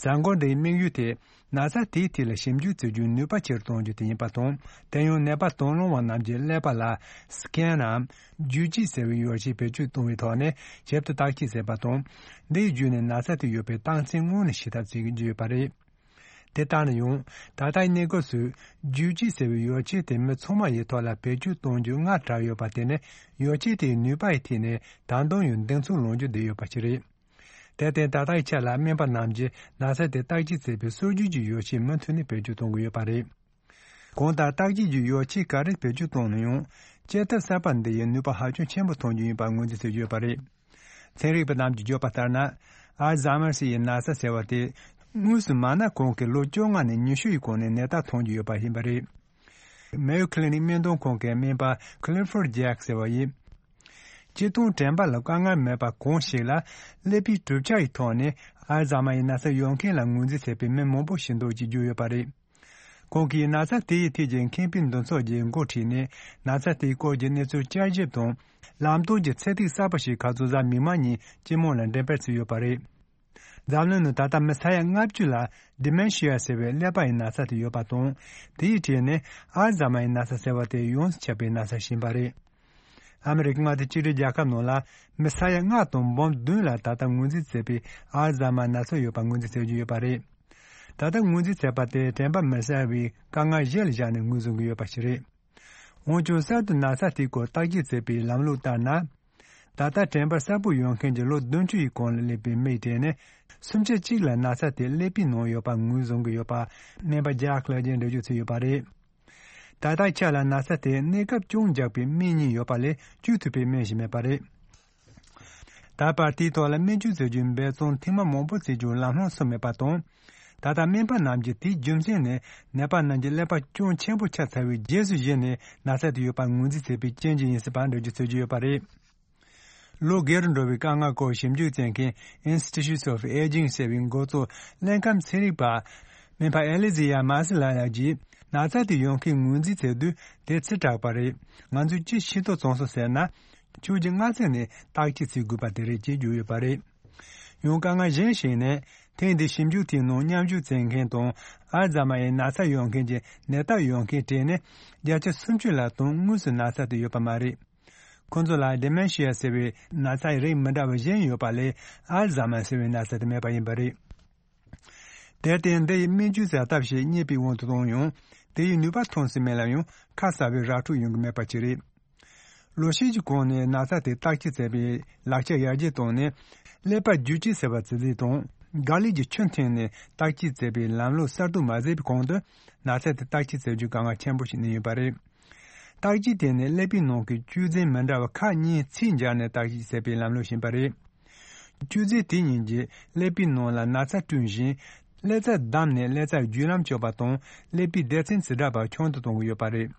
མཛད་སྒོ་འདིའི་དམིགས་ཡུལ་དེ་ན་ཚ་དེའི་ཐད་ལ་ཞིབ་འཇུག་བྱེད་རྒྱུའི་ནུས་པ་ཆེ་རུ་གཏོང་རྒྱུ་དེ་ཡིན་པ་དང་། དེ་ཡང་ནད་པ་དང་བླངས་པ་རྣམས་ཀྱི་ཀླད་པ་ལ་སི་ཀེན་ནམ་བརྒྱུད་བཅོས་ཟེར་བའི་ཡོ་བྱད་བེད་སྤྱོད་གཏོང་བའི་ཐོག་ནས་ཞིབ་ཏུ་བརྟག་དཔྱད་བྱས་པ་དང་། འདིའི་བརྒྱུད་ནས་ན་ཚ་དེ་ཡོད་པའི་རྟགས་མཚན་སྔོན་ནས་ཤེས་ཐབས་བྱེད་ཀྱི་ཡོད་པ་རེད། དེ་ལྟར་ན་ཡང་ད་ལྟའི་གནས་སྐབས་སུ་བརྒྱུད་བཅོས་ཟེར་བའི་ཡོ་བྱད་དེ་མི་ཚང་མ་ཡི་ཐོག་ལ་བེད་སྤྱོད་གཏོང་རྒྱུ་སྔར་གྲགས་ཡོད་པ་དེ་ནི་ཡོ་བྱད་དེའི་ནུས་པ་ཡི་ཐད་ནས་ད་དུང་ཡང་གདེང་ཚོད་ལོག་རྒྱུ་བསྡད་ཡོད་པ་ཞིག་རེད། དེར་བརྟེན་ད་ལྟའི་ཆ་ལ་སྨན་པ་རྣམས་ཀྱིས་ན་ཚ་དེ་བརྟག་དཔྱད་བྱེད་པའི་སྲོལ་རྒྱུན་གྱི་ཡོ་བྱད་མུ་མཐུད་ནས་བེད་སྤྱོད་གཏོང་གི་ཡོད་པ་རེད། གང་ལྟར་བརྟག་དཔྱད་ཀྱི་ཡོ་བྱད་ག་རེ་བེད་སྤྱོད་གཏོང་ན་ཡང་དཔྱད་ཐབས་གསར་པ་འདི་ཡི་ནུས་པ་ཧ་ཅང་ཆེན་པོ་ཐོན་རྒྱུ་ཡིན་པར་ངོས་འཛིན་བྱེད་ཀྱི་ཡོད་པ་རེད། ཚན་རིག་པ་རྣམས་ཀྱིས་བརྗོད་པ་ལྟར་ན། ཨལ་ཛཱི་མར་སི་ཡི་ན་ཚ་ཟེར་བ་དེ་དངོས་སུ་མ་ན་གོང་གི་ལོ་བཅོ་ལྔ་ནས་ཉི་ཤུ་ཡི་གོང་ནས་ནད་རྟགས་ཐོན་རྒྱུ་ཡོད་པ་ཡིན་པ་རེད། མེ་ཡོ་ཁི་ལི་ནིག་སྨན་གཏོང་ཁང་གི་སྨན་པ་ཁི་ལི་ཕོར་ཌི་ཇེག་ཟེར་བ་ཡིན། སྤྱིར་བཏང་དྲན་པ་ལ་དཀའ་ངལ་མེད་པ་གང་ཞིག་ལ་ཀླད་པའི་གྲུབ་ཆ་ཡི་ཐོག་ནས་ཨལ་ཛཱི་མར་ཡི་ན་ཚ་ཡོད་མཁན་ལ་ངོས་འཛིན་བྱེད་པའི་མི་མང་པོ་ཞིག་འདུག་ཅེས་བརྗོད་ཡོད་པ་རེད། ཁོང་གིས་ན་ཚ་དེ་ཡི་ཐད་ཀྱི་མཁས་པའི་འདུ་ཚོགས་ཀྱི་འགོ་ཁྲིད་ནས་ན་ཚ་དེའི་སྐོར་གྱི་གནས་ཚུལ་བསྐྱར་ཞིབ་དང་ལམ་སྟོན་གྱི་ཚད་ཐིག་གསར་པ་ཞིག་ཁ་རྩང་གཟའ་མིག་དམར་ཉིན་སྤྱི་དམངས་ལ་འགྲེམས་སྤེལ་བྱས་ཡོད་པ་རེད། འཛམ་གླིང་ནང་ད་ལྟ་མི་ས་ཡ་ལྔ་བཅུ་ལ་ཌི་མེན་ཤི་ཡ་ཟེར་བའི་ཀླད་པ་ཡི་ན་ཚ་དེ་ཡོད་པ་དང་། དེའི་གྲས་ནས་ཨལ་ཛཱི་མར་ཡི་ན་ཚ་ཟེར་བ་དེ་ཡོངས་སུ་ཁྱབ་པའི་ན་ཚ་ཞིག་ཡིན་པ་རེད། ཨ་མི་རི་ཀའི་མངའ་སྡེ་གཅིག་སྒྲིལ་རྒྱལ་ཁབ་ནང་ལ་མི་ས་ཡ་ལྔ་དང་འབུམ་བདུན་ལ་ད་ལྟ་ངོས་འཛིན་བྱས་པའི་ཨལ་ཛཱི་མར་ན་ཚ་ཡོད་པ་ངོས་འཛིན་བྱེད་ཀྱི་ཡོད་པ་རེད། ད་ལྟ་ངོས་འཛིན་བྱས་པ་དེ་དྲན་པ་མི་གསལ་བའི་དཀའ་ངལ་གཞི་ལ་བཞག་ནས་ངོས་བཟུང་གི་ཡོད་པ་ཞིག་རེད། འོན་ཀྱང་གསར་དུ་ན་ཚ་དེའི་སྐོར་བརྟག་དཔྱད་བྱེད་པའི་ལམ་ལུགས་ལྟར་ན། ད་ལྟ་དྲན་པ་གསལ་པོ་ཡོད་མཁན་གྱི་ལོ་བདུན་ཅུ་ཡི་གོང་ལ་སླེབས་པའི་མིའི་གྲས་ནས་སུམ་ཆ་གཅིག་ལ་ན་ཚ་དེ་ཀླད་པའི་ནང་ཡོད་པ་ངོས་བཟུང་གི་ཡོད་པ་སྨན་པ་ཇཱག་ལགས་ཀྱིས་འགྲེལ་བརྗོད་བྱས་ཡོད་པ་རེད། ད་ལྟའི་ཆ་ལ་ན་ཚ་དེ་གནས་སྐབས་ཅུང་འཇགས་པའི་སྨན་གཉིས་ཡོད་པ་ལས་བཅོས་ཐུབ་པའི་སྨན་ཞིག་མེད་པ་རེད། ད་ ད་བར་དེའི་ཐོག་ལ་སྨན་བཅོས་བྱ་རྒྱུའི་འབད་བརྩོན་ཐེངས་མ་མང་པོ་བྱེད་རྒྱུ་ལམ་ལྷོང་སོང་མེད་པ་དང་། ད་ལྟ་སྨན་པ་རྣམས་ཀྱིས་དེའི་རྒྱུ་མཚན་ནི་ནད་པ་རྣམས་ཀྱི་ཀླད་པ་ཅུང་ཆེན་པོ་ཆགས་ཚར་བའི་རྗེས་སུ་གཞིགས་ནས་ན་ཚ་དེ་ཡོད་པར་ངོས་འཛིན་བྱས་པའི་རྐྱེན་གྱིས་ཡིན་སྲིད་པ་འགྲེལ་བརྗོད་བྱེད་ཀྱི་ཡོད་པ་རེད། ལོ་རྒས་རུ་འགྲོ་བའི་དཀའ་ངལ་སྐོར་ཞིབ་འཇུག་བྱེད་མཁན་Institute of Aging ཟེར་བའི་འགོ་གཙོ་ཀླད་ཁམས་ཚན་རིག་པ་སྨན་པ་ཨེ་ལི་ཛི་ཡ་མཱ་སི་ལ་ཡག་གིས་ན་ཚ་དེ་ཡོང་མཁན་ངོས་འཛིན་བྱེད་དུས་དེ་ཚེ་དྲག་པ་རེད། ང་ཚོས་ཅི་ཤེས་རྟོགས་བྱུང་སོང་ཟེར་ན། ཕྱོགས་ཀྱི་སྔ་ཚིག་ནས་བརྟག་དཔྱད་བྱེད་དགོས་པ་དེ་རེད་ཅེས་བརྗོད་ཡོད་པ་རེད། ཡང་དཀའ་ངལ་གཞན་ཞིག་ནི། ཐེངས་འདིའི་ཞིབ་འཇུག་དེའི་ནང་མཉམ་ཞུགས་བྱེད་མཁན་དང་ཨལ་ཛཱ་མ་ཡི་ན་ཚ་ཡོད་མཁན་གྱི་ནད་རྟགས་ཡོད་མཁན་གྲས་ནི་བརྒྱ་ཆ་སུམ་ཅུ་ལྷག་དང་དངོས་སུ་ན་ཚ་དེ་ཡོད་པ་མ་རེད། ཁོ་ཚོ་ལ་ཌི་མེན་ཤི་ཡ་ཟེར་བའི་ན་ཚ་ཡི་རིགས་མི་འདྲ་བ་གཞན་ཡོད་པ་ལས་ཨལ་ཛཱ་མ་ཟེར་བའི་ན་ཚ་དེ་མེད་པ་ཡིན་པ་རེད། དེར་བརྟེན་འདི་ཡི་སྨན་བཅོས་ཟ་ཐབས་ཤིག་རྙེད་པའི་དབང་དུ་བཏང་ཡང་དེ་ཡི་ནུས་པ་ཐོན་སྲིད་མེད་ལ་ཡང་ཁ་གསལ་བའི་ར་འཕྲོད་ཡོང་གི་མེད་པ་ཅིག་རེད། ལོ་ཤས་ཀྱི་གོང་ནས་ན་ཚ་དེ་བརྟག་དཔྱད་བྱས་པའི་ལག་ཆ་ཡར་རྒྱས་བཏང་ནས་ཀླད་པ་བརྒྱུད་སྐྱེལ་ཟེར་བ་ཇི་སྲིད་དང་། དགག་ལས་ཀྱི་ཆུ་འཐེན་ནས་བརྟག་དཔྱད་བྱས་པའི་ལམ་ལུགས་གསར་གཏོད་མ་བྱས་པའི་གོང་དུ་ན་ཚ་དེ་བརྟག་དཔྱད་བྱ་རྒྱུ་དཀའ་ངལ་ཆེན་པོ་ཞིག་གནས་ཡོད་པ་རེད། བརྟག་དཔྱད་དེ་ནི་ཀླད་པའི་ནང་གི་བཅོས་རྫས་མི་འདྲ་བ་ཁག་གཉིས་ཚད་འཇལ་ནས་བརྟག་དཔྱད་བྱས་པའི་ལམ་ལུགས་ཤིག་ཡིན་པ་རེད། བཅོས་རྫས་དེ་གཉིས་ཀྱིས་ཀླད་པའི་ནང་ལ་ན་ཚ་བསྐྲུན་ཞིང་། ཀླད་རྩ་བསྡམས་ནས་ཀླད་རྩ་བརྒྱུད་ལམ་གཅོད་པ་དང་ཀླད་པའི་སྡེ་ཚན་ཇི་འདྲ་བ་ཆུང་དུ་གཏོང་གི་ཡོད་པ་རེད།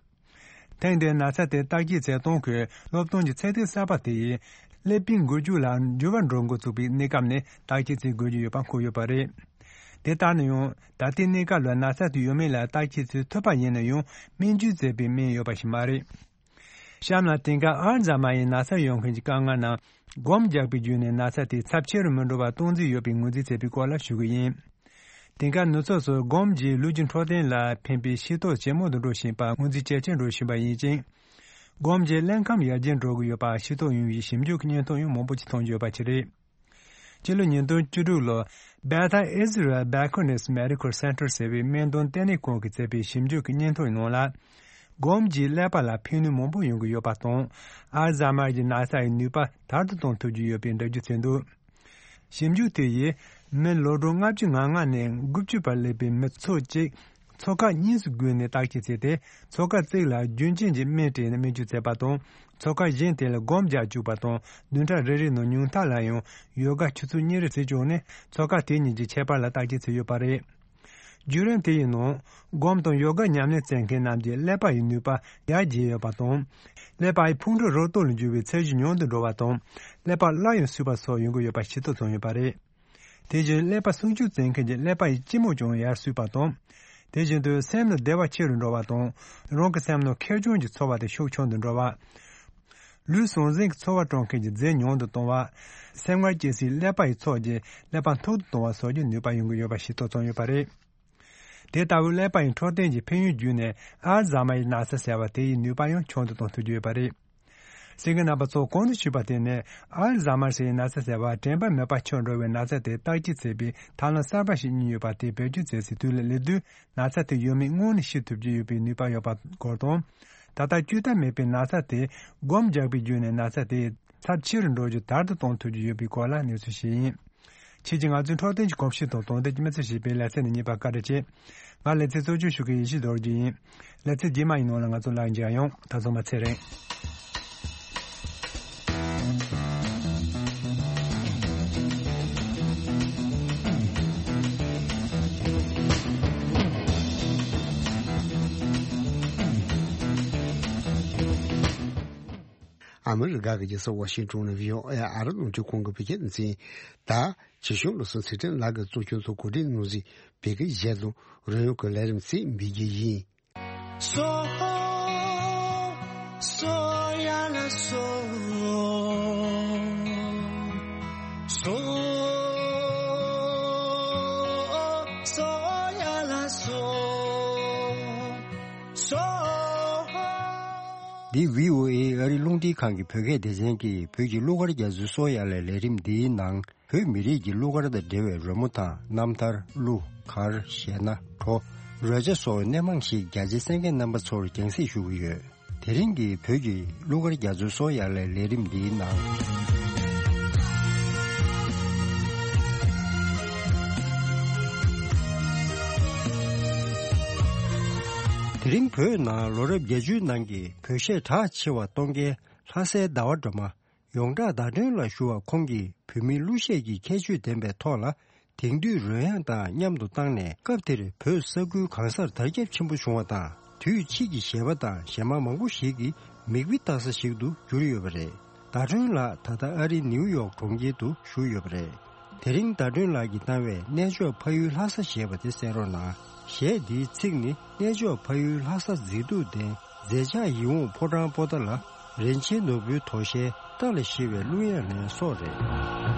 ཐེངས་འདིའི་ན་ཚ་དེ་བརྟག་དཔྱད་བྱེད་སྟངས་ཁུལ་སློབ་སྟོན་གྱི་ཚད་ལྡན་གསར་པ་དེ་ཡིས་ཀླད་པའི་འགུལ་སྐྱོད་ལ་འགྱུར་བ་འགྲོ་འགོ་ཚུགས་པའི་གནས་སྐབས་ནས་བརྟག་དཔྱད་བྱེད་དགོས་ཀྱི་ཡོད་པ་འཁོད་ཡོད་པ་རེད། དེ་ལྟར་ན་ཡང་ད་ལྟའི་གནས་སྐབས་ལ་ན་ཚ་དེ་ཡོད་མེད་ལ་བརྟག་དཔྱད་བྱེད་ཐུབ་པ་ཡིན་ན་ཡང་སྨན་བཅོས་བྱས་པའི་སྨན་ཡོད་པ་ཞིག་མ་རེད། གཤམ་ལ་དེང་སྐབས་ཨལ་ཛཱ་མ་ཡི་ན་ཚ་ཡོད་མཁན་གྱི་དཀའ་ངལ་རྣམས་སྒོམ་རྒྱག་པའི་བརྒྱུད་ནས་ན་ཚ་དེ་ཚབས་ཆེ་རུ་མི་འགྲོ་བར་གཏོང་རྩིས་ཡོད་པའི་ངོས་འཛིན་བྱས་པའི་སྐོར་ལ་ཞུ་གི་ཡིན། དེང་སྐབས་ནུབ་ཕྱོགས་སུ་སྒོམ་གྱིས་ལུས་ཀྱི་འཕྲོད་བསྟེན་ལ་ཕན་པའི་ཤེས་རྟོགས་ཇེ་མང་དུ་འགྲོ་བཞིན་པ་ངོས་འཛིན་ཇེ་ཆེར་འགྲོ་བཞིན་པ་ཡིན་ཅིང་། སྒོམ་གྱི་ཀླད་ཁམས་ཡར་རྒྱས་འགྲོ་གི་ཡོད་པ་ཤེས་རྟོགས་ཡོང་བའི་ཞིབ་འཇུག་གི་སྙན་ཐོ་ཡང་མང་པོ་ཅིག་མཐོང་རྒྱུ་ཡོད་པ་ཅིག་རེད། སྤྱི་ལོ་ཉིས་སྟོང་བཅུ་དྲུག་ལོར་Beth Israel Baconides Medical Center ཟེར་བའི་སྨན་དོན་ལྟེ་གནས་ཁང་གིས་མཛད་པའི་ཞིབ་འཇུག་གི་སྙན་ཐོའི་ནང་ལ། སྒོམ་གྱིས་ཀླད་པ་ལ་ཕན་ནུས་མང་པོ་ཡོང་གི་ཡོད་པ་དང་། ཨལ་ཛཱ་མར་གྱི་ན་ཚ་ཡི་ནུས་པ་དར་དུ་གཏོང་ཐུབ་ཀྱི་ཡོད་པའི་འགྲེལ་བརྗོད་བྱས་འདུག་ཞིབ་འཇུག་དེ་ཡིས་མི་ལོ་གྲངས་ལྔ་བཅུ་ང་ལྔ་ནས་དགུ་བཅུ་བར་སླེབས་པའི་མི་ཚོགས་གཅིག་ཚོགས་ཁག་གཉིས་སུ་བགོས་ནས་བརྟག་དཔྱད་བྱས་ཏེ། ཚོགས་ཁག་གཅིག་ལ་རྒྱུན་གཅན་གྱི་སྨན་སྤྲད་ནས་སྨན་བཅོས་བྱས་པ་དང་། ཚོགས་ཁག་གཞན་དེ་ལ་སྒོམ་རྒྱག་བཅུག་པ་དང་། བདུན་ཕྲག་རེ་རེའི་ནང་ཉུང་མཐའ་ལ་ཡང་ཡོ་ག་ཆུ་ཚོད་གཉིས་རེ་བྱས་བཅུག་ནས་ཚོགས་ཁག་དེ་གཉིས་ཀྱི་ཁྱད་པར་ལ་བརྟག་དཔྱད་བྱས་ཡོད་པ་རེད། བརྒྱུད་རིམ་དེ་ཡི་ནང་སྒོམ་དང་ཡོ་ག་ཉམས་ལེན་བྱེད་མཁན་རྣམས་ཀྱི་ཀླད་པ་ཡི་ནུས་པ་ཡར་རྒྱས་ཡོད་པ་དང་། ཀླད་པ་ཡི་ཕུང་པོ་རོ་སྟོད་ལ་འགྱུར་བའི་ཚད་གཞི་ཉུང་དུ་འགྲོ་བ་དང་། ཀླད་པ་སླར་ཡང་གསོས་པ་སོགས་ཡོང་གི་ཡོད་པ་ཤེས་རྟོགས་བྱུང་ཡོད་པ་རེད། དེ་བཞིན་ཀླད་པ་སྲུང་སྐྱོབ་བྱེད་མཁན་གྱི་ཀླད་པ་ཡི་སྐྱི་མོ་ཀྱང་ཡར་གསོས་པ་དང་། དེ་བཞིན་དུ་སེམས་ལ་བདེ་བ་ཆེ་རུ་འགྲོ་བ་དང་། རང་གི་སེམས་ནང་ཁེར་རྐྱང་གི་ཚོར་བ་དེ་ཤུགས་ཆུང་དུ་འགྲོ་བ། ལུས་ཟང་ཟིང་གི་ཚོར་བ་སྤྲོད་མཁན་གྱི་རྫས་ཉུང་དུ་གཏོང་བ། སེམས་ཁམས་སྐྱེ་སའི་ཀླད་པ་ཡི་ཚོགས་ཀྱིས་ཀླད་པ་མཐུག་ཏུ་གཏོང་བ་སོགས་ཀྱི་ནུས་པ་ཡོང་གི་ཡོད་པ་ཤེས་རྟོགས་བྱུང་ཡོད་པ་རེད། དེ་ལྟ་བུའི་ཀླད་པ་ཡི་འཕྲོད་བསྟེན་གྱི་ཕན་ཡོན་བརྒྱུད་ནས་ཨལ་ཛཱ་མ་ཡི་ན་ཚ་ཟེར་བ་དེ་ཡི་ནུས་པ་ཡང་ཆུང་དུ་གཏོང་ཐུབ་ཀྱི་ཡོད་པ་རེད། གསན་མཁན་རྣམ་པ་ཚོ་གོང་དུ་ཞུས་པ་དེ་ནི་ཨལ་ཛཱ་མར་ཟེར་བའི་ན་ཚ་ཟེར་བ་དྲན་པ་མེད་པ་ཆགས་འགྲོ་བའི་ན་ཚ་དེ་བརྟག་དཔྱད་བྱེད་པའི་ཐབས་ལམ་གསར་པ་ཞིག་གཉིས་ཡོད་པ་དེ་བེད་སྤྱོད་བྱེད་སའི་དུས་ལ་སླེབས་དུས་ན་ཚ་དེ་ཡོད་མེད་སྔོན་ནས་ཤེས་ཐུབ་ཀྱི་ཡོད་པའི་ནུས་པ་ཡོད་པ་སྐོར་དང་། ད་ལྟ་བཅོས་ཐབས་མེད་པའི་ན་ཚ་དེ་སྒོམ་རྒྱག་པའི་བརྒྱུད་ནས་ན་ཚ་དེ་ཚབས་ཆེ་རུ་འགྲོ་རྒྱུ་དལ་དུ་གཏོང་ཐུབ་ཀྱི་ཡོད་པའི་སྐོར་ལ་གནས་ཚུལ་ཞིག་ཡིན། ཁྱེད་ཀྱིས་ང་ཚོའི་འཕྲོད་བསྟེན་གྱི་གོམས་གཤིས་དང་དོན་ལྡན་གྱི་མི་ཚེ་ཞེས་པའི་ལེ་ཚན་འདི་གཉིས་པར་བཀའ་དྲིན་ཆེ། ང་ལེ་ཚན་གཙོ་སྐྱོང་ཞུ་མཁན་ཡེ་ཤེས་རྡོ་རྗེ་ཡིན། ལེ་ཚན་རྗེས་མ་ཡི་ནང་ལ་ང་ཚོ་ལག་མཇལ་ཡོང་། ད་ཚང་མ་ཚེ་རིང་། ཨ་མི་རི་ཀ་གི་རྒྱལ་ས་ཝ་ཤིང་ཏོན་ནས་བྷི་ཨོ་ཨེ་ཨ་རི་རླུང་འཕྲིན་ཁང་གི་བོད་སྐད་སྡེ་ཚན། ད་ཆེ་ཤོས་བློ་བཟང་ཚེ་བརྟན་ལགས་ཀྱིས་གཙོ་སྐྱོང་གཙོ་གོ་སྒྲིག་གནང་གཟིགས་བོད་སྐད་གཞས་དང་རོལ་དབྱངས་ཀྱི་ལས་རིམ་ཞིག་འབུལ་རྒྱུ་ཡིན། འདི་བྷི་ཨོ་ཨེ་ཨ་རི་རླུང་འཕྲིན་ཁང་གི་བོད་སྐད་སྡེ་ཚན་གྱི་བོད་ཀྱི་གླུ་གར་རྒྱ་མཚོའི་སོ་ཡ་ལས་ལས་རིམ་འདིའི་ནང་། བོད་མི་རིགས་ཀྱི་གླུ་གར་དང་འབྲེལ་བའི་རོལ་མོ་དང་རྣམ་ཐར། གླུ་གར། གཞས་སྣ། བྲོ། རོལ་ཆ་སོགས་སྣེ་མང་ཞིག་རྒྱ་ཆེའི་གསན་མཁན་རྣམ་པ་ཚོར་རྒྱང་སྲིང་ཞུ་གི་ཡོད། དེ་རིང་གི་བོད་ཀྱི་གླུ་གར་རྒྱ་མཚོའི་སོ་ཡ་ལས་ལས་རིམ་འདིའི་ནང་། དེ་རིང་བོད་ནང་ལོ་རབས་བརྒྱད་ཅུའི་ནང་གི་བོད་གཞས་གྲགས་ཆེ་བ་གཏོང་མཁན་ལྷ་སའི་ཟླ་བ་སྒྲོལ་མ། ཡོངས་གྲགས་བརྡ་སྒྲོན་ལ་ཞུ་བ་ཁོང་གིས་བོད་མིའི་གླུ་གཞས་ཀྱི་ཁྱད་ཆོས་ལྡན་པའི་ཐོག་ལ། དེང་དུས་རོལ་དབྱངས་དང་མཉམ་དུ་བཏང་ནས། སྐབས་དེར་བོད་ས་ཁུལ་གང་སར་དར་ཁྱབ་ཆེན་པོ་བྱུང་བ་དང་། དུས་ཕྱིས་ཀྱི་གཞས་པ་དང་གཞས་མ་མང་པོ་ཞིག་གི་མིག་དཔེ་ལྟ་ས་ཞིག་ཏུ་གྱུར་ཡོད་པ་རེད། ཟླ་སྒྲོན་ལགས་ད་ལྟ་ཨ་རིའི་ནིའུ་ཡོག་གྲོང་ཁྱེར་དུ་བཞུགས་ཡོད་པ་རེད། དེ་རིང་ཟླ་སྒྲོན་ལགས་ཀྱིས་བཏང་བའི་གནས་མཆོག་ཕ་ཡུལ་ལྷ་ས་ཞེས་པ་དེ་གསན་རོགས་གནང་། གཞས་འདིའི་ཚིག་ནི། གནས་མཆོག་ཕ་ཡུལ་ལྷ་ས་མཛེས་སྡུག་ལྡན། མཛེས་ཆགས་ཡིད་འོང་ཕོ་བྲང་པོ་ཏཱ་ལ། རིན་ཆེན་ནོར་བུའི་དོ་ཤལ་རྟ་ལ་ཞེས་པའི་གླུ་དབྱངས་ལེན་སོགས་རེད།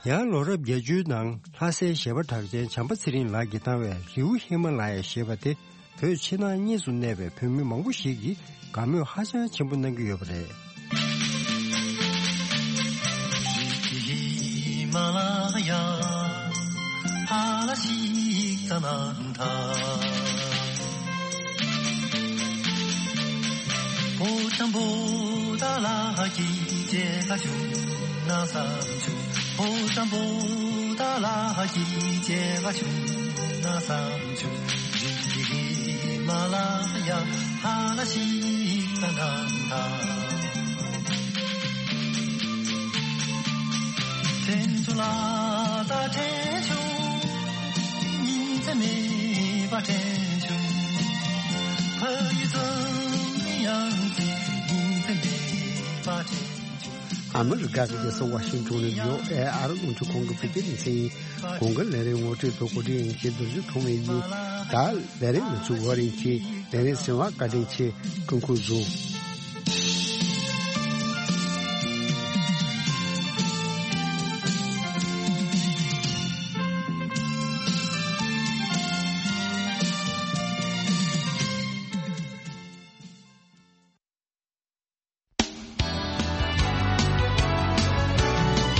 ཡང་ལོ་རབས་བརྒྱད་ཅུའི་ནང་ལྷ་སའི་གཞས་པ་གྲགས་ཅན་བྱམས་པ་ཚེ་རིང་ལགས་ཀྱིས་བཏང་བའི་རི་བོ་ཧི་མ་ལ་ཡ་ཞེས་པ་དེ། བོད་ཕྱི་ནང་གཉིས་སུ་གནས་པའི་བོད་མི་མང་པོ་ཞིག་གིས་དགའ་མོས་ཧ་ཅང་ཆེན་པོ་གནང་གི་ཡོད་པ་རེད། ཧི་མ་ལ་ཡ་ཧ་ལ་ཤིག་ཙ་ན་ཐ། པོ་ཏམ་པོ་ཏ་ལ་ཧ་ཀི་ཅེ་ཧ་ཤུ། ན་བསམ་བྱུང་། ཕོ་བྲང་པོ་ཏ་ལ་གི་སྐྱེ་བ་བྱུང་ན་བསམ་བྱུང་། རི་ཧི་མ་ལ་ཡ་ཧ་ན་ཤི་ཀ་ན་ད། དྲན་བྱུང་ལ་ད་དྲན་བྱུང་། ཉིན་མཚན་མེད་པ་དྲན་བྱུང་། ཕ་ཡུལ་ཙམ་ཡང་ཅི་ཉིན་མཚན་མེད་པ་དྲན་བྱུང་། ཨ་མི་རི་ཀ་གི་རྒྱལ་ས་ཝ་ཤིང་ཏོན་ནས་ཡོ་ཨེ་ཨར་རླུང་འཕྲིན་ཁང་གི་བོད་སྐད་སྡེ་ཚན་ཡིན། གོང་གི་ལས་རིམ་ངོ་སྤྲོད་དང་གོ་སྒྲིག་ཡིན་མཁན་རྡོ་རྗེ་ཐོགས་མེད་ཡིན། ད་ལས་རིམ་མི་ཚུགས་བར་ཡིན་གྱི་ལས་རིམ་གསན་པར་བཀའ་དྲིན་ཆེ། སྐུ་ཁམས་བཟང་།